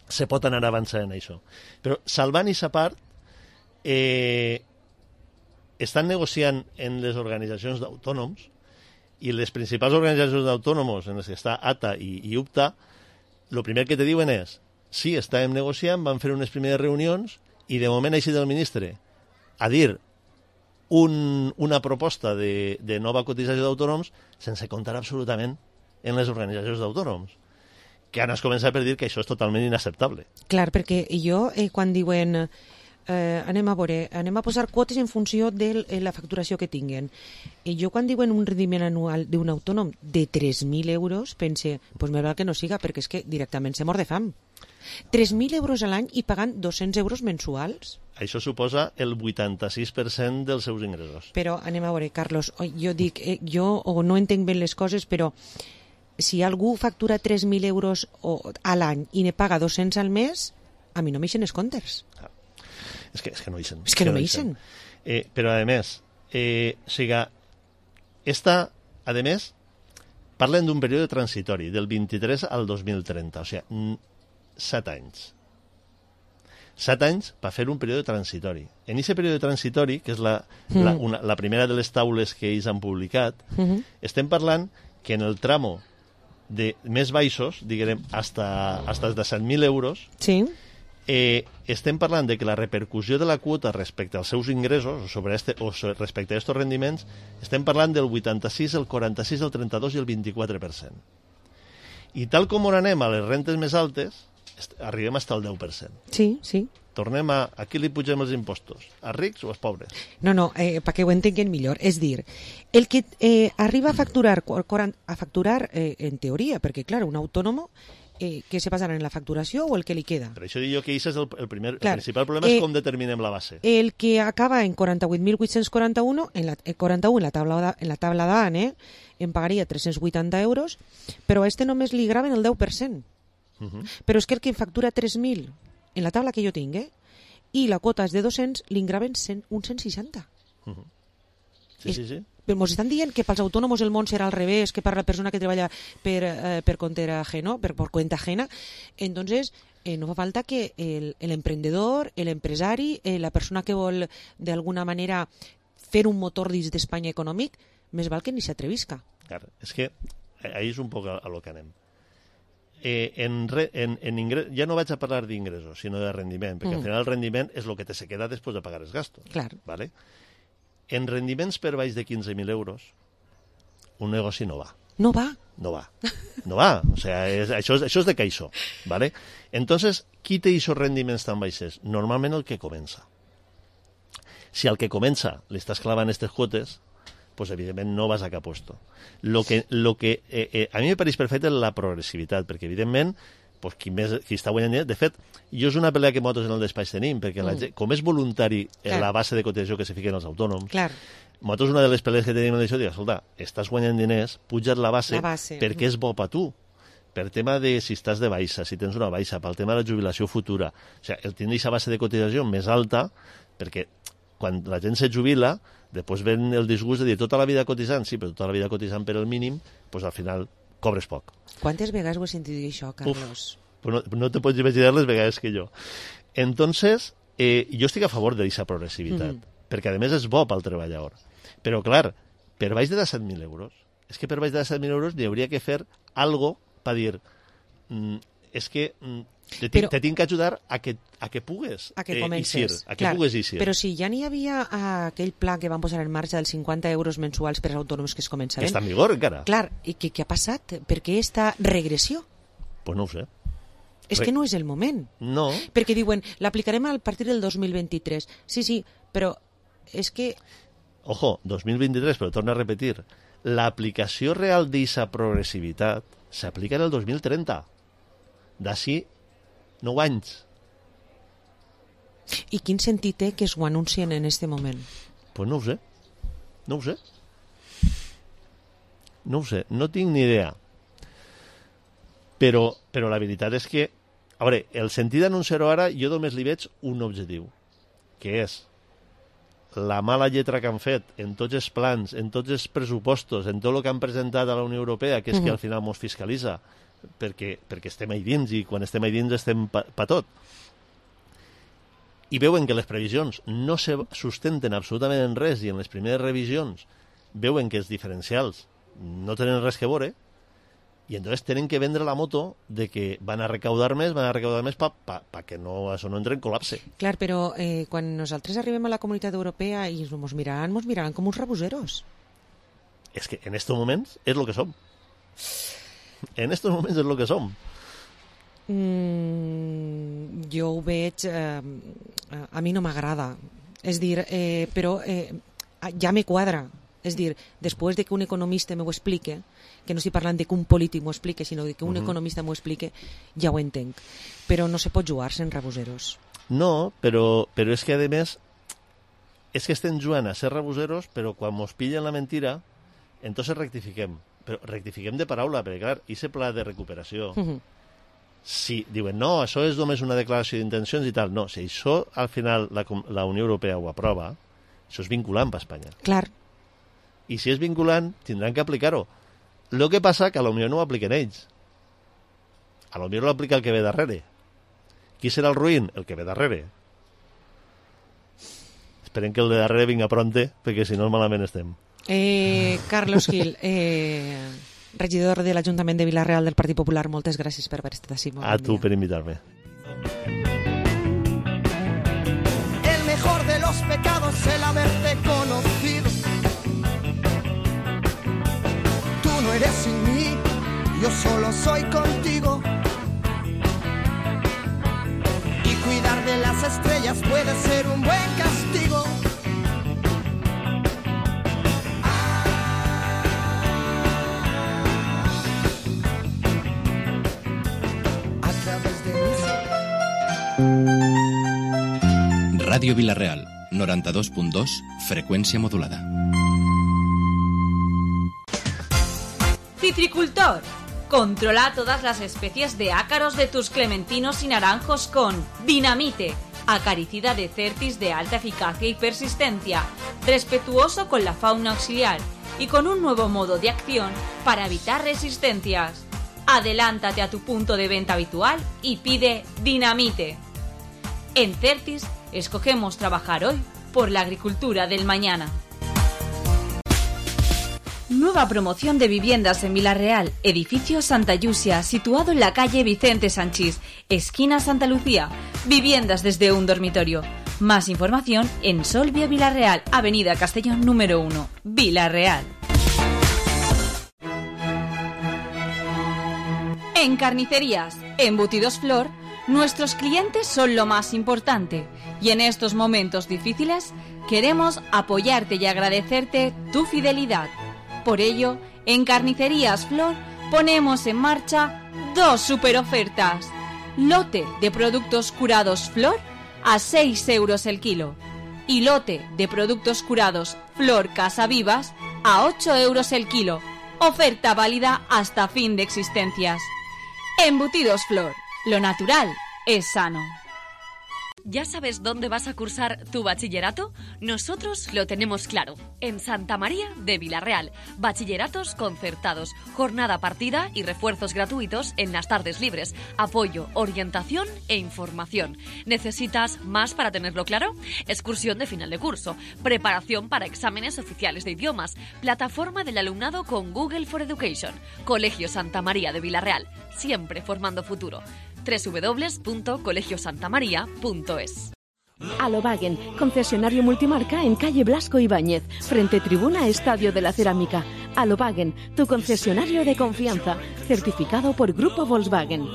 se pot anar avançant en això. Però, salvant aquesta part, eh, estan negociant en les organitzacions d'autònoms i les principals organitzacions d'autònoms en les que està A T A i, i U P T A, el primer que te diuen és sí, estàvem negociant, van fer unes primeres reunions i de moment ha eixit el ministre a dir un, una proposta de, de nova cotització d'autònoms sense comptar absolutament en les organitzacions d'autònoms, que ara es comença per dir que això és totalment inacceptable. Clar, perquè jo, eh, quan diuen eh, anem a veure, anem a posar quotes en funció de la facturació que tinguen, i jo quan diuen un rendiment anual d'un autònom de tres mil euros, pense, pues més val que no siga, perquè és que directament se mor de fam. tres mil euros a l'any i pagant dos-cents euros mensuals? Això suposa el vuitanta-sis per cent dels seus ingressos. Però anem a veure, Carlos, jo dic, eh, jo o no entenc bé les coses, però si algú factura tres mil euros a l'any i ne paga dos-cents al mes, a mi no m'eixen els comptes. Ah. És que, és que no eixen. És que no m'eixen. Eh, però, a més, eh, o sigui, esta, a més, parlen d'un període transitori, del vint-i-tres al dos mil trenta, o sigui, set anys. Set anys per fer un període transitori. En aquest període transitori, que és la, mm. la, una, la primera de les taules que ells han publicat, mm-hmm. estem parlant que en el tramo de més baixos, diguem, hasta, hasta de set mil euros, sí. eh, estem parlant de que la repercussió de la quota respecte als seus ingressos o, sobre este, o sobre, respecte a aquests rendiments, estem parlant del vuitanta-sis, el quaranta-sis, el trenta-dos i el vint-i-quatre per cent. I tal com on anem a les rentes més altes, arribem fins al deu per cent. Sí, sí. Tornem a... A qui li pugem els impostos? A rics o als pobres? No, no, eh, perquè ho entenguin millor. És dir, el que eh, arriba a facturar, a facturar eh, en teoria, perquè, clar, un autònom eh, què se passarà en la facturació o el que li queda? Per això dic jo que això és el, el, primer, Clar. el principal problema Eh, és com determinem la base. El que acaba en quaranta-vuit mil vuit-cents quaranta-un, en la, eh, quaranta-u en la taula, de- en la taula d'A N E, em pagaria tres-cents vuitanta euros, però a este només li graven el deu per cent. Uh -huh. Però és que el que em factura tres mil en la taula que jo tinc, eh? I la quota és de dos-cents, li graven cent, un cent seixanta. Uh -huh. Sí, sí, sí. Però ens estan dient que pels autònoms el món serà al revés, que per la persona que treballa per, eh, per compte ajeno, per, por cuenta ajena. Entonces, eh, no fa falta que el, el emprendedor, el empresari, eh, la persona que vol d'alguna manera fer un motor dins d'Espanya econòmic, més val que ni s'atrevisca. Clar, és que ahí és un poc a, a lo que anem. Eh, en, re, en, en ingres, ja no vaig a parlar d'ingressos, sinó de rendiment, perquè Mm. al final el rendiment és el que te se queda després de pagar els gastos. Clar. ¿Vale? En rendiments per baix de quinze mil euros, un negoci no va. No va. No va. No va. O sea, és, això, és, això és de caixó. ¿Vale? Entonces, qui té aquests rendiments tan baixes? Normalment el que comença. Si al que comença li estàs clavant aquestes quotes, pues evidentment no vas a cap puesto. Lo que, lo que eh, eh, a mi me pareix perfecte la progressivitat, perquè evidentment pues, qui, més, qui està guanyant diners... De fet, jo és una pelea que nosaltres en el despatx tenim, perquè la Mm. gent, com és voluntari Clar. la base de cotizació que se fiquen els autònoms, Clar. nosaltres una de les pelees que tenim és això, dir, escolta, estàs guanyant diners, puja't la base, La base. perquè és bo per tu. Per tema de si estàs de baixa, si tens una baixa, pel tema de la jubilació futura. O sigui, el tindre aquesta base de cotització més alta, perquè quan la gent se jubila, després ven el disgust de dir tota la vida cotitzant, sí, però tota la vida cotitzant per el mínim, doncs al final cobres poc. Quantes vegades ho he sentit dir això, Carlos? Uf, pues no, no te pots imaginar les vegades que jo. Entonces, eh, jo estic a favor d'aquesta progressivitat, Mhm. perquè a més és bo pel treballador. Però, clar, per baix de disset mil euros, és que per baix de disset mil euros n'hi hauria que fer algo per dir, mm, és que mm, te, Però- te tinc que ajudar a que, a que pugues A que eh, comences. eixir, a que Clar, pugues eixir. Però si ja n'hi havia eh, aquell pla que van posar en marxa dels cinquanta euros mensuals per als autònoms que es començaven. Està en vigor encara? Clar, i què, què ha passat? Per què esta regressió? Pues no ho sé. És Re- que no és el moment. No. Perquè diuen, l'aplicarem a partir del dos mil vint-i-tres. Sí, sí, però és que... Ojo, dos mil vint-i-tres, però torna a repetir, l'aplicació real d'aquesta progressivitat s'aplica en el dos mil trenta. D'ací nou anys. I quin sentit té que es ho anuncien en este moment? Pues no ho sé. No ho sé. No ho sé. No tinc ni idea. Però, però la veritat és que... A veure, el sentit d'anunciar-ho ara, jo només li veig un objectiu, que és la mala lletra que han fet en tots els plans, en tots els pressupostos, en tot el que han presentat a la Unió Europea, que és que Mhm. al final mos fiscalitza, perquè, perquè estem ahí dins, i quan estem ahí dins estem pa, pa tot. I veuen que les previsions no se sustenten absolutament en res, i en les primeres revisions veuen que els diferencials no tenen res que veure, i entonces tenen que vendre la moto de que van a recaudar més, van a recaudar més pa, pa, pa que no, això no entre en col·lapse. Clar, però eh, quan nosaltres arribem a la comunitat europea i ens miraran, ens miraran com uns rebuseros. És que en estos moments és el que som. En estos moments és el que som. Mm, jo ho veig... Eh, a mi no m'agrada. És dir, eh, però eh, ja me quadra. És dir, després de que un economista m'ho explique, que no estic parlant de que un polític m'ho explique, sinó de que un Mhm. economista m'ho explique, ja ho entenc. Però no se pot jugar-se en rebuseros. No, però, però és que, a més, és que estem jugant a ser rebuseros, però quan mos pillen la mentira, entonces rectifiquem. Però rectifiquem de paraula, perquè, clar, aquest pla de recuperació, Mhm. si diuen, no, això és només una declaració d'intencions i tal, no, si això al final la, Com- la Unió Europea ho aprova, això és vinculant per Espanya. Clar. I si és vinculant, tindran que aplicar-ho. El que passa que a la Unió no ho apliquen ells. A la Unió no l'aplica el que ve darrere. Qui serà el ruïn? El que ve darrere. Esperem que el de darrere vinga pronte, perquè si no malament estem. Eh, Carlos Gil, eh, regidor de l'Ajuntament de Vila-real del Partit Popular, moltes gràcies per haver estat així. A tu per invitar-me. El mejor de los pecados el haberte conocido. Tú no eres sin mí, yo solo soy contigo. Y cuidar de las estrellas puede ser un buen castigo. Ràdio Vila-real, noranta-dos punt dos, freqüència modulada. Citricultor. Controla todas las especies de ácaros de tus clementinos y naranjos con Dinamite, acaricida de Certis de alta eficacia y persistencia, respetuoso con la fauna auxiliar y con un nuevo modo de acción para evitar resistencias. Adelántate a tu punto de venta habitual y pide Dinamite. En Certis escogemos trabajar hoy por la agricultura del mañana. Nueva promoción de viviendas en Vila-real, edificio Santa Llucia, situado en la calle Vicente Sanchís, esquina Santa Lucía. Viviendas desde un dormitorio. Más información en Solvia Vila-real, avenida Castellón número uno, Vila-real. En Carnicerías, Embutidos Flor, nuestros clientes son lo más importante y en estos momentos difíciles queremos apoyarte y agradecerte tu fidelidad. Por ello, en Carnicerías Flor ponemos en marcha dos super ofertas. Lote de productos curados Flor a seis euros el kilo y lote de productos curados Flor Casa Vivas a ocho euros el kilo. Oferta válida hasta fin de existencias. Embutidos Flor, lo natural es sano. ¿Ya sabes dónde vas a cursar tu bachillerato? Nosotros lo tenemos claro. En Santa María de Vila-real. Bachilleratos concertados, jornada partida y refuerzos gratuitos en las tardes libres. Apoyo, orientación e información. ¿Necesitas más para tenerlo claro? Excursión de final de curso. Preparación para exámenes oficiales de idiomas. Plataforma del alumnado con Google for Education. Colegio Santa María de Vila-real. Siempre formando futuro. doble u doble u doble u punto colegio santa maría punto es. Alobagen, concesionario multimarca en calle Blasco Ibáñez, frente tribuna Estadio de la Cerámica. Alobagen, tu concesionario de confianza, certificado por Grupo Volkswagen.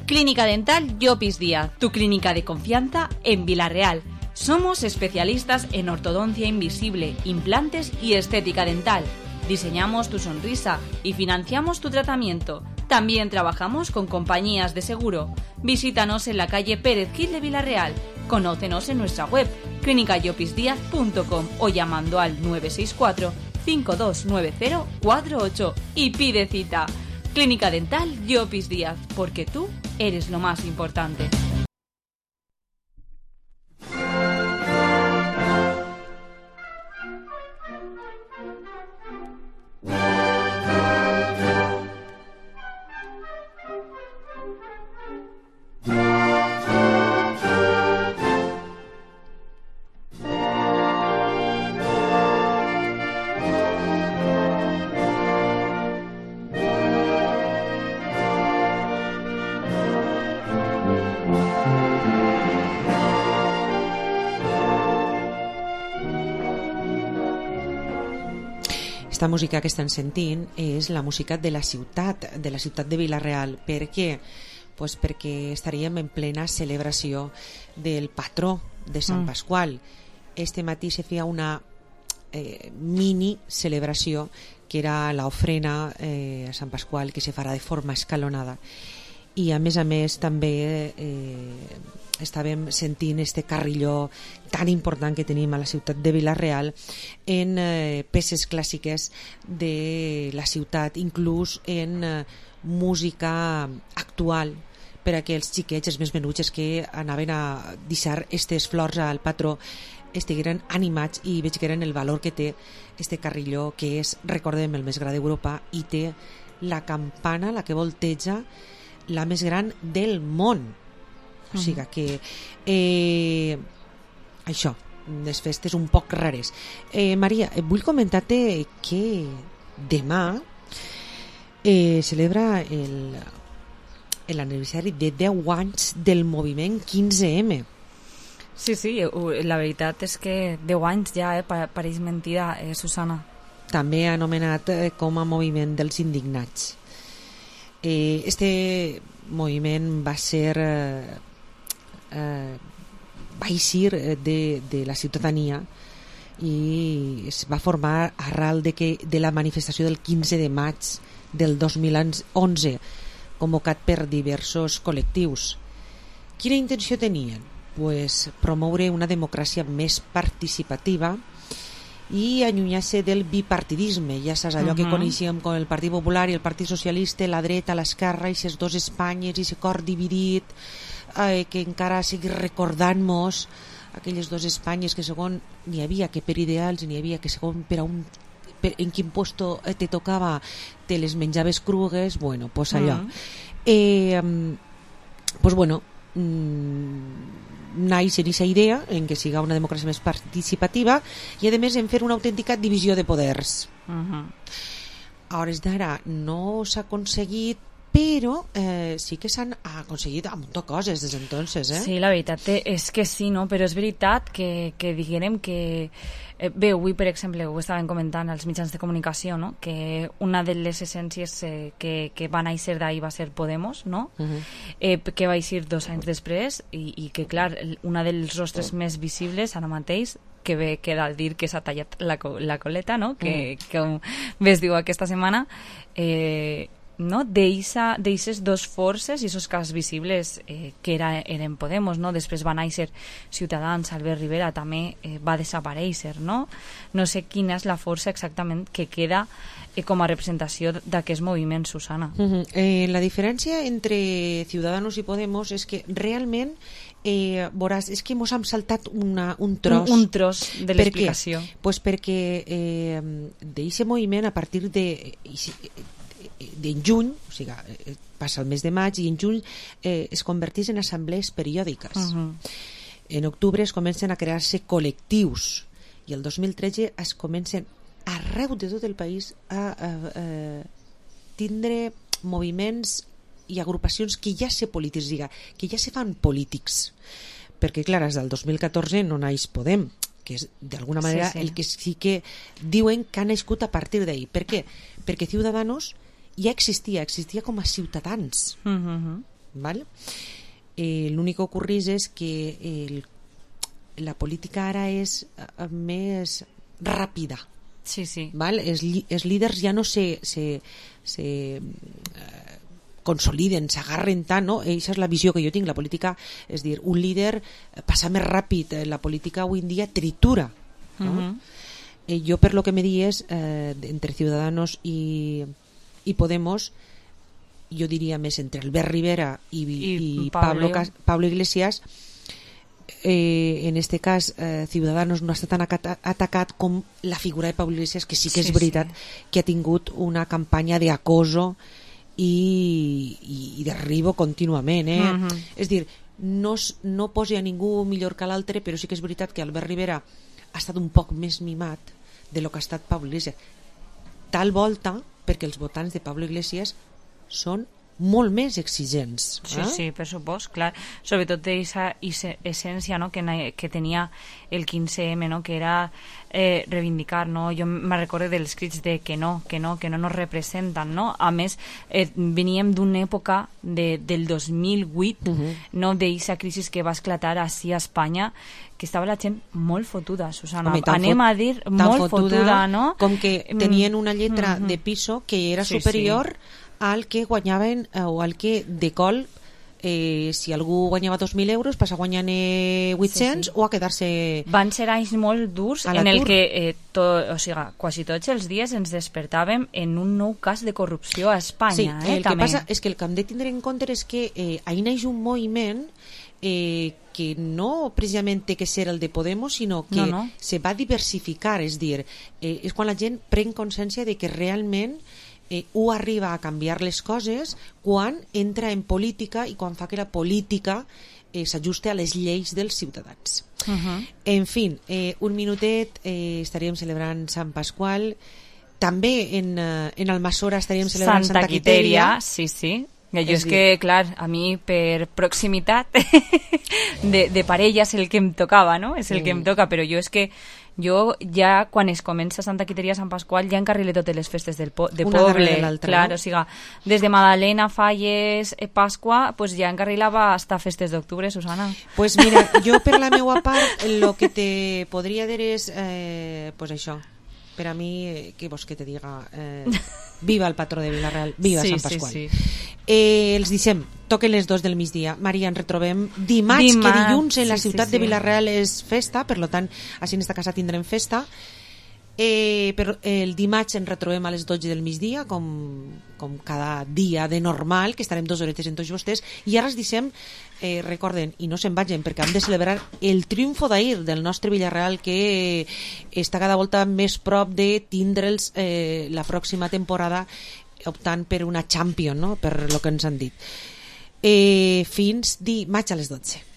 Clínica Dental Llopis Díaz, tu clínica de confianza en Vila-real. Somos especialistas en ortodoncia invisible, implantes y estética dental. Diseñamos tu sonrisa y financiamos tu tratamiento. También trabajamos con compañías de seguro. Visítanos en la calle Pérez Gil de Vila-real. Conócenos en nuestra web clínica llopis díaz punto com o llamando al nueve seis cuatro, cinco dos nueve cero, cuatro ocho y pide cita. Clínica Dental Llopis Díaz, porque tú eres lo más importante. Aquesta música que estan sentint és la música de la ciutat, de la ciutat de Vila-real. Per què? Pues perquè estaríem en plena celebració del patró de Sant Mm. Pasqual. Este matí se feia una eh, mini celebració que era l'ofrena eh, a Sant Pasqual, que se farà de forma escalonada. I a més a més també eh, estàvem sentint este carrilló tan important que tenim a la ciutat de Vila-real en eh, peces clàssiques de la ciutat, inclús en eh, música actual per a que els xiquets, els més menuts que anaven a deixar aquestes flors al patró estigueren animats i veig que eren el valor que té este carrilló, que és, recordem, el més gran d'Europa i té la campana, la que volteja, la més gran del món. O sigui que eh, això, les festes un poc rares. eh, Maria, vull comentar-te que demà eh, celebra el l'aniversari de deu anys del moviment quinze eme. Sí, sí, la veritat és que deu anys ja, eh, pareix mentida, eh, Susana. També anomenat eh, com a moviment dels indignats. Eh, este moviment va ser eh, eh, va eixir de, de la ciutadania i es va formar arrel de, que, de la manifestació del quinze de maig del dos mil onze, convocat per diversos col·lectius. Quina intenció tenien? Pues promoure una democràcia més participativa i allunyar-se del bipartidisme, ja saps, allò uh-huh. que coneixíem com el Partit Popular i el Partit Socialista, la dreta, l'esquerra, i aquestes dues Espanyes, i aquest cor dividit, eh, que encara seguir recordant-nos aquelles dues Espanyes que segons n'hi havia que per ideals, n'hi havia que segons per a un per, en quin puesto te tocava te les menjaves crugues, bueno, pues allò. Uh-huh. Eh, pues bueno, mmm, naix en aquesta idea en què siga una democràcia més participativa i a més en fer una autèntica divisió de poders. Uh-huh. A hores d'ara no s'ha aconseguit, però eh, sí que s'han aconseguit un munt de coses des d'entonces, eh? Sí, la veritat és que sí, no? Però és veritat que, que diguem que eh, bé, avui per exemple ho estaven comentant als mitjans de comunicació, no? Que una de les essències eh, que, que va néixer d'ahir va ser Podemos, no? Uh-huh. eh, que va eixir dos anys després i, i que clar, una dels rostres més visibles ara mateix que bé queda al dir que s'ha tallat la, la coleta, no? Que, mm. que com bé es diu aquesta setmana, eh, no? d'eixes dos forces i esos cas visibles eh, que era, eren Podemos, no? Després va néixer Ciutadans, Albert Rivera també eh, va desaparèixer, no? No sé quina és la força exactament que queda eh, com a representació d'aquest moviment, Susana. Uh-huh. eh, la diferència entre Ciudadanos i Podemos és que realment eh, veuràs, és que mos hem saltat una, un tros un, un tros de l'explicació. Per què? Pues perquè eh, d'aquest moviment a partir de d'en juny, o sigui, passa el mes de maig i en juny eh, es converteix en assemblees periòdiques. Uh-huh. En octubre es comencen a crear-se col·lectius i el dos mil tretze es comencen arreu de tot el país a, a, a tindre moviments i agrupacions que ja se polititziga, que ja se fan polítics, perquè clar, des del dos mil catorze no naix Podem, que és d'alguna manera sí, sí. el que sí que diuen que ha nascut a partir d'ahir. Per què? Perquè Ciudadanos ja existia, existia com a ciutadans. Uh-huh. ¿Vale? Eh, l'únic que ocorreix és que el, la política ara és uh, més ràpida. Sí, sí. ¿Vale? Els, els líders ja no se, se, se uh, consoliden, s'agarren tant, no? Eixa és la visió que jo tinc, la política, és dir, un líder passa més ràpid, la política avui en dia tritura, no? Uh-huh. eh, jo per lo que me dies eh, entre Ciudadanos i i Podemos, jo diria més entre Albert Rivera i, I, i Pablo. Pablo, Pablo Iglesias, eh, en este cas eh, Ciudadanos no està tan atacat com la figura de Pablo Iglesias, que sí que és sí, veritat sí. que ha tingut una campanya d'acoso i, i, i derribo contínuament, eh? Uh-huh. És dir, no, no posi a ningú millor que l'altre, però sí que és veritat que Albert Rivera ha estat un poc més mimat de lo que ha estat Pablo Iglesias, tal volta perquè els votants de Pablo Iglesias són molt més exigents. Sí, eh? sí, per supost, clar. Sobretot d'aquesta essència, no? que, que tenia el quinze eme, no? que era eh, reivindicar, no? Jo me recordo dels crits de que no, que no, que no nos representen, no? A més, eh, veníem d'una època de, del dos mil vuit, Uh-huh. no? d'aquesta crisi que va esclatar així a Espanya, que estava la gent molt fotuda, Susana. Home, Anem fot, a dir molt fotuda, fotuda, no? Com que tenien una lletra mm-hmm. de piso que era sí, superior sí. al que guanyaven, eh, o al que de col, eh, si algú guanyava dos mil euros passa guanyant eh, vuit-cents sí, sí. o a quedar-se... Van ser anys molt durs en el que eh, to, o sigui, quasi tots els dies ens despertàvem en un nou cas de corrupció a Espanya. Sí, eh, el també. que passa és que el que hem de tindre en compte és que eh, ahir naix un moviment eh, que no precisament té que ser el de Podemos, sinó que no, no. se va diversificar, és dir, eh, és quan la gent pren consciència de que realment eh, ho arriba a canviar les coses quan entra en política i quan fa que la política eh, s'ajuste a les lleis dels ciutadans. Uh-huh. En fi, eh, un minutet, eh, estaríem celebrant Sant Pasqual, també en, eh, en Almassora estaríem celebrant Santa, Santa Quiteria. Sí, sí. Jo és, és que, clar, a mi per proximitat de, de parella és el que em tocava, no? És el mm. que em toca, però jo és que jo ja quan es comença Santa Quiteria, Sant Pasqual, ja encarrilé totes les festes del po de Una poble. De clar, no? O sigui, des de Madalena, Falles, eh, Pasqua, pues ja encarrilava hasta festes d'octubre, Susana. Pues mira, jo per la meua part, el que te podria dir és, eh, pues això, per a mi, eh, què vols que te diga? Eh, viva el patró de Vila-real, viva sí, Sant Pasqual. Sí, sí. Eh, els deixem, toquen les dos del migdia. Maria, ens retrobem dimarts, dimarts que dilluns en la sí, ciutat sí, sí. de Vila-real és festa, per tant, així en esta casa tindrem festa. Eh, però el dimarts ens retrobem a les dotze del migdia, com, com cada dia de normal, que estarem dues horetes en tots vostès, i ara els deixem, eh, recorden, i no se'n vagin, perquè hem de celebrar el triomfo d'ahir del nostre Villarreal, que està cada volta més prop de tindre'ls eh, la pròxima temporada optant per una Champions, no? Per lo que ens han dit. Eh, fins dimarts a les dotze.